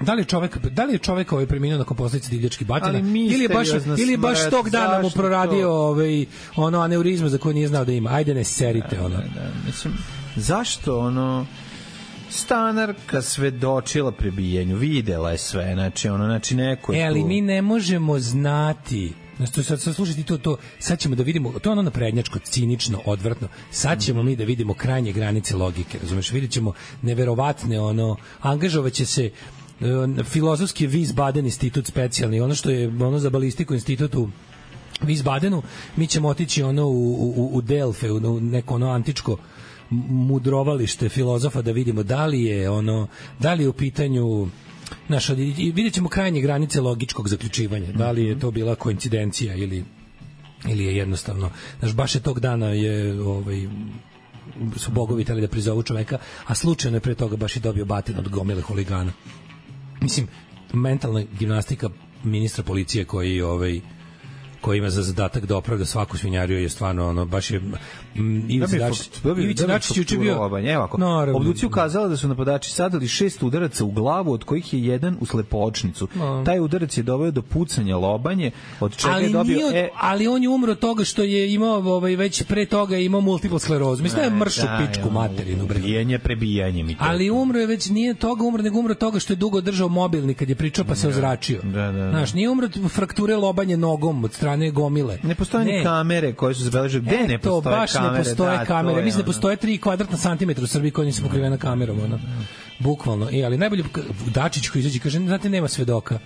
Da li je čovek, da li je čovek ovaj preminuo nakon posledica divljačkih batina ili je baš ili je baš tog dana mu proradio ovaj ono aneurizma za koju nije znao da ima. Ajde ne serite da, ono. Da, da. Mislim, zašto ono stanarka svedočila prebijenju, videla je sve, znači ono, znači neko je e, ali tu... mi ne možemo znati. Znači, sad, sad slušajte to, to, sad ćemo da vidimo, to je ono naprednjačko, cinično, odvratno, sad ćemo mi da vidimo krajnje granice logike, razumeš, vidjet ćemo neverovatne, ono, angažovaće se filozofski Wiesbaden institut specijalni, ono što je ono za balistiku institut u Wiesbadenu, mi ćemo otići ono u, u, u Delfe, u neko ono antičko mudrovalište filozofa da vidimo da li je ono, da li je u pitanju naš, i vidjet ćemo krajnje granice logičkog zaključivanja, da li je to bila koincidencija ili, ili je jednostavno, znaš, baš je tog dana je ovaj su bogovi teli da prizovu čoveka, a slučajno je pre toga baš i dobio batin od gomile huligana. Mislim, mentalna gimnastika ministra policije koji ovaj koji ima za zadatak da opravda svaku svinjariju je stvarno ono baš je Ivica Dačić juče bio obducija ukazala da su napadači sadali šest udaraca u glavu, od kojih je jedan u slepočnicu. No. Taj udarac je doveo do pucanja lobanje, od čega ali je dobio od, e... ali on je umro od toga što je imao ovaj već pre toga je imao multiplu sklerozu. Mislim da je mršu pičku materinu, bre. Ubijanje prebijanje mi to. Ali umro je već nije toga umro, nego umro toga što je dugo držao mobilni kad je pričao pa se ozračio. Da, da, da. Znaš, nije umro od frakture lobanje nogom od strane gomile. Ne postoje ni kamere koje su zabeležile. Gde ne postoje baš kamere? Ne postoje da, kamere. Mislim da postoje tri kvadratna santimetra u Srbiji koja nisu pokrivena kamerom. Ono. Bukvalno. E, ali najbolje Dačić koji izađe kaže, znate, nema svedoka.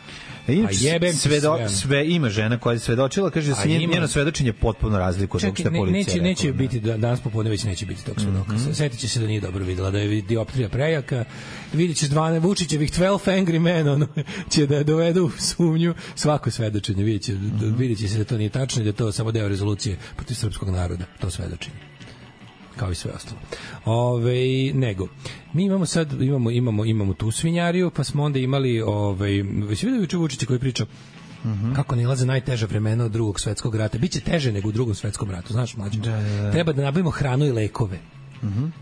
A jebem svedo, sve, sve ima žena koja je svedočila, kaže da se njen, njeno svedočenje potpuno razlikuje od onog što je policija neće, rekla. Neće biti, danas popodne već neće biti tog svedoka. Mm-hmm. Setit će se da nije dobro videla, da je dioptrija prejaka, vidit će dvanaest Vučićevih dvanaest Angry Men, ono, će da dovedu u sumnju svako svedočenje, vidit će, mm-hmm. vidit će se da to nije tačno i da to samo deo rezolucije protiv srpskog naroda, to svedočenje. Kao i sve ostalo. Ove, nego, mi imamo sad, imamo, imamo, imamo tu svinjariju, pa smo onda imali, ovaj, već vidio juče Vučića koji priča mm-hmm. kako nilaze najteža vremena od drugog svetskog rata. Biće teže nego u drugom svetskom ratu, znaš, mlađe. Da, da, da. Treba da nabavimo hranu i lekove. Mm-hmm.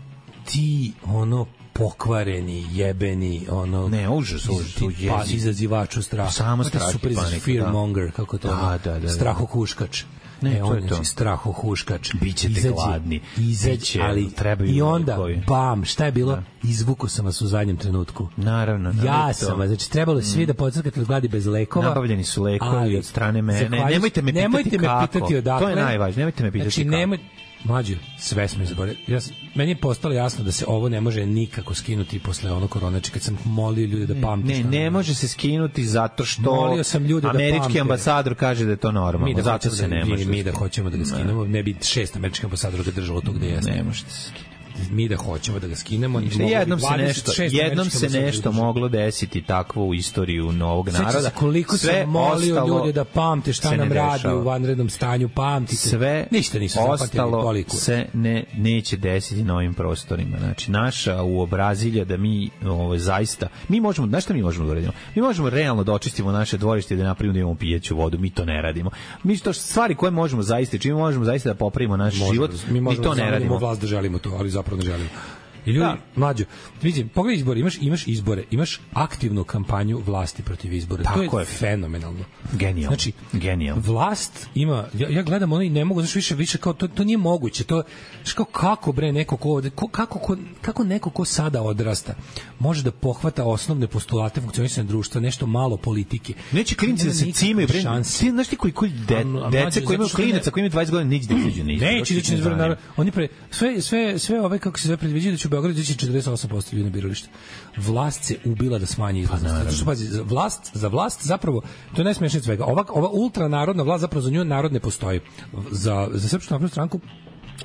Ti, ono, pokvareni, jebeni, ono... Ne, užas, užas, ti, pa, izazivaču straha. Samo strah i panika. Fearmonger, kako to? Da, da, da. Strahohuškač. Ne, e, to on je to. Strahohuškač. Bićete izađe, gladni. Izađe, ali trebaju i onda, koji. Bam, šta je bilo? Da. Izvuko sam vas u zadnjem trenutku. Naravno. Ja sam vas, znači trebalo je svi da podcrkate od gladi bez lekova. Nabavljeni su lekovi od strane mene. Nemojte me pitati nemojte kako. Me pitati odakle. To je najvažnije, nemojte me pitati znači, kako. Nemoj, mlađe, sve smo zaboravili. Ja, meni je postalo jasno da se ovo ne može nikako skinuti posle ono korona, znači kad sam molio ljude da pamte. Ne, ne može se skinuti zato što molio sam ljude američki da ambasador kaže da je to normalno. Da zato se da, ne može. Mi da hoćemo da ga skinemo, ne bi šest američkih ambasadora ga držalo to gde jeste. Ne možete se skinuti. Mi da hoćemo da ga skinemo, jednom se nešto, jednom se nešto moglo desiti takvo u istoriju novog naroda. Koliko sam molio ljude da pamte šta nam radi u vanrednom stanju, pamtite. Sve ništa nisu ostalo se ne neće desiti na ovim prostorima. Znači naša uobrazilja da mi ovo zaista mi možemo, znaš šta mi možemo da radimo? Mi možemo realno da očistimo naše dvorište i da napravimo da imamo pijeću vodu, mi to ne radimo. Mi to stvari koje možemo zaista, čime možemo zaista da popravimo naš život, mi, mi to ne radimo. Vlast da želimo to, ali zapravo ne želimo. I ljudi, da. Mlađo, vidim, pogledaj izbore, imaš, imaš izbore, imaš aktivnu kampanju vlasti protiv izbora. Tako to je, je fenomenalno. Genijalno. Znači, Genijalno. Vlast ima, ja, ja gledam ono i ne mogu, znači više, više kao, to, to nije moguće. To, znači kao kako bre neko ko, ko, kako, ko, kako neko ko sada odrasta može da pohvata osnovne postulate funkcionisanja društva, nešto malo politike. Neće klinci da se cimaju, bre. Ti znaš ti koji, koji de, dece koji imaju klinaca, koji imaju dvadeset godina, neće da izađu na izbore. Neće da će izbore, oni pre, sve, sve, sve ove, kako se sve predviđaju da će u Beogradu ići četrdeset osam posto ljudi na biralište. Vlast se ubila da smanji izlaznost. Pa, što pazi, vlast, za vlast zapravo, to je najsmešnije od svega. Ova, ova ultranarodna vlast, zapravo za nju narod ne postoji. Za, za Srpsku naprednu stranku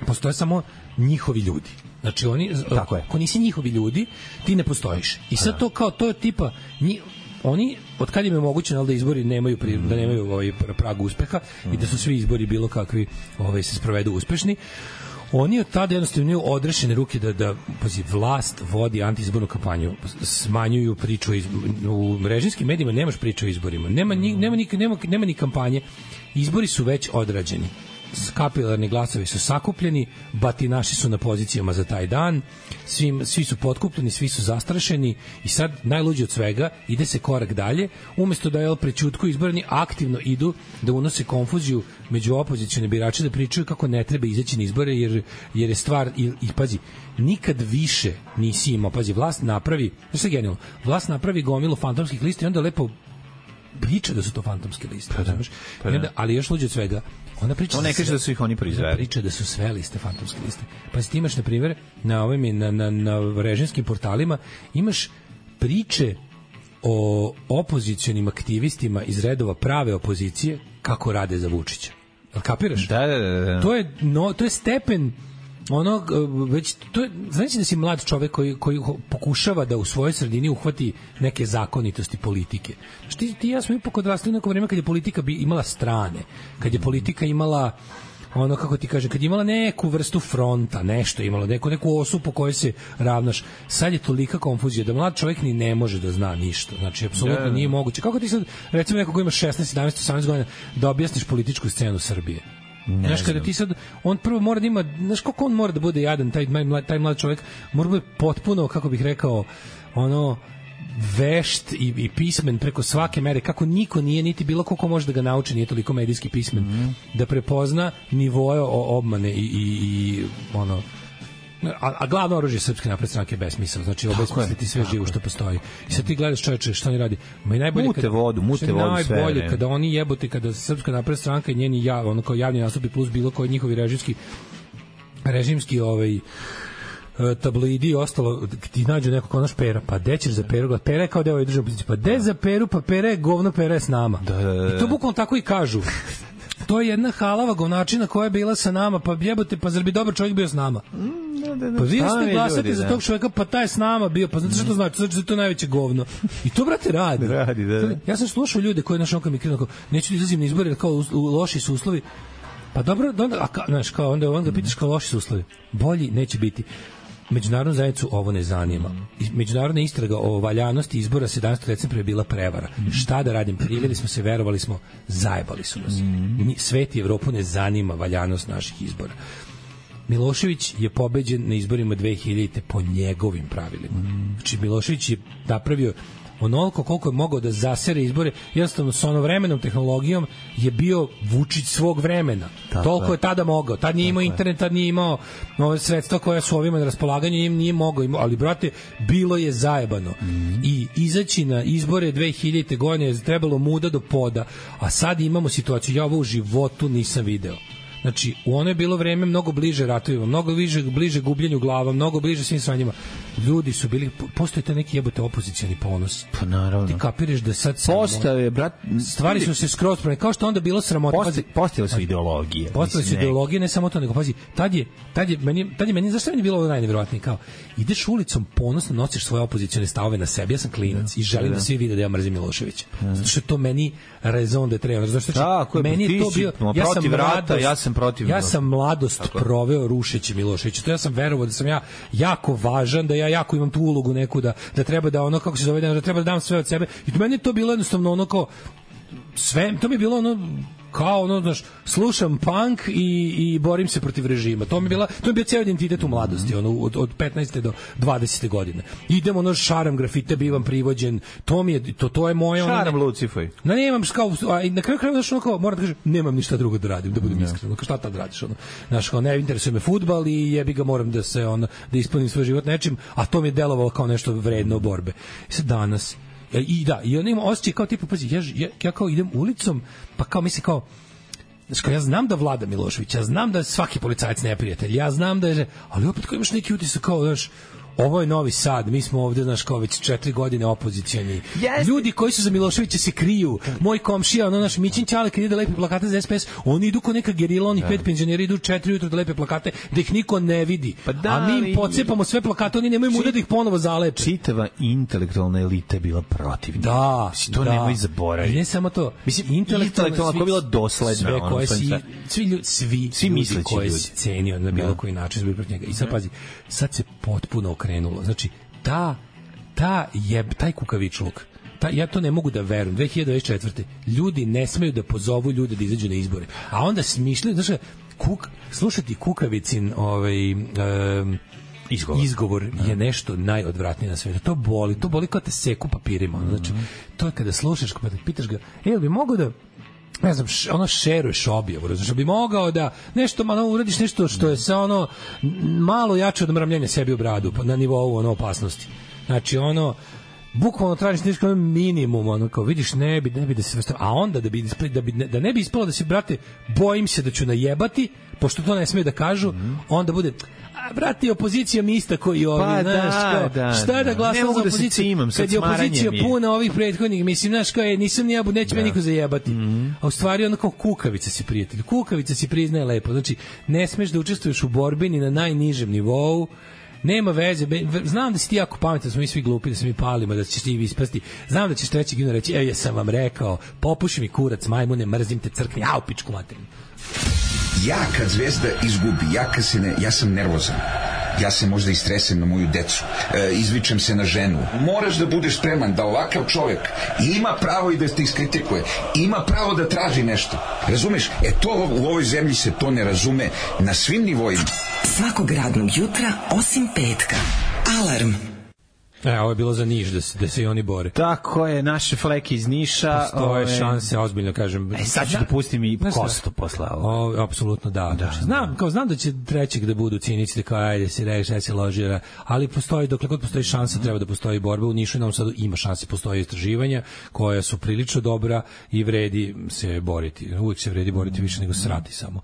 postoje samo njihovi ljudi. Znači oni, tako je. Ako nisi njihovi ljudi, ti ne postojiš. I sad to kao, to je tipa, nji, oni, od kad im je moguće da izbori nemaju, pri, da nemaju ovaj prag uspeha mm. i da su svi izbori bilo kakvi ovaj, se sprovedu uspešni, oni od tada jednostavno imaju odrešene ruke da, da pazi, vlast vodi antiizbornu kampanju, smanjuju priču iz, u režimskim medijima nemaš priču o izborima, nema ni, nema, ni, nema, nema ni kampanje, izbori su već odrađeni, kapilarni glasovi su sakupljeni, batinaši su na pozicijama za taj dan, svi, svi su potkupljeni, svi su zastrašeni i sad najluđe od svega ide se korak dalje, umesto da je prećutku izborani aktivno idu da unose konfuziju među opozicione birače, da pričaju kako ne treba izaći na izbore jer, jer je stvar i, i pazi, nikad više nisi imao, pazi, vlast napravi, to je genijalno, vlast napravi gomilu fantomskih lista i onda lepo priča da su to fantomske liste, pa da, pa da. Ali još luđe od svega, ona priča, on ne kaže da su ih oni proizveli. Priča da su sve liste fantomske liste. Pa ti imaš na primjer na ovim na na na režimskim portalima imaš priče o opozicionim aktivistima iz redova prave opozicije kako rade za Vučića. Jel kapiraš? Da, da, da, da. To je no, to je stepen ono već to je, znači da si mlad čovek koji koji pokušava da u svojoj sredini uhvati neke zakonitosti politike. Znači ti, ti ja smo ipak odrasli u neko vreme kad je politika bi imala strane, kad je politika imala ono kako ti kaže, kad je imala neku vrstu fronta, nešto imala, neku, neku osu po kojoj se ravnaš. Sad je tolika konfuzija da mlad čovjek ni ne može da zna ništa. Znači, apsolutno yeah. nije moguće. Kako ti sad, recimo neko ko ima šesnaest, sedamnaest, osamnaest godina, da objasniš političku scenu Srbije? Ne znaš, kada ti sad, on prvo mora da ima, znaš koliko on mora da bude jadan, taj, taj mlad čovjek, mora da bude potpuno, kako bih rekao, ono, vešt i, i pismen preko svake mere, kako niko nije, niti bilo koliko može da ga nauči, nije toliko medijski pismen, mm-hmm. da prepozna nivoje obmane i, i, i ono, a, a glavno oružje Srpske napredne stranke je besmisao, znači obesmisliti sve živo što postoji. I sad ti gledaš, čoveče, što oni radi? Ma i najbolje mute kada, vodu, mute vodu sve. Najbolje kada oni jebote, kada Srpska napredna stranka i njeni jav, ono kao javni nastupi plus bilo koji njihovi režimski režimski ovaj tabloidi i ostalo, ti nađu nekog ono špera, pa de ćeš za Peru, Pera je kao deo državne opozicije, pa de za Peru, pa Pera je govno, Pera je s nama. Da, da, da. I to bukvalno tako i kažu. To je jedna halava govnačina koja je bila sa nama, pa jebote, pa zar bi dobar čovjek bio s nama? Da, da, da. Pa vi ste glasati za tog čovjeka, pa taj je s nama bio, pa znate što to znači? Znači da je to najveće govno. I to, brate, radi. radi da, da. Ja sam slušao ljude koji našao kao mi krenu, neću da izlazim na izbore, kao u, u loši su uslovi. Pa dobro, onda, a ka, znaš, kao onda, onda pitaš kao loši su uslovi. Bolji neće biti. Međunarodnu zajednicu ovo ne zanima. Međunarodna istraga o valjanosti izbora sedamnaestog decembra je bila prevara. Mm. Šta da radim? Priveli smo se, verovali smo, zajebali su nas. Mm. Svet i Evropu ne zanima valjanost naših izbora. Milošević je pobeđen na izborima dve hiljadite po njegovim pravilima. Mm. Znači Milošević je napravio onoliko koliko je mogao da zasere izbore, jednostavno s onovremenom tehnologijom je bio Vučić svog vremena. Tako toliko je. je tada mogao. Tad nije imao internet, tad nije imao nove sredstva koja su ovima na raspolaganju, im nije mogao. Imao, ali, brate, bilo je zajebano. Mm. I izaći na izbore dve hiljadite godine je trebalo muda do poda, a sad imamo situaciju, ja ovo u životu nisam video. Znači, u ono je bilo vreme mnogo bliže ratovima, mnogo bliže, bliže gubljenju glava, mnogo bliže svim svanjima. Ljudi su bili, postoji taj neki jebote opozicioni ponos. Pa naravno. Ti kapiraš da sad... Postave, brat... Stvari su se skroz promene, kao što onda bilo sramota. Posti, postale su ideologije. Postale su ideologije, ne samo to, nego pazi, tad je, tad je, meni, tad je meni, zašto meni bilo ovo najnevjerojatnije, kao, ideš ulicom ponosno, nosiš svoje opozicione stavove na sebi, ja sam klinac i želim da svi vide da ja mrzim Miloševića. Zato što to meni raison de treba. Zato što meni je to bio, ja sam vrata, ja sam protiv. Ja sam mladost tako proveo rušeći Miloševića. To ja sam verovao da sam ja jako važan, da ja jako imam tu ulogu neku, da, da treba da ono, kako se zove, da treba da dam sve od sebe. I to meni je to bilo jednostavno ono kao sve, to mi je bilo ono kao ono, znaš, slušam punk i, i borim se protiv režima. To mi je bila, to mi je bio ceo identitet u mladosti, ono, od, od petnaeste do dvadesete godine. Idem, ono, šaram grafite, bivam privođen, to mi je, to, to je moje... Šaram ono, Lucifoj. Na nemam, kao, a na kraju kraju, znaš, ono, kao, moram da kažem, nemam ništa drugo da radim, da budem iskren. Kao, šta tad radiš, ono? Znaš, kao, ne interesuje me fudbal i jebi ga, moram da se, ono, da ispunim svoj život nečim, a to mi je delovalo kao nešto vredno borbe. I sad danas, i da, i on ima osjećaj kao tipa, pazi, ja, ja, ja kao idem ulicom, pa kao misli kao, znaš, kao ja znam da vlada Milošević, ja znam da je svaki policajac neprijatelj, ja znam da je, ali opet kao imaš neki utisak kao, znaš, ovo je Novi Sad, mi smo ovde, znaš, kao već četiri godine opozicioni. Yes. Ljudi koji su za Miloševića se kriju. Moj komšija, ono naš Mićin Ćale, kad ide da lepi plakate za S P S, oni idu ko neka gerila, oni pet penzioneri idu četiri ujutro da lepe plakate, da ih niko ne vidi. Pa da, a mi im pocepamo sve plakate, oni nemaju muda da ih ponovo zalepe. Čitava intelektualna elita je bila protiv. Da, mislim, to da. nemoj zaboraviti. Ne samo to. Mislim, intelektualna je bila dosledna. Sve koje si, svi ljudi, svi, svi ljudi koji si cenio na bilo koji način zbog protiv njega. I sad pazi, sad se potpuno krenulo. Znači, ta, ta je, taj kukavičluk, ta, ja to ne mogu da verujem. dve hiljade dvadeset četvrte ljudi ne smeju da pozovu ljude da izađu na izbore. A onda smišljaju, znači, kuk, slušati kukavicin ovaj, um, izgovor, izgovor je nešto najodvratnije na svetu. To boli, to boli kao te seku papirima. Znači, to je kada slušaš, kada pitaš ga, e, jel bi mogo da ne znam, š, ono šeruješ objavu, znači bi mogao da nešto malo uradiš, nešto što je sa ono malo jače od mrmljenja sebi u bradu na nivou ono opasnosti. Znači ono bukvalno tražiš nešto minimum, ono kao vidiš ne bi ne bi da se a onda da bi da bi da ne bi ispalo da se brate bojim se da ću najebati, pošto to ne sme da kažu, mm-hmm. onda bude a brate opozicija mi ista koji ovi, pa, znaš, da, kao, da, šta da glasam za opoziciju da kad je opozicija puna ovih prethodnih, mislim, znaš, kao je, nisam ni ja, neće da. me niko zajebati. Mm-hmm. A u stvari ono kao kukavica si prijatelj, kukavica si priznaje lepo, znači ne smeš da učestvuješ u borbi ni na najnižem nivou. Nema veze, znam da si ti jako pametan, da smo mi svi glupi, da se mi palimo, da ćeš ti ispasti. Znam da ćeš treći gino reći, evo ja sam vam rekao, popuši mi kurac, majmune, mrzim te crkni, au pičku materinu. Ja kad Zvezda izgubi, ja kad se ne, ja sam nervozan. Ja se možda istresem na moju decu, e, izvičem se na ženu. Moraš da budeš spreman da ovakav čovjek ima pravo i da te iskritikuje, ima pravo da traži nešto. Razumeš? E to u ovoj zemlji se to ne razume na svim nivoima. Svakog radnog jutra osim petka. Alarm. E, ovo je bilo za Niš, da se, da se i oni bore. Tako je, naše fleke iz Niša. Postoje ove... šanse, ozbiljno kažem. E, sad ću da pustim i Kostu posle ovo. Apsolutno da. da, znam, da. Kao, znam da će trećeg da budu cinici, da kao, ajde, si reši, ajde se loži, ali postoji, dokle god postoji šansa, treba da postoji borba. U Nišu i Novom Sadu ima šanse, postoje istraživanja koja su prilično dobra i vredi se boriti. Uvijek se vredi boriti više nego srati samo.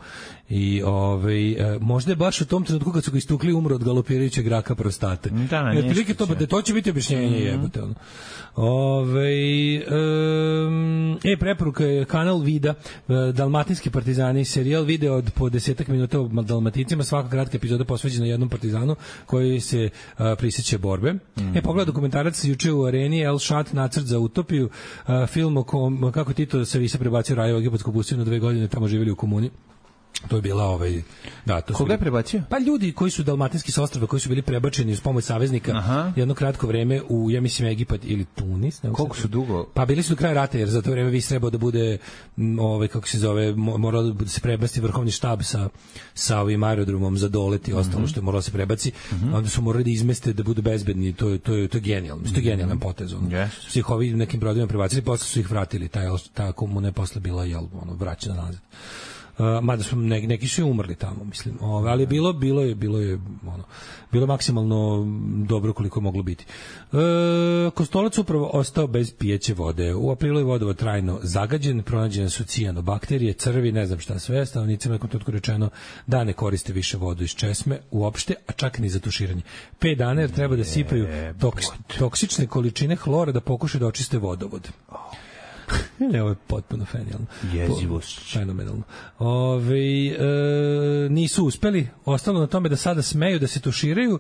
I ovaj možda je baš u tom trenutku kad su ga istukli umro od galopirajućeg raka prostate. Da, jer prilike to da to će biti objašnjenje, mm-hmm. jebote ono. Ovaj um, e preporuka je kanal Vida, Dalmatinski partizani, serijal video od po desetak minuta o Dalmatincima, svaka kratka epizoda posvećena jednom partizanu koji se uh, prisjeća borbe. Mm-hmm. E pogledaj dokumentarac juče u Areni El Shat nacrt za utopiju, uh, film o kom, kako Tito se visa prebacio Rajevo egipatsko pustio na dve godine, tamo živjeli u komuni. To je bila ovaj da to koga je prebacio? Pa ljudi koji su dalmatinski sa ostrva koji su bili prebačeni uz pomoć saveznika. Aha. Jedno kratko vreme u ja mislim Egipat ili Tunis, ne znam. Koliko su dugo? Pa bili su do kraja rata jer za to vreme vi trebao da bude ovaj kako se zove moralo da se prebaci vrhovni štab sa sa ovim aerodromom za doleti i ostalo mm-hmm. što je moralo se prebaci. Mm-hmm. Onda su morali da izmeste da budu bezbedni, to je to je to je genijalno. To je genijalan potez. On. Yes. Svih ovih nekim brodovima prebacili, posle su ih vratili, taj ta komuna je posle bila jel ono vraćena nazad. Uh, mada su neki, neki su umrli tamo, mislim. Ove, ali bilo, bilo je, bilo je, ono, bilo maksimalno dobro koliko je moglo biti. Uh, Kostolac upravo ostao bez pijeće vode. U aprilu je vodovod trajno zagađen, pronađene su cijanobakterije, crvi, ne znam šta sve. Stanovnicima je kontaktu rečeno da ne koriste više vodu iz česme uopšte, a čak ni za tuširanje. Pet dana jer treba da sipaju toks, toksične količine hlora da pokušaju da očiste vodovod. Ne, ovo je potpuno fenomenalno. Jezivost. Fenomenalno. Ove, e, nisu uspeli, ostalo na tome da sada smeju da se tuširaju,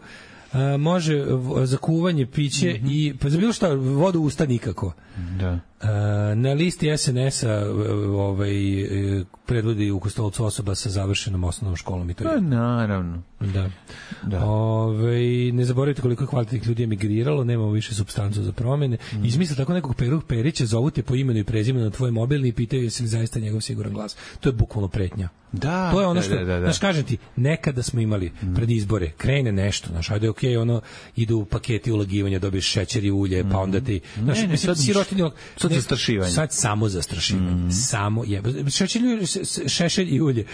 e, može v, za kuvanje, piće mm-hmm. i pa za bilo šta vodu usta nikako. Da. Na listi es en es-a ovaj, predvodi u Kostolcu osoba sa završenom osnovnom školom i to je. Pa, naravno. Da. da. Ove, ne zaboravite koliko kvalitetnih ljudi je migriralo, nemamo više supstancu za promene. Mm. Izmisli tako nekog Peru Perića, zovu te po imenu i prezimenu na tvoj mobilni i pitaju jesi li zaista njegov siguran glas. To je bukvalno pretnja. Da, to je ono što, da, da, da. znaš, kažem ti, nekada smo imali mm. pred izbore, krene nešto, znaš, ajde, okej, okay, ono, idu u paketi ulagivanja, dobiješ šećer i ulje, mm. pa onda ti, znaš, ne, ne, mislim, sad, sirotinje, sad zastrašivanje. Sad samo zastrašivanje, mm. samo je, šešelj, šešelj i ulje.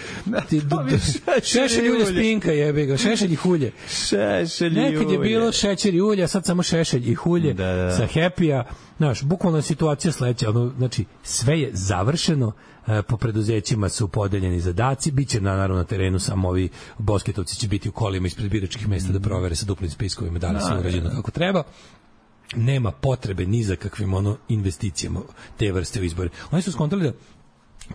Ti, do, do, šešelj i ulje spinka jebe ga, šešelj i hulje. Šešelj i ulje. Nekad je bilo šećer i ulje, a sad samo šešelj i hulje da, da. sa Happy-a. Znaš, bukvalno situacija sledeća, ono, znači, sve je završeno, e, po preduzećima su podeljeni zadaci, bit će na, naravno na terenu samo ovi bosketovci će biti u kolima ispred biračkih mesta da provere sa duplim spiskovima da li su urađeno kako treba. Nema potrebe ni za kakvim ono investicijama te vrste u izbore. Oni su skontali da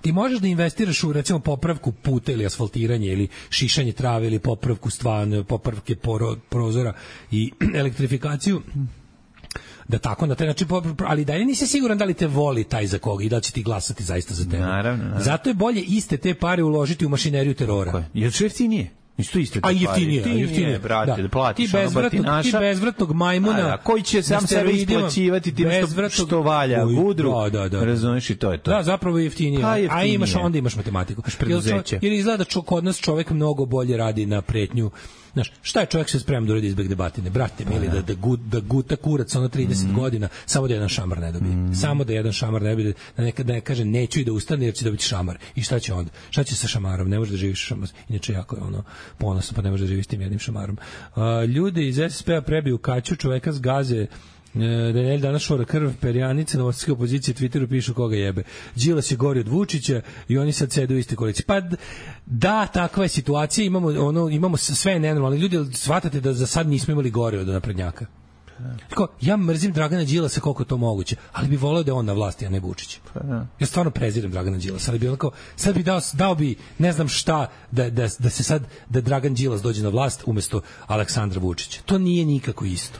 ti možeš da investiraš u recimo popravku puta ili asfaltiranje ili šišanje trave ili popravku stvarno, popravke poro, prozora i elektrifikaciju da tako na taj način, ali dalje nisi siguran da li te voli taj za koga i da li će ti glasati zaista za tebe. Naravno, naravno. Zato je bolje iste te pare uložiti u mašineriju terora. Jer što jeftinije? Isto isto. A jeftinije, jeftinije, jeftinije, brate, da. da platiš ti bezvratnog, ti bezvratnog majmuna, da, koji će sam sebe isplaćivati tim što, što valja, gudru, da, da, da. razumiješ i to je to. Da, zapravo je jeftinije, pa, jeftinije. A imaš, onda imaš matematiku. Jer, jer izgleda da kod nas čovek mnogo bolje radi na pretnju. Znaš, šta je čovjek se spremno da uradi izbeg debatine? Brate, mili, da, da, gut, da guta kurac ono trideset mm. godina, samo da jedan šamar ne dobije. Mm. Samo da jedan šamar ne dobije, da nekada ne kaže neću i da ustane jer će dobiti šamar. I šta će onda? Šta će sa šamarom? Ne može da živiš šamar. Inače, jako je ono ponosno, pa ne može da živiš tim jednim šamarom. Uh, ljudi iz es es pe-a prebiju kaću, čoveka z Gaze, Daniel danas šora krv, perjanice, novosadske opozicije, Twitteru pišu koga jebe. Đilas je gori od Vučića i oni sad sede u iste koalicije. Pa da, takva je situacija, imamo, ono, imamo sve nenormalne. Ljudi, shvatate da za sad nismo imali gore od naprednjaka. Tako, ja mrzim Dragana Đilasa koliko je to moguće, ali bi voleo da je on na vlasti, a ne Vučić. Ja stvarno prezirem Dragana Đilasa, ali bi onako, sad bi dao, dao bi ne znam šta da, da, da se sad, da Dragan Đilas dođe na vlast umesto Aleksandra Vučića. To nije nikako isto.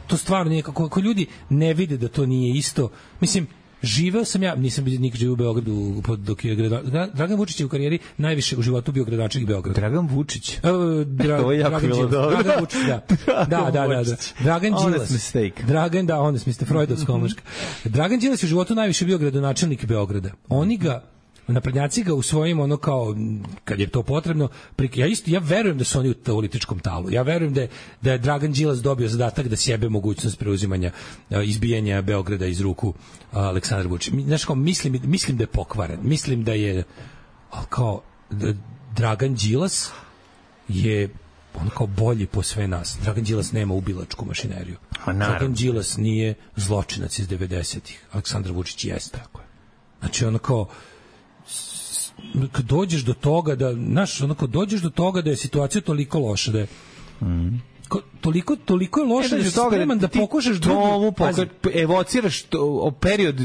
To stvarno nije, kako, ako ljudi ne vide da to nije isto, mislim, živeo sam ja, nisam nikad živio u Beogradu dok je grada, Dragan Vučić je u karijeri najviše u životu bio gradonačelnik Beograda. Dragan Vučić. Uh, dra, to je jako bilo dobro. Dragan Vučić, da. Da, da, da, da. Dragan Đilas. Dragan, da, honest mistake, Freudovska omaška. Dragan Đilas je u životu najviše bio gradonačelnik Beograda. Oni ga naprednjaci ga u svojim ono kao kad je to potrebno, ja isto ja verujem da su oni u političkom talu. Ja verujem da je, da je Dragan Đilas dobio zadatak da sjebe mogućnost preuzimanja izbijanja Beograda iz ruku Aleksandra Vučića. Znaš, kao mislim mislim da je pokvaren. Mislim da je al kao da Dragan Đilas je on kao bolji po sve nas. Dragan Đilas nema ubilačku mašineriju. Dragan Đilas nije zločinac iz devedesetih. Aleksandar Vučić jeste. Tako je. Znači ono kao kad dođeš do toga da, znaš, onako dođeš do toga da je situacija toliko loša da je mm. ko, toliko, toliko je loša da je spreman da, da pokušaš drugu pokaž, evociraš to, period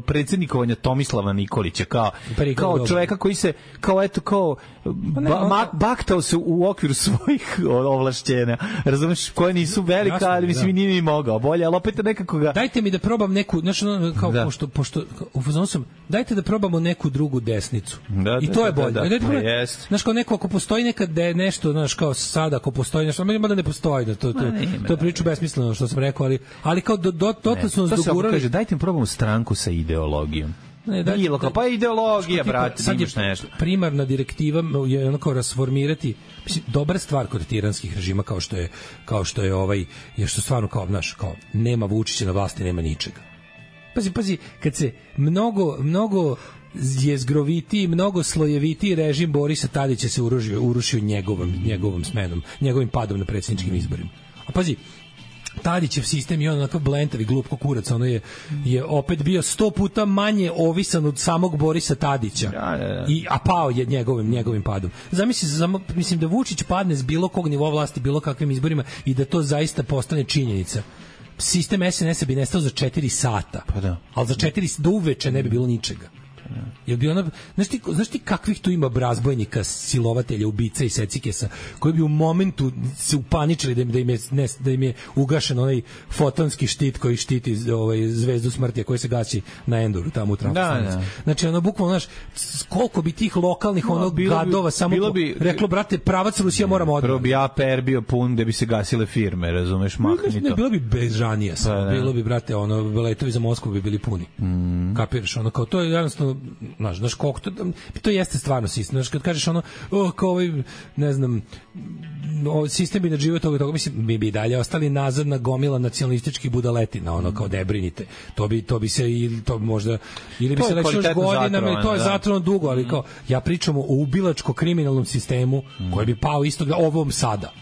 predsjednikovanja Tomislava Nikolića kao, kao čoveka koji se kao eto kao ba, ne, on... baktao se u okviru svojih ovlašćenja, razumeš, koje nisu velika, jasno, ali mislim da. Nije ni mogao bolje, ali opet nekako ga dajte mi da probam neku, znači kao da. pošto, pošto u fazonu sam, dajte da probamo neku drugu desnicu da, i to da, je bolje, da, da, dajte da, da, znaš kao neko ako postoji nekad da je nešto, znaš kao sada ako postoji nešto, mada ne postoji da to, to, to, to je priču besmisleno što sam rekao, ali, ali kao do, do, do, do su nas dogurali. Kaže, dajte mi probamo stranku sa ideologijom. Ne, dajte, Bilo, kao, pa ideologija, brate, sad imaš nešto. Primarna direktiva je ono kao rasformirati, mislim, dobra stvar kod tiranskih režima kao što je, kao što je ovaj, je što stvarno kao, znaš, kao, nema Vučića na vlasti, nema ničega. Pazi, pazi, kad se mnogo, mnogo jezgrovitiji, mnogo slojevitiji režim Borisa Tadića se urušio, urušio njegovom, njegovom smenom, njegovim padom na predsjedničkim izborima. A pazi, Tadićev sistem je on onakav blentav i glup ko kurac, ono je, je opet bio sto puta manje ovisan od samog Borisa Tadića, ja, ja, ja. I, a pao je njegovim, njegovim padom. Zamisli, mislim da Vučić padne s bilo kog nivoa vlasti, bilo kakvim izborima i da to zaista postane činjenica. Sistem es en es-a bi nestao za četiri sata, pa da. ali za četiri do uveče ne bi bilo ničega. Jel bi ona, znaš ti, znaš ti kakvih tu ima razbojnika, silovatelja, ubica i secikesa, koji bi u momentu se upaničili da im, da im, je, ne, da im je ugašen onaj fotonski štit koji štiti ovaj, zvezdu smrti, koji se gaći na Endoru, tamo u trafostanici. Da, da. Znači, ono, bukvalno, znaš, koliko bi tih lokalnih no, onog gadova bi, samo bi, reklo, brate, pravac Rusija moramo odmah. Prvo bi A P R bio pun da bi se gasile firme, razumeš, mahni to. Ne, bilo bi bežanija samo, pa, bilo bi, brate, ono, letovi za Moskvu bi bili puni. Mm. Kapiraš, ono, kao, to je jednostavno, znaš, znaš, koliko to, to jeste stvarno sistem, znaš, kad kažeš ono, oh, kao ovaj, ne znam, sistem bi nadživio toga, toga, mislim, mi bi dalje ostali nazadna gomila nacionalističkih budaletina, ono, kao ne brinite, to bi, to bi se, ili to možda, ili bi to se reći još godinama, ili to je zatrovano dugo, ali kao, ja pričam o ubilačko-kriminalnom sistemu, mm. koji bi pao isto ovom sada.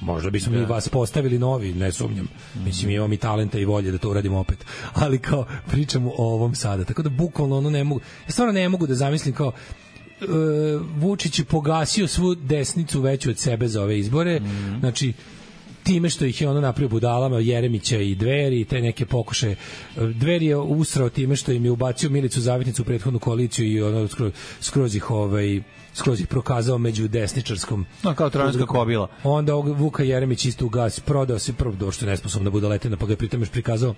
Možda bismo mi vas postavili novi, ne sumnjam. Mislim, imamo i talenta i volje da to uradimo opet. Ali kao, pričamo o ovom sada. Tako da, bukvalno, ono ne mogu, ja stvarno ne mogu da zamislim kao, uh, Vučić je pogasio svu desnicu veću od sebe za ove izbore. Mm. Znači, time što ih je ono napravio budalama, Jeremića i Dveri, te neke pokušaje. Dveri je usrao time što im je ubacio Milicu Zavetnicu u prethodnu koaliciju i ono skroz, skroz ih ovaj skroz ih prokazao među desničarskom. No, kao trojanska kobila. Onda Vuka Jeremić isto ugas, prodao se prvo došto je nesposobna budaletina, pa ga je pritom još prikazao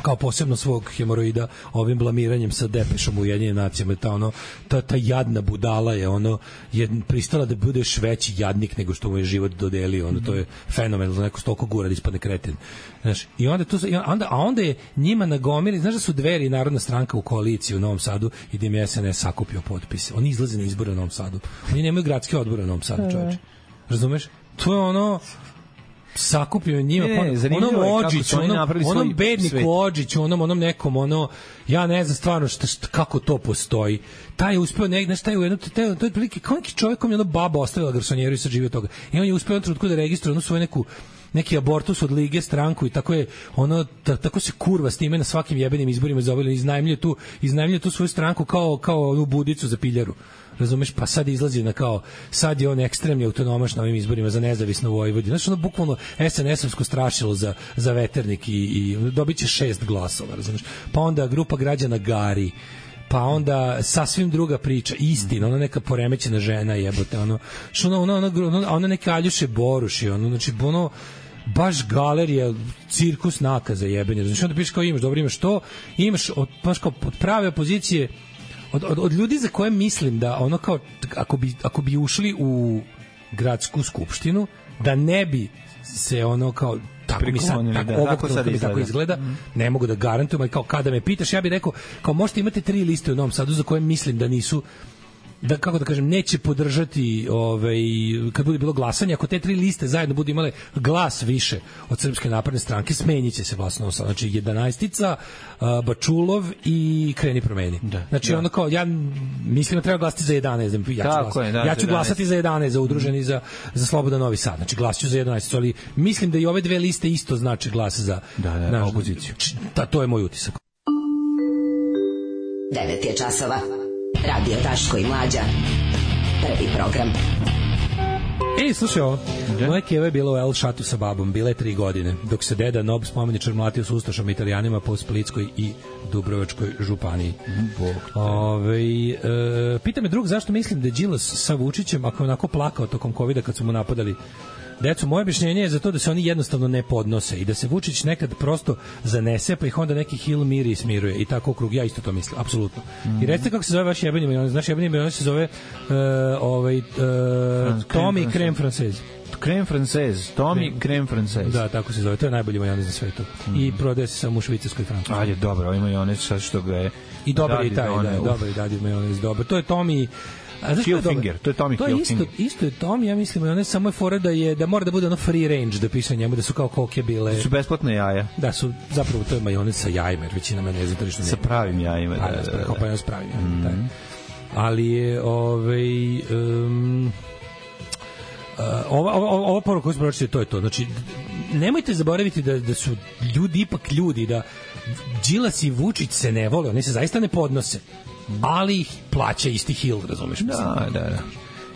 kao posebno svog hemoroida ovim blamiranjem sa Depešom u Ujedinjenim nacijama. Ta, ono, ta, ta jadna budala je ono je pristala da budeš veći jadnik nego što mu je život dodelio. Ono, to je fenomenalno, neko stolko gura da ispadne kreten. Znaš, i onda, to, onda, a onda je njima nagomili, znaš da su Dveri i Narodna stranka u koaliciji u Novom Sadu i da im je S N S sakupio potpise. Oni izlaze na izbore u Novom Sadu. Oni nemaju gradske odbore u Novom Sadu, čoveče. Razumeš? To je ono sakupio njima, ne, ne, onom Odžiću, onom, onom bedniku Odžiću, onom, onom nekom, ono, ja ne znam stvarno šta, šta, kako to postoji. Taj je uspeo, ne, znaš, taj je u jednu, taj, to je prilike, kao neki čovjek kom je ono baba ostavila garsonjeru i sad živi od toga. I on je uspeo u trenutku da registruje onu svoju neku neki abortus od lige, stranku i tako je ono ta, tako se kurva s time na svakim jebenim izborima zaobili, iznajmljuje tu iznajmljuje tu svoju stranku kao kao onu budicu za piljaru. Razumeš, pa sad izlazi na kao, sad je on ekstremni autonomaš na ovim izborima za nezavisno Vojvodinu. Znači, ono bukvalno S N S-ovsko strašilo za, za veternik i, i dobit će šest glasova, razumeš. Pa onda grupa građana Gari, pa onda sasvim druga priča, istina, ona neka poremećena žena jebote, ono, što ona, ona, ona, ona neka Aljuše Boruši, ono, znači, ono, baš galerija, cirkus nakaza jebeni, znači, onda pišeš kao imaš, dobro imaš to, imaš, od, baš kao od prave opozicije, Od, od, od ljudi za koje mislim da ono kao ako bi, ako bi ušli u gradsku skupštinu da ne bi se ono kao tako mi sad tako, da, tako, sad izgleda. tako izgleda mm. ne mogu da garantujem, ali kao kada me pitaš ja bih rekao kao možete imati tri liste u Novom Sadu za koje mislim da nisu da kako da kažem neće podržati ovaj kad bude bilo glasanje, ako te tri liste zajedno budu imale glas više od Srpske napredne stranke, smenjiće se vlast, znači jedanaestica, Bačulov i Kreni promeni. Da, znači da. Ono kao ja mislim da treba glasati za jedanaest, ja ću, glasati. Je, da, ja ću glasati za jedanaest, za udruženi za za Slobodan Novi Sad. Znači glasaću za jedanaest, ali mislim da i ove dve liste isto znači glas za da, da, na opoziciju. Da, to je moj utisak. devet je časova. Radio Daško i Mlađa. Prvi program. Ej, slušaj ovo. Moja keva je bila u El Šatu sa babom. Bila je tri godine. Dok se deda Nob spomeničar mlatio s ustašama Italijanima po Splitskoj i Dubrovačkoj županiji. Ove, e, pita me drug zašto mislim da je Đilas sa Vučićem ako je onako plakao tokom kovida kad su mu napadali decu. Moje objašnjenje je za to da se oni jednostavno ne podnose i da se Vučić nekad prosto zanese, pa ih onda neki hil miri i smiruje i tako krug. Ja isto to mislim, apsolutno. Mm. I recite kako se zove vaš jebeni majonez. Znaš, jebeni majonez se zove uh, ovaj, uh, Tommy Creme Française. Creme Française, Tommy Creme Française. Da, tako se zove. To je najbolji majonez na svetu. Mm. I prodaje se samo u Švicarskoj i Francuskoj. Ajde, dobro, ovaj majonez sad što ga je... I dobar je i taj, da, dobar je dadi majonez, dobar. To je Tommy... Hilfinger, to je Tommy to Hilfinger. Isto, isto je Tommy, ja mislim, on je samo je fora da je da mora da bude ono free range da piše njemu da su kao koke bile. Da su besplatne jaja. Da su zapravo to je majonez sa jajima, jer većina majoneza tržišno sa pravim jajima, da, da, da. Kao pa s pravim jajima, da. Ali je ovaj um, uh, ova ova ova poruka koju smo pročitali, to je to. Znači nemojte zaboraviti da da su ljudi ipak ljudi, da Đilas i Vučić se ne vole, oni se zaista ne podnose. Ali ih plaća isti hil, razumeš? Da, da, da.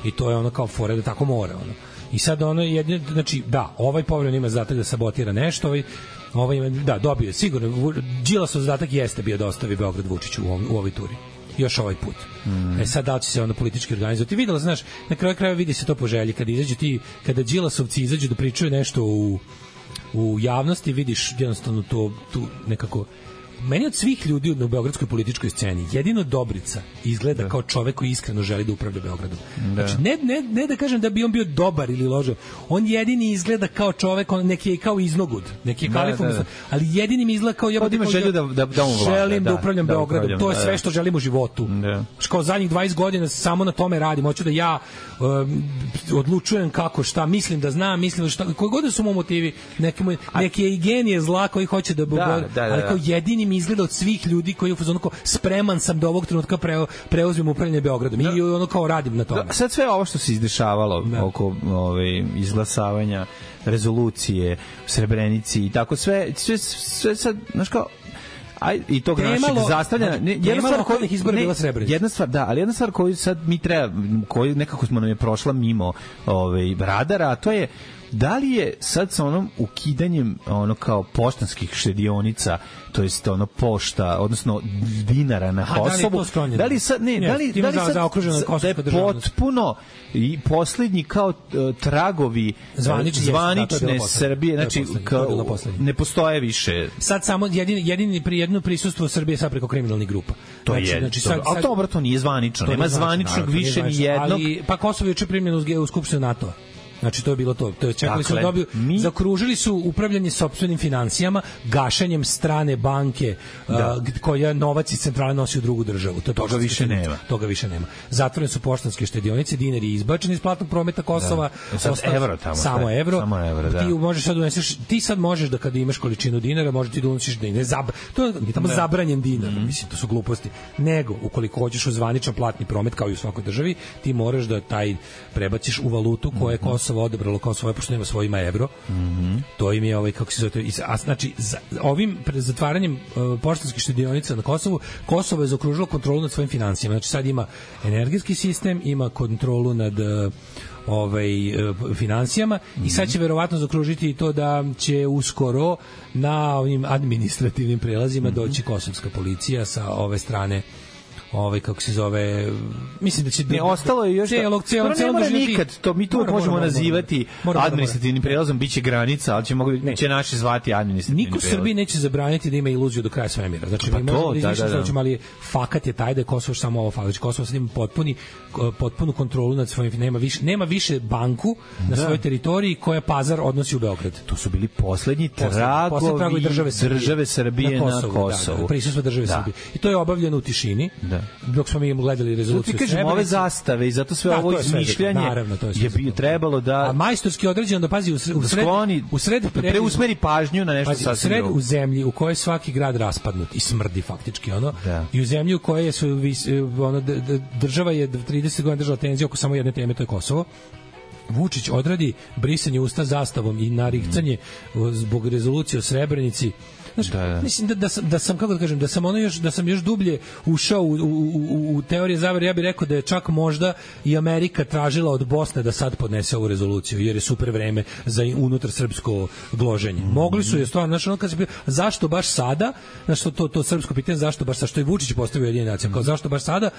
I to je ono kao fore da tako mora, ono. I sad ono je, znači, da, ovaj povremeno ima zadatak da sabotira nešto, ovaj, ovaj ima, da, dobio je, sigurno, Đilasov zadatak jeste bio da ostavi Beograd Vučiću u, u ovoj turi. još ovaj put. Mm. E sad da li će se onda politički organizovati? Videla, znaš, na kraju krajeva vidi se to po želji. Kada izađu ti, kada Đilasovci izađu da pričaju nešto u, u javnosti, vidiš jednostavno to, tu nekako... Meni od svih ljudi u beogradskoj političkoj sceni jedino Dobrica izgleda da. kao čovek koji iskreno želi da upravlja Beogradom. Da. Znači, ne, ne, ne da kažem da bi on bio dobar ili ložan, on jedini izgleda kao čovek, on neki je kao iznogud, neki je da, kalifom, da, da. ali jedini mi izgleda kao ja ima želju da, da, da on vlada, želim da, da upravljam da Beogradom, upravljam, to je sve da, što želim u životu. Da. Kao zadnjih dvadeset godina samo na tome radim, hoću da ja um, odlučujem kako, šta, mislim da znam, mislim da šta, koji god su mu motivi, neki, moj, neki je i genije zla koji hoće da, da, da, da, ali kao jedini izgleda od svih ljudi koji u fazonu kao spreman sam do ovog trenutka pre, preuzmem upravljanje Beogradom i da. ono kao radim na tome. Da, sad sve ovo što se izdešavalo da. oko ove izglasavanja rezolucije u Srebrenici i tako sve sve sve sad znaš kao aj i tog našeg zastavljanja ne, jedna stvar koja izbora bila Srebrenica. Jedna stvar, da, ali jedna stvar koju sad mi treba, koju nekako smo nam je prošla mimo ovaj radara, a to je da li je sad sa onom ukidanjem ono kao poštanskih štedionica, to jest ono pošta, odnosno dinara na Kosovu, da, da li sad ne, ne da li da li sad da je potpuno i poslednji kao uh, tragovi zvanične, zvanične da, Srbije, znači kao, ne postoje više. Sad samo jedini jedini pri jedno prisustvo Srbije sad preko kriminalnih grupa. To znači, je. Znači sad, sad, a dobro, to nije zvanično. Nema zvaničnog više ni jednog. Ali pa Kosovo je juče primljeno u skupštinu NATO-a. Znači to je bilo to. To je čekali dakle, su dobiju, mi... zakružili su upravljanje sopstvenim finansijama, gašenjem strane banke da. uh, koja novac iz centrale nosi u drugu državu. To toga više nema. Toga više nema. Zatvorene su poštanske štedionice, dinar je izbačen iz platnog prometa Kosova. Da. Sad Ostav, evro tamo. Samo sve. evro. Samo evro, da. Ti možeš sad uneseš, ti sad možeš da kada imaš količinu dinara, možeš ti da unosiš dinar. Zab, to je tamo da. zabranjen dinar. Mm-hmm. Mislim, to su gluposti. Nego, ukoliko hoćeš u zvaničan platni promet kao i u svakoj državi, ti moraš da taj prebaciš u valutu koje je Kosovo odabralo kao svoje, pošto nema svojima evro. Mm-hmm. To im je ovaj, kako se zove, a znači za, ovim zatvaranjem uh, poštanskih štedionica na Kosovu, Kosovo je zaokružilo kontrolu nad svojim finansijama. Znači sad ima energetski sistem, ima kontrolu nad uh, ovaj uh, finansijama mm-hmm. i sad će verovatno zaokružiti i to da će uskoro na ovim administrativnim prelazima mm-hmm. doći kosovska policija sa ove strane ovaj kako se zove, mislim da će ne ostalo je još celog celog celog nikad to mi tu mora, možemo mora, nazivati mora, mora, administrativnim prelazom, biće granica, ali će mogu ne. će naši zvati administrativni prelaz. Niko Srbiji neće zabraniti da ima iluziju do kraja svemira. Znači pa mi možemo da izmišljamo, ali fakat je taj da je Kosovo samo ovo falić. Kosovo sad ima potpuni potpunu kontrolu nad svojim, nema više nema više banku na da. svojoj teritoriji koja pazar odnosi u Beograd. To su bili poslednji tragovi, tragovi države Srbije, države Srbije na Kosovu. Na Kosovu. Da, da, prisustvo države da. Srbije. I to je obavljeno u tišini. Da. Dok smo mi gledali rezoluciju. Ti kažemo ove zastave i zato sve da, ovo izmišljanje naravno, to je, je bi trebalo da... A majstorski određeno da pazi u sred... U sred, skloni, u sred pre, preusmeri pažnju na nešto pazi, sasvim sred u zemlji u kojoj svaki grad raspadnut i smrdi faktički ono. Da. I u zemlji u kojoj su ono, država je trideset godina držala tenziju oko samo jedne teme, to je Kosovo. Vučić odradi brisanje usta zastavom i naricanje mm. zbog rezolucije o Srebrenici. Znaš, da, da. Mislim da, da, sam, da sam, kako da kažem, da sam ono još, da sam još dublje ušao u, u, u, u teorije zavere, ja bih rekao da je čak možda i Amerika tražila od Bosne da sad podnese ovu rezoluciju, jer je super vreme za unutar srpsko gloženje. Mm-hmm. Mogli su je stvarno, znaš, ono kad se, zašto baš sada, znaš, to, to, to srpsko pitanje, zašto baš sada, što je Vučić postavio Ujedinjene nacije, kao zašto baš sada,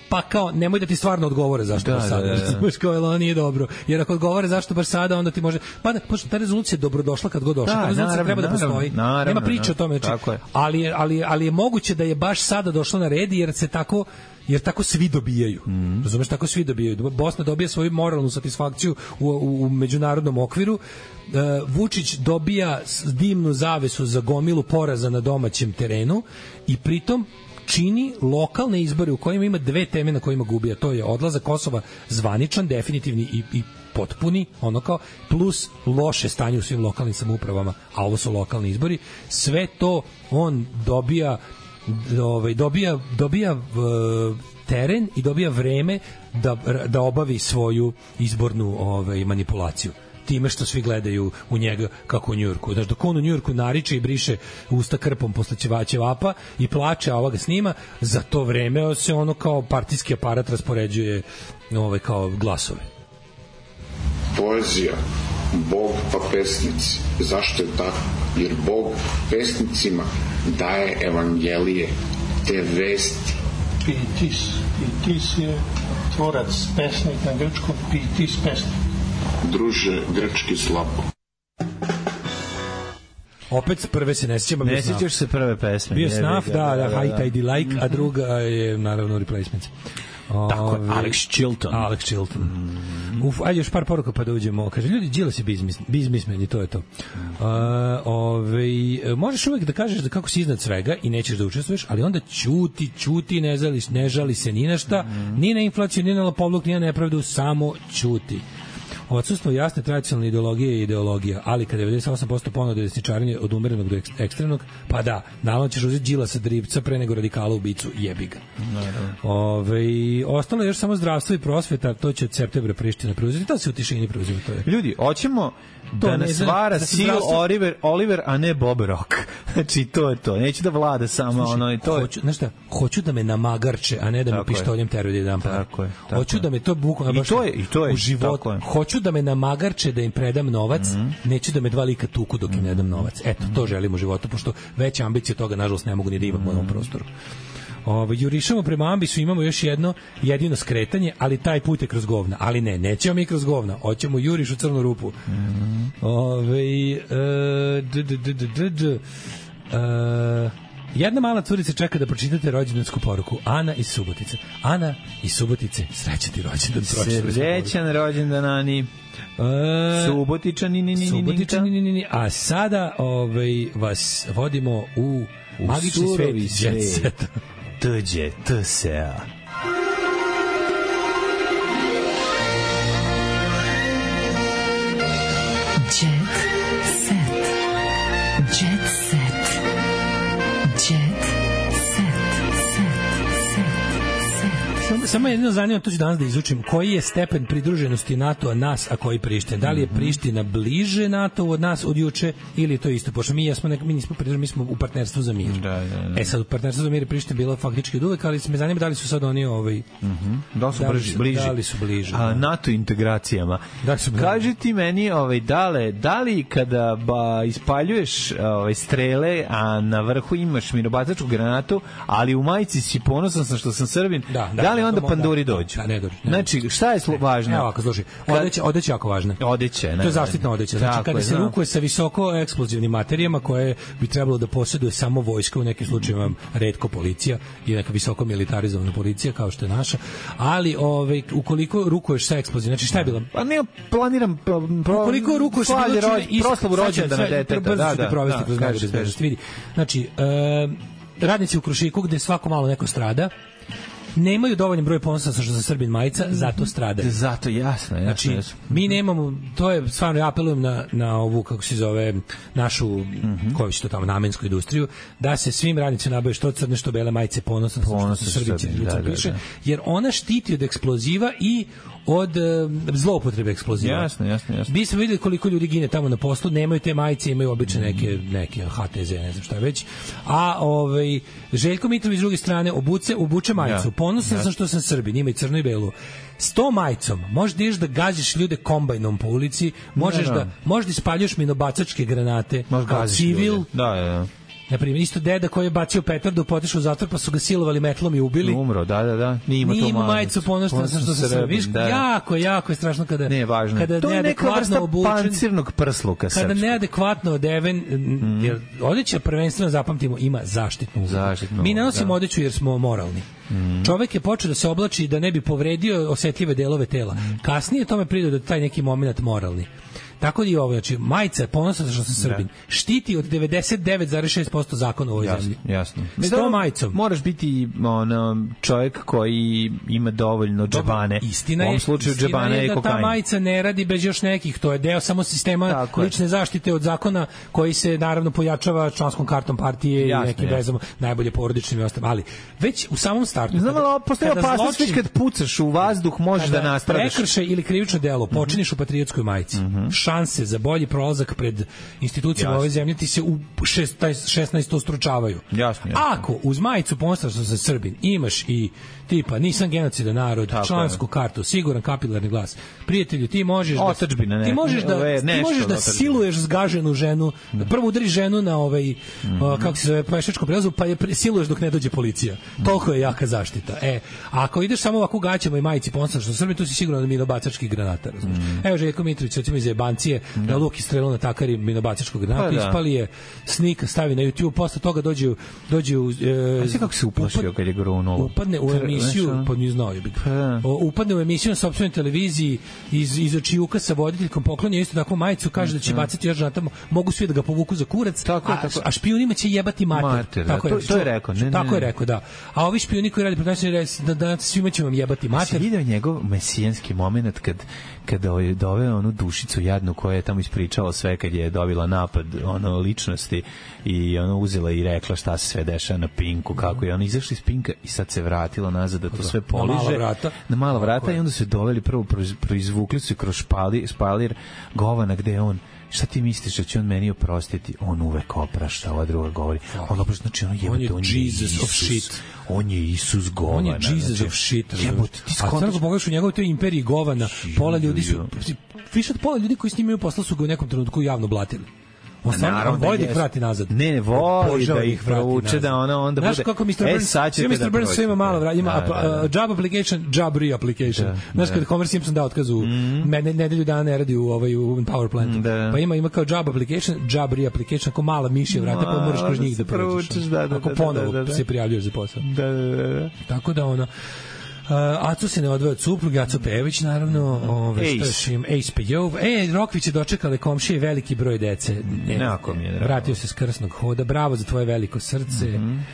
pa kao, nemoj da ti stvarno odgovore zašto da, baš sada. Da, da, da. Kao, ono nije dobro. Jer ako odgovore zašto baš sada, onda ti može... Pa da, ta rezolucija je dobrodošla kad god došla. Da, ta rezolucija naravno, treba da postoji. Naravno, Nema priče o tome. Znači, ali, je, ali, ali je moguće da je baš sada došlo na red, jer se tako... jer tako svi dobijaju. Mm. Razumeš, tako svi dobijaju. Bosna dobija svoju moralnu satisfakciju u, u, u međunarodnom okviru. Uh, Vučić dobija dimnu zavesu za gomilu poraza na domaćem terenu i pritom čini lokalne izbore u kojima ima dve teme na kojima gubi, a to je odlazak Kosova zvaničan, definitivni i, i potpuni, ono kao, plus loše stanje u svim lokalnim samoupravama, a ovo su lokalni izbori. Sve to on dobija ovaj, dobija, dobija uh, teren i dobija vreme da, da obavi svoju izbornu ovaj, manipulaciju time što svi gledaju u njega kako u Njujorku. Znaš, dok on u Njujorku nariče i briše usta krpom posle ćevapa i plače, a ova ga snima, za to vreme se ono kao partijski aparat raspoređuje ovaj, kao glasove. Poezija, Bog pa pesnici. Zašto je tako? Jer Bog pesnicima daje evangelije, te vesti Pitis. Pitis je tvorac, pesnik na grčkom, Pitis pesnik. Druže, grčki slabo. Opet prve se ne sjećam. Ne sjećaš se prve pesme. Bio Snuff, da, da, High Tide Like, a druga je naravno Replacements. Tako je, Alex Chilton. Alex Chilton. Mm. Uf, ajde još par poruka pa da uđemo. Kaže, ljudi, Đilas je bizmismen i to je to. Uh, ove, možeš uvek da kažeš da kako si iznad svega i nećeš da učestvuješ, ali onda ćuti, ćuti, ne, zališ, ne žali se ni na šta, mm. ni na inflaciju, ni na lopovluk, ni na nepravdu, samo ćuti. Odsustvo jasne tradicionalne ideologije i ideologija, ali kada devedeset osam posto ponude desničarenje od umerenog do ekstremnog, pa da, naravno ćeš uzeti Đilasa drivca pre nego radikala ubicu, jebi ga. Ove, ostalo je još samo zdravstvo i prosveta, to će od septembra Priština preuzeti, to se u tišini preuzima. To je. Ljudi, hoćemo da nas vara da Sil zdravstvo... Oliver, Oliver, a ne Bob Rock. Znači, to je to. Neću da vlada samo Sluši, ono i to. Hoću, znaš šta, hoću da me namagarče, a ne da tako me pištoljem teruje da jedan par. Tako je. Tako hoću je. da me to bukvalno I to je, i to je. U životu. Hoću da me namagarče da im predam novac, mm-hmm. neću da me dva lika tuku dok im ne dam novac. Eto, to želim u životu, pošto veće ambicije toga, nažalost, ne mogu ni da imam mm-hmm. u ovom prostoru. Ovo, jurišamo prema ambisu, imamo još jedno jedino skretanje, ali taj put je kroz govna. Ali ne, nećemo mi kroz govna, hoćemo juriš u crnu rupu. Mm-hmm. Ove, e, d, d, d, d, d, d, e, jedna mala curica čeka da pročitate rođendansku poruku. Ana iz Subotice. Ana iz Subotice, srećan ti rođendan. Srećan rođendan, Ani. E, Subotičani, ni, ni, ni, Subotičani, ni, ni, ni. A sada ovaj, vas vodimo u, u magični svet Jet Set. Tuđe, tu se a. Jet Set. Jet Set. Jet Set. Samo, samo jedino zanima, to ću danas da izučim, koji je stepen pridruženosti NATO-a nas, a koji Priština? Da li je Priština bliže NATO od nas od juče ili je to isto? Pošto mi, jesmo nek, mi nismo pridruženi, mi smo u partnerstvu za mir. Da, da, da. E sad, u partnerstvu za mir je Priština bila faktički od uvek, ali me zanima da li su sad oni ovaj, mm-hmm. da li su, da li su bliži? Da li su bliže? A, NATO integracijama. Da su Kaži ti meni, ovaj, dale, da li kada ba, ispaljuješ ovaj, strele, a na vrhu imaš minobacačku granatu, ali u majici si ponosan sam što sam Srbin, da, da, da li onda da, panduri da, dođu? Da, ne dođu. Ne znači, šta je slo, važno? Evo ovako, slušaj, odeća, odeća jako važna. Odeće, ne. To je zaštitna odeća. Znači, kada je, se rukuje sa visoko eksplozivnim materijama koje bi trebalo da posjeduje samo vojska, u nekim slučajevima retko policija i neka visoko militarizovana policija kao što je naša, ali ovaj, ukoliko rukuješ sa eksplozivnim, znači šta je bilo? Pa ne planiram pro, pro, ukoliko rukuješ sa bilo čime proslavu rođendana deteta, da, da, provesti kroz najbolje zbežnosti. Vidi, znači, e, radnici u Krušiku gde svako malo neko strada, nemaju dovoljan broj ponosa što za Srbin majica, zato stradaju. Zato, jasno, jasno. Znači, jasno. mi nemamo, to je, stvarno, ja apelujem na, na ovu, kako se zove, našu, mm-hmm. koju će to tamo, namensku industriju, da se svim radnicima nabave što crne, što bele majice ponosa što se Srbin da, da, piše, da. Jer ona štiti od eksploziva i od uh, zloupotrebe eksploziva. Jasno, jasno, jasno. Mi smo videli koliko ljudi gine tamo na poslu, nemaju te majice, imaju obične neke, neke H T Z, ne znam šta već. A ovaj, Željko Mitrović s druge strane obuce, obuče majicu. Ja. Ponosan ja. sam što sam Srbin, ima i crno i belu. S tom majicom možeš da ideš da gađaš ljude kombajnom po ulici, možeš, ne, da, možeš da ispaljuješ minobacačke granate, kao civil. Da, da. Na primjer, isto deda koji je bacio petardu, potišao u zatvor, pa su ga silovali metlom i ubili. Umro, da, da, da. Nije ima to majicu. majicu ponošten sam što se Srbin. Viš, da. jako, jako je strašno kada, ne, važno. kada to je neka vrsta obučen, pancirnog prsluka kada srpskog. Neadekvatno odeven, mm. jer odeća prvenstveno, zapamtimo, ima zaštitnu ulogu. Zaštitnu, mi nanosimo da. odeću jer smo moralni. Mm. Čovek je počeo da se oblači da ne bi povredio osetljive delove tela. Mm. Kasnije tome prido da taj neki moment moralni. Tako da i ovo, znači, majica je ponosna što sam Srbin. Štiti od devedeset devet zarez šest posto zakona u ovoj jasno, zemlji. Jasno. S tom majicom. Moraš biti ono, čovjek koji ima dovoljno džabane. Istina je, u ovom slučaju džabane je da kokain. Ta majica ne radi bez još nekih. To je deo samo sistema tako lične je. zaštite od zakona koji se naravno pojačava članskom kartom partije jasno, i nekim vezama, najbolje porodičnim i ostalim. Ali već u samom startu. Znam, ali postoji opasnost već kad pucaš u vazduh možeš da nastradaš. Prekršaj ili krivično delo počiniš mm-hmm. u patriotskoj majici. Mm-hmm. šanse za bolji prolazak pred institucijama ove zemlje ti se u šesnaesto stručavaju. Jasno, jasno. Ako uz majicu ponosan što sam Srbin imaš i tipa nisam genocidan narod, tako člansku je. Kartu, siguran kapilarni glas. Prijatelju, ti možeš da Otačbina, ti možeš da ove, ti možeš da siluješ zgaženu ženu, da prvo udariš ženu na ovaj mm -hmm. kako se zove pešačkom prelazu, pa je siluješ dok ne dođe policija. Toliko je jaka zaštita. E, a ako ideš samo ovako gaćama i majici ponosan što sam Srbin, tu si sigurno da minobacački granata, razumiješ. Mm. Evo Željko Mitrović, recimo iz Jebancije, mm. da luk istrelio na takari minobacačkog granata, pa, da. Ispali je snika, stavi na YouTube, posle toga dođu dođu e, a sve kako se uplašio kad je grunulo. Upadne u emisiju, pa ni znao je. Upadne u emisiju na sopstvenoj televiziji iz iz očijuka sa voditeljkom poklonio isto takvu majicu, kaže da će bacati još tamo, mogu svi da ga povuku za kurac, tako, a, tako. a špijunima će jebati mater. mater tako da, je, to, to je rekao. Ne, tako ne, je rekao, da. A ovi špijuni koji radi protiv nas da da svima će vam jebati mater. Si video njegov mesijanski momenat kad kada je doveo onu dušicu jadnu koja je tamo ispričala sve kad je dobila napad ono ličnosti i ona uzela i rekla šta se sve dešava na Pinku, kako je ona izašla iz Pinka i sad se vratila nazad da to sve poliže na mala vrata, na mala vrata i onda su doveli prvo proizvukli su kroz špalir, špalir govana gde je on šta ti misliš da će on meni oprostiti? On uvek oprašta, ova druga govori. On oprašta, znači ono jebate, on je Jesus of shit. On je Isus govana. On je Jesus of shit. Jebote, ti skontaš. A sad ako pogledaš u njegovoj toj imperiji govana, pola ljudi su, više od pola ljudi koji s njim imaju posla su ga u nekom trenutku javno blatili. On sam voli da ih vrati nazad. Ne, voli da ih provuče, da ona onda bude... Znaš kako mister Burns, svi mister Burns sve ima malo vrati, ima job application, job re-application. Znaš kada Homer Simpson da otkazu, nedelju dana ne radi u power plantu, pa ima ima kao job application, job re-application, ako mala mišja vrata, pa moraš kroz njih da provučeš. Ako ponovo se prijavljuješ za posao. Da, da, da. Tako da ono... Uh, Aco se ne odvoje od supruge, Aco Pejević naravno, ove, što im, Ace Pejov. E, Rokvić je dočekale komšije veliki broj dece. Ne, Nako mi je drago. Vratio se s krsnog hoda, bravo za tvoje veliko srce. Mm-hmm.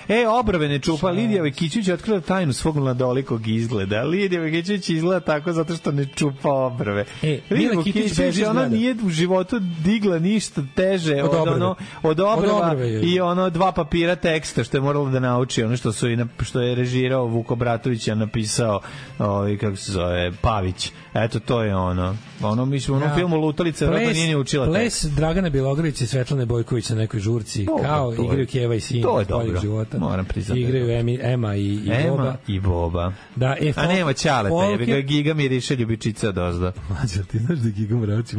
E, obrve ne čupa, Lidija Vekićić je otkrila tajnu svog mladolikog izgleda. Lidija Vekićić izgleda tako zato što ne čupa obrve. E, Lidija Vekićić, ona nije u životu digla ništa teže od, od, ono, od obrva od obrve, i ono dva papira teksta što je moralo da nauči, ono što, su i na, što je režirao Vuko Bratović, a napisao ovaj, kako se zove, Pavić. Eto, to je ono. Ono, mi smo u onom ja, filmu Lutalica, vjerojatno nije ni učila ples tekst. Ples Dragana Bjelogrlić i Svetlane Bojković na nekoj žurci, to, kao to igraju Keva i Sin. To je dobro. Života. Moram priznati. Igraju Emi, Ema i, i Ema Boba. i Boba. Da, e, a nema Ćaleta, folke... je ga Giga miriše ljubičica dozda. Mlađe, ti znaš da je Giga Morac,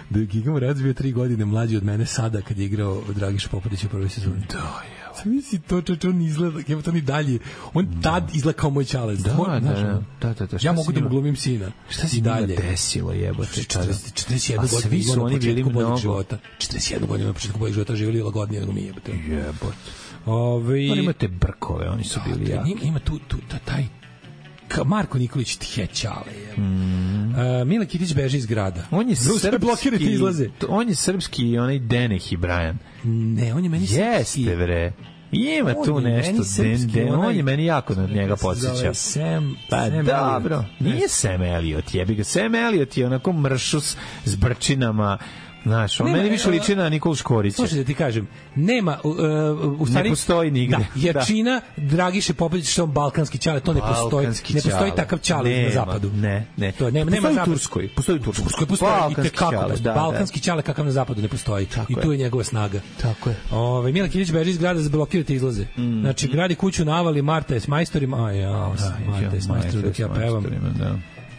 da je Giga Morac bio tri godine mlađi od mene sada kad je igrao Dragiša Popadić u prvoj sezoni. Da, je. Misli to čoče, on izgleda, evo to ni dalje. On tad izgleda kao moj čalec. Da, da, da, da, da, da. Ja mogu da mu glumim sina. Šta si dalje desilo, jebote? četrdeset jednu godinu svi su oni bili mnogo života. četrdeset jednu godinu na početku boljeg života živjeli lagodnije nego mi, jebote. Jebote. Ove... Oni imate brkove, oni su bili jaki. Ima tu, tu, taj Marko Nikolić tjećale je. Mm. Uh, Mile Kitić beži iz grada. On je srpski, izlaze. On je srpski i onaj Deneh i Brian. Ne, on je meni srpski. Jeste, bre. Ima on tu nešto. Den, den, on je meni jako na njega podsjeća. Sam, pa Sam dobro. Nije Sam Elliot, jebi ga. Sam Elliot je onako mršus s brčinama. Znaš, on nema, meni više liči na Nikolu Škorića. Slušaj da ti kažem, nema, uh, u stvari... Ne postoji nigde. Da, jačina da. Dragiše Popadić što on balkanski ćale, to ne postoji. Ne postoji takav ćale na zapadu. Ne, ne. To, nema, postoji nema u Turskoj. Postoji u Turskoj. Turskoj postoji balkanski i tekako. Da, balkanski ćale kakav na zapadu ne postoji. Tako I tu je njegova snaga. Tako je. Ove, Mila Kilić beži iz grada za blokirati izlaze. Mm. Znači, gradi kuću na avali, Marta je s majstorima. A ja, Marta je s majstorima dok ja pevam.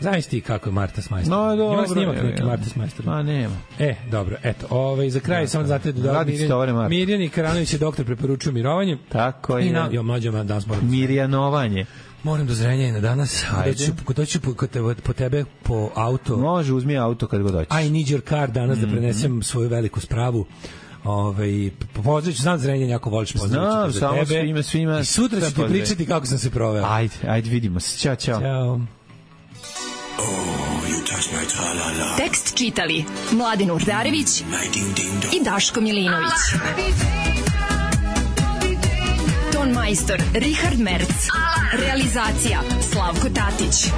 Znaš ti kako je Marta s majstorom? No, dobro. Ima snimak neki Marta s majstorom? Ma, nema. E, dobro, eto. Ove, za kraj, ja, samo znate da Mirjan, Mirjan i Karanović je doktor preporučuju mirovanje. Tako je. I na, jo, mlađo, man, danas moram... Mirjanovanje. Moram do zrenja i na danas. Doću, doću po, po, po tebe po auto. Može, uzmi auto kad god doćeš. I need your car danas mm-hmm. da prenesem svoju veliku spravu. Ove, pozdravit ću, znam Zrenjanin, jako voliš, pozdravit ću za tebe. Znam, svima, svima. I sutra ću ti pričati kako sam se proveo. Ajde, ajde, vidimo se. Ćao, čao. Ćao. Tekst čitali Mladin Urdarević i Daško Milinović. Ton majstor Richard Merc. Realizacija Slavko Tatić.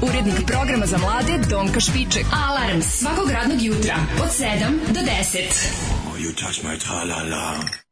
Urednik programa za mlade Donka Špiček. Alarms svakog radnog jutra od sedam do deset. Oh, you touch my tra-la-la.